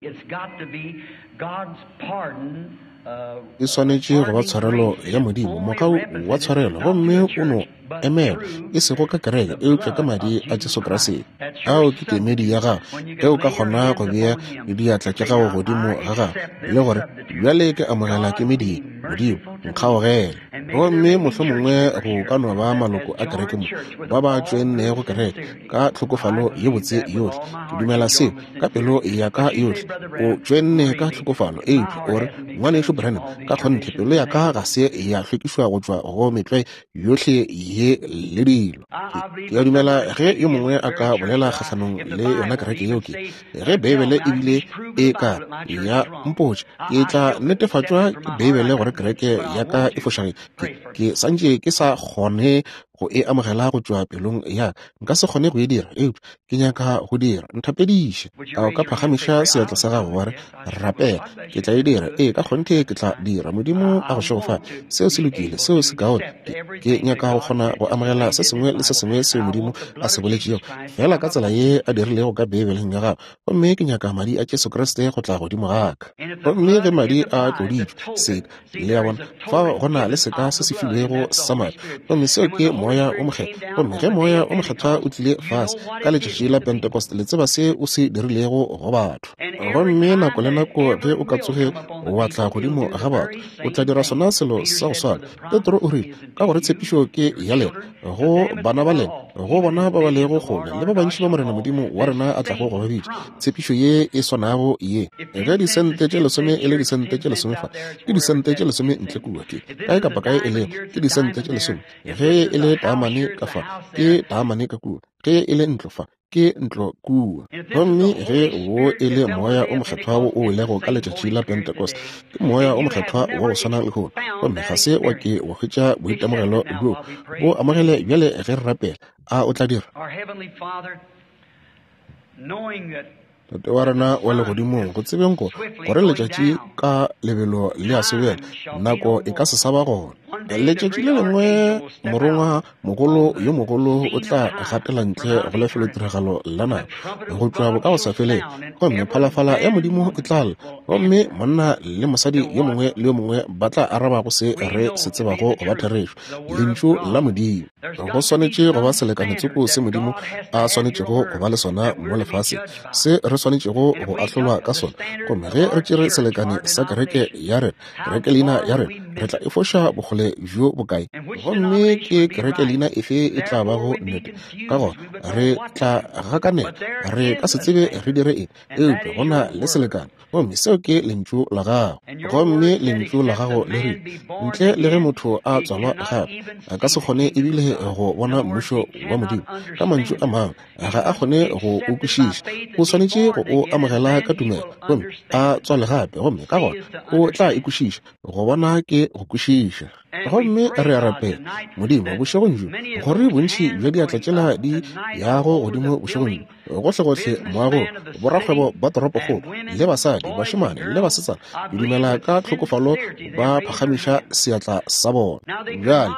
E swanetše go ba tshwarelo ya Modimo, mogau wa tshwarelo, gomme o no emelwa e sego ka kereke eupša ka madi a Jesu Kriste. Ao ke kemedi ya gago ge o ka kgona go bea diatla tša gago godimo ga gago le gore bjale ke amogela kemedi ye. Modimo, nkgaogele. Gomme mohlomongwe go ka no ba maloko a kereke mo ba ba tšoennego kereke ka tlhokofalo ye botse yohle. Ke dumela seo ka pelo ya ka yohle. O tšoenne ka tlhokofalo, eupša o re, Ngwanešu Branham, ka kgonthe pelo ya ka ga se ya hlwekišwa go tšwa go metlwae yohle ye le dilo. Ke a dumela ge yo mongwe a ka bolela kgahlanong le yona kereke yeo, ke ge Beibele ebile e ka ya mpotša, ke tla netefatšwa ke Beibele gore kereke ya ka e fošagetše. Ke santše ke sa kgone go e amogela go tšwa pelong ya ka. Nka se kgone go e dira, eupša ke nyaka go dira. Nthapediše. A o ka phagamiša seatla sa gago wa re, Rapela, ke tla e dira. Ee, ka kgonthe ke tla dira. Modimo a go šegofatše. Seo se lokile, seo se kaone. Ke nyaka go kgona go amogela se sengwe le se sengwe seo Modimo a se boletšego, feela ka tsela ye a dirilego ka Beibeleng ya gagwe. Gomme ke nyaka Madi a Jesu Kriste go tla godimo ga ka. Gomme ge Madi a tloditšwe, seka, le a bona, fao go na le seka se se filwego sa Madi, gomme seo ke Moya wo Mokgethwa. Gomme ge Moya wo Mokgethwa o tlile fase ka Letšatši la Pentecost, le tseba se o se dirilego go batho. Gomme nako le nako ge o ka tsoge wa tla godimo ga batho, o tla dira sona selo sa go swana. Petro o rile, Ka gore tshepišo ke ya lena, go bana ba lena, go bona ba ba lego kgole, le ba bantši ba Morena Modimo wa rena a tlago go ba bitša. Tshepišo ye e swanago ye. Ge disente tše lesome e le disente tše lesome fa, ke disente tše lesome ntle kua, ke kae kapa kae e lego, ke disente tše lesome. Ge e le taamane ka fa, ke taamane ka kua. Ge e le ntlo fa, ke ntlo kua. Gomme ge wo e le Moya o Mokgethwa wo o welego ka letšatši la Pentecost, ke Moya o Mokgethwa wa go swana lehono. Gomme ga se wa ke wa hwetša boitemogelo bjoo. Bo amogele bjale ge re rapela. A o tla dira? Tate wa rena wa Legodimong, go tsebeng gore, gore letšatši ka lebelo le a sobela, nako e ka se sa ba gona. Letšatši le lengwe morongwa mogolo yo mogolo o tla gatela ntle go lefelotiragalo la nako go tšwa bokagosafeleng, gomme phalafala ya Modimo e tla lla, gomme monna le mosadi yo mongwe le yo mongwe ba tla araba go se re se tsebago go ba therešo, Lentšu la Modimo. Go swanetše go ba selekane tsoko se Modimo a swanetšego go ba le sona mo lefaseng, se re swanetšego go ahlolwa ka sona. Gomme ge re tšere selekane sa kereke ya rena, kereke leina ya rena, re tla e foša bokgole bjo bokae? Gomme ke kereke leina efe e tla bago nnete? Ka gona re tla gakanega, re ka se tsebe re dire eng, eupša go na le selekane. Gomme seo ke Lentšu la Gago. Gomme Lentšu la Gago le rile, Ntle le ge motho a tswalwa gape, a ka se kgone ebile go bona Mmušo wa Modimo. Ka mantšu a mangwe, ga a kgone go o kwešiša. O swanetše go o amogela ka tumelo, gomme a tswale gape, gomme ka gona o tla e kwešiša. Go bona ke go kwešiša. Gomme re a rapela, Modimo, bošegong bjo, gore bontši bja diatla tšela di yago godimo bošegong bjo, gohlegohle moagong, borakgwebo ba toropokgolo, le basadi, bašemane le basetsana, ke dumela ka tlhokofalo ba phagamiša seatla sa bona. Bjale,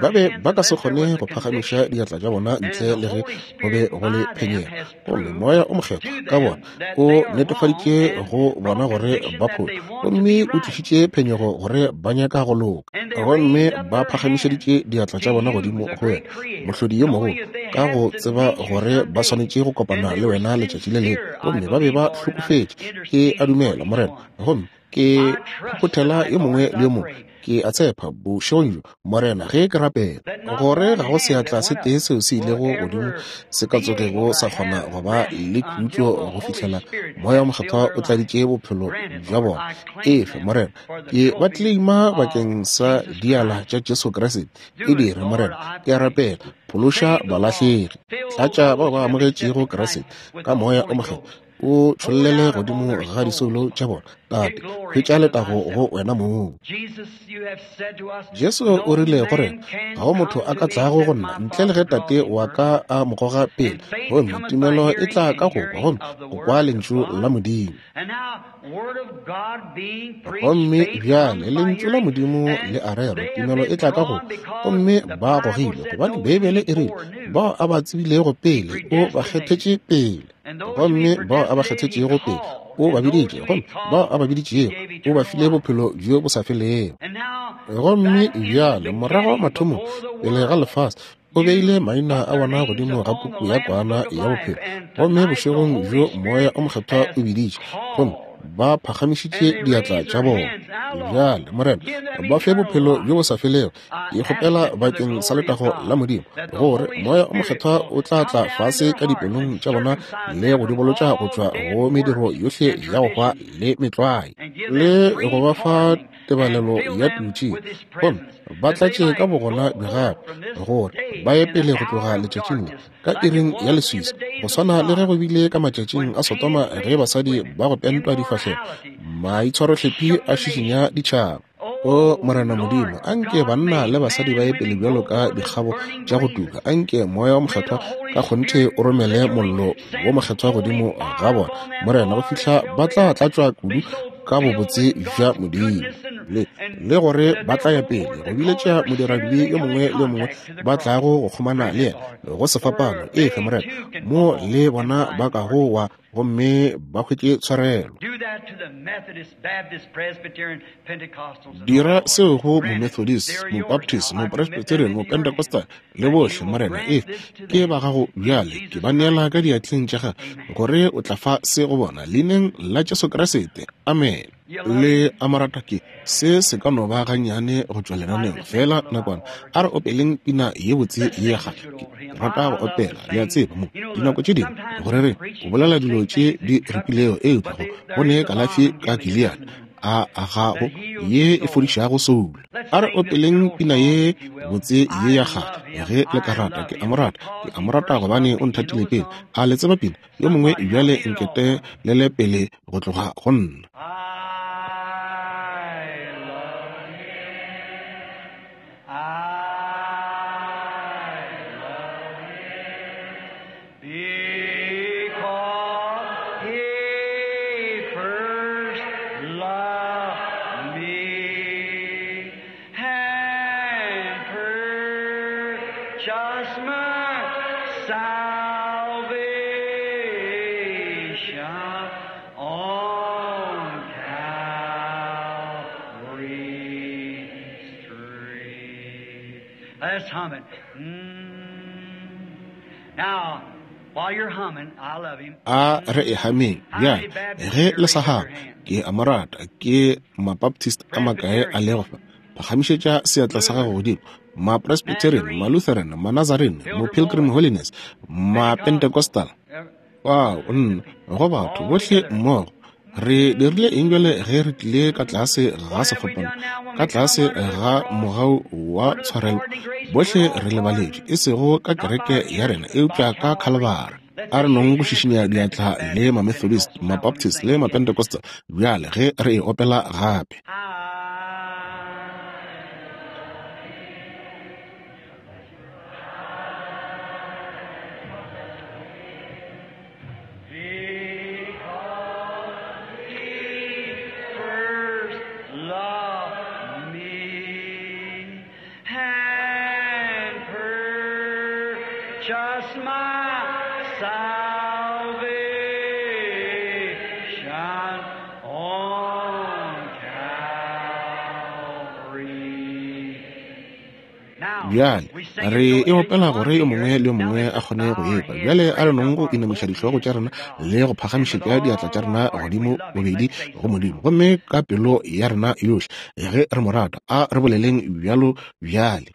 ba be ba ka se kgone go phagamiša diatla tša bona ntle le ge go be go le phenyego. Gomme Moya o Mokgethwa ka bona o netefaditše go bona gore ba phošo, gomme o tlišitše phenyego gore ba nyaka go loka. Gomme ba phagamišeditše diatla tša bona godimo go wena, Mohlodi yo mogolo, ka go tseba gore ba swanetše go kopana le wena letšatši le lengwe. Gomme ba be ba hlokofetše. Ke a dumela, Morena, gomme ke phophothela yo mongwe le yo mongwe. Ke a tshepa, bošegong bjo, Morena, ge ke rapela, gore ga go seatla se tee seo se ilego godimo se ka tsogego sa kgona go ba le khutšo go fihlela Moya wo Mokgethwa o tladitše bophelo bja bona. Efe, Morena, ke ba tleleima bakeng sa diala tša Jesu Kriste. E dire, Morena, ke a rapela, phološa balahlegi. Tlatša bao ba amogetšego Kriste ka Moya o Mokgethwa, o tšhollele godimo ga disoulo tša bona. Tate, hwetša letago go wena mong. Jesu o rile go rena, ga go motho a ka tlago go nna ntle le ge Tate wa ka a mo goga pele. Gomme tumelo e tla ka go kwa, gomme go kwa Lentšu la Modimo. Gomme bjale Lentšu la Modimo le a rerwa, tumelo e tla ka go, gomme ba gogilwe, gobane Beibele e rile, Bao a ba tsebilego pele, o ba kgethetše pele. Gomme bao a ba kgethetšego pele, o ba biditše, gomme bao a ba biditšego, o ba file bophelo bjo bo sa felego. Gomme bjale, morago mathomong, pele ga lefase, O beile maina a bona godimo ga puku ya Kwana ya Bophelo. Gomme bošegong bjo Moya o Mokgethwa o biditše, gomme Ba phagamišitše diatla tša bona. Bjale, Morena, ba fe bophelo bjo bo sa felego. Ke kgopela bakeng sa letago la Modimo, gore Moya o Mokgethwa o tla tla fase ka dipelong tša bona le go di bolotša go tšwa go mediro yohle ya go hwa le metlwae, le go ba fa tebalelo ya tutše, gomme ba tlatše ka bogona bja gagwe, gore ba ye pele go tloga letšatšing le ka iring ya leswiswi, go swana le ge go bile ka matšatšing a Sodoma ge basadi ba go pentwa difahlego, maitshwarohlephi a šišinya ditšhaba. O Morena Modimo, anke banna le basadi ba ye pele bjalo ka dikgabo tša go tuka. Anke Moya wo Mokgethwa ka kgonthe o romele mollo wo mokgethwa godimo ga bona, Morena, go fihla ba tla tlatšwa kudu ka bobotse bja Modimo, le, le gore ba tla ya pele go biletša modiradibe yo mongwe le yo mongwe ba tlago go kgomana le yena go sefapano. Efe, Morena, mo le bona ba kago wa gomme ba hwetše tshwarelo. Dira seo go Momethodist, Mobaptist, Mopresbyterian, Mopentecostal, le bohle, Morena. Efe, ke ba gago bjale. Ke ba neela ka diatleng tša gago, gore o tla fa se go bona, Leineng la Jesu Kriste. Amene. Le a mo rata? Ke se se ka no ba gannyane go tšwa lenaneong, feela nakwana. A re opeleng pina ye botse ye ya kgale. Ke rata go opela, le a tseba, mo dinako tše dingwe go rereng, go bolela dilo tše di ripilego, eupša go, go ne kalafi ka Gilead a agago ye e fodišago soulo. A re opeleng pina ye botse ye ya kgale, ge le ka rata. Ke a mo rata, ke a mo rata gobane o nthatile pele. A le tseba pina? Yo mongwe bjale nkete lele pele go tloga go nna. Because he first loved me and purchased my salvation on Calvary's tree. Let's hum it. Mm. Now, while you're humming, I love him. A re e hameng bjale ge le sa hama. Ke a mo rata. Ke Mabaptist a makae a lego fa? Phagamišetša seatla sa gago godimo. Mapresbyterian, Malutheran, Manazarene, Mopilgrim Holiness, Mapentecostal. Wow, nna, go batho bohle mmogo. Re dirile eng bjale ge re tlile ka tlase ga sefapano, ka tlase ga mogau wa tshwarelo? Bohle re lebaletšwe, e sego ka kereke ya rena, eupša ka Khalibari. A re nong go šišinya diatla le Mamethodist, Mabaptist le Mapentecostal bjale ge re e opela gape. Because he first loved me and purchased my salvation on Calvary. Bjale re e opela gore yo mongwe le yo mongwe a kgone go ekwa. Bjale a re nong go inamiša dihlogo tša rena le go phagamišetša diatla tša rena godimo bobedi go Modimo, gomme ka pelo ya rena yohle ge re mo rata, a re boleleng bjalo bjale.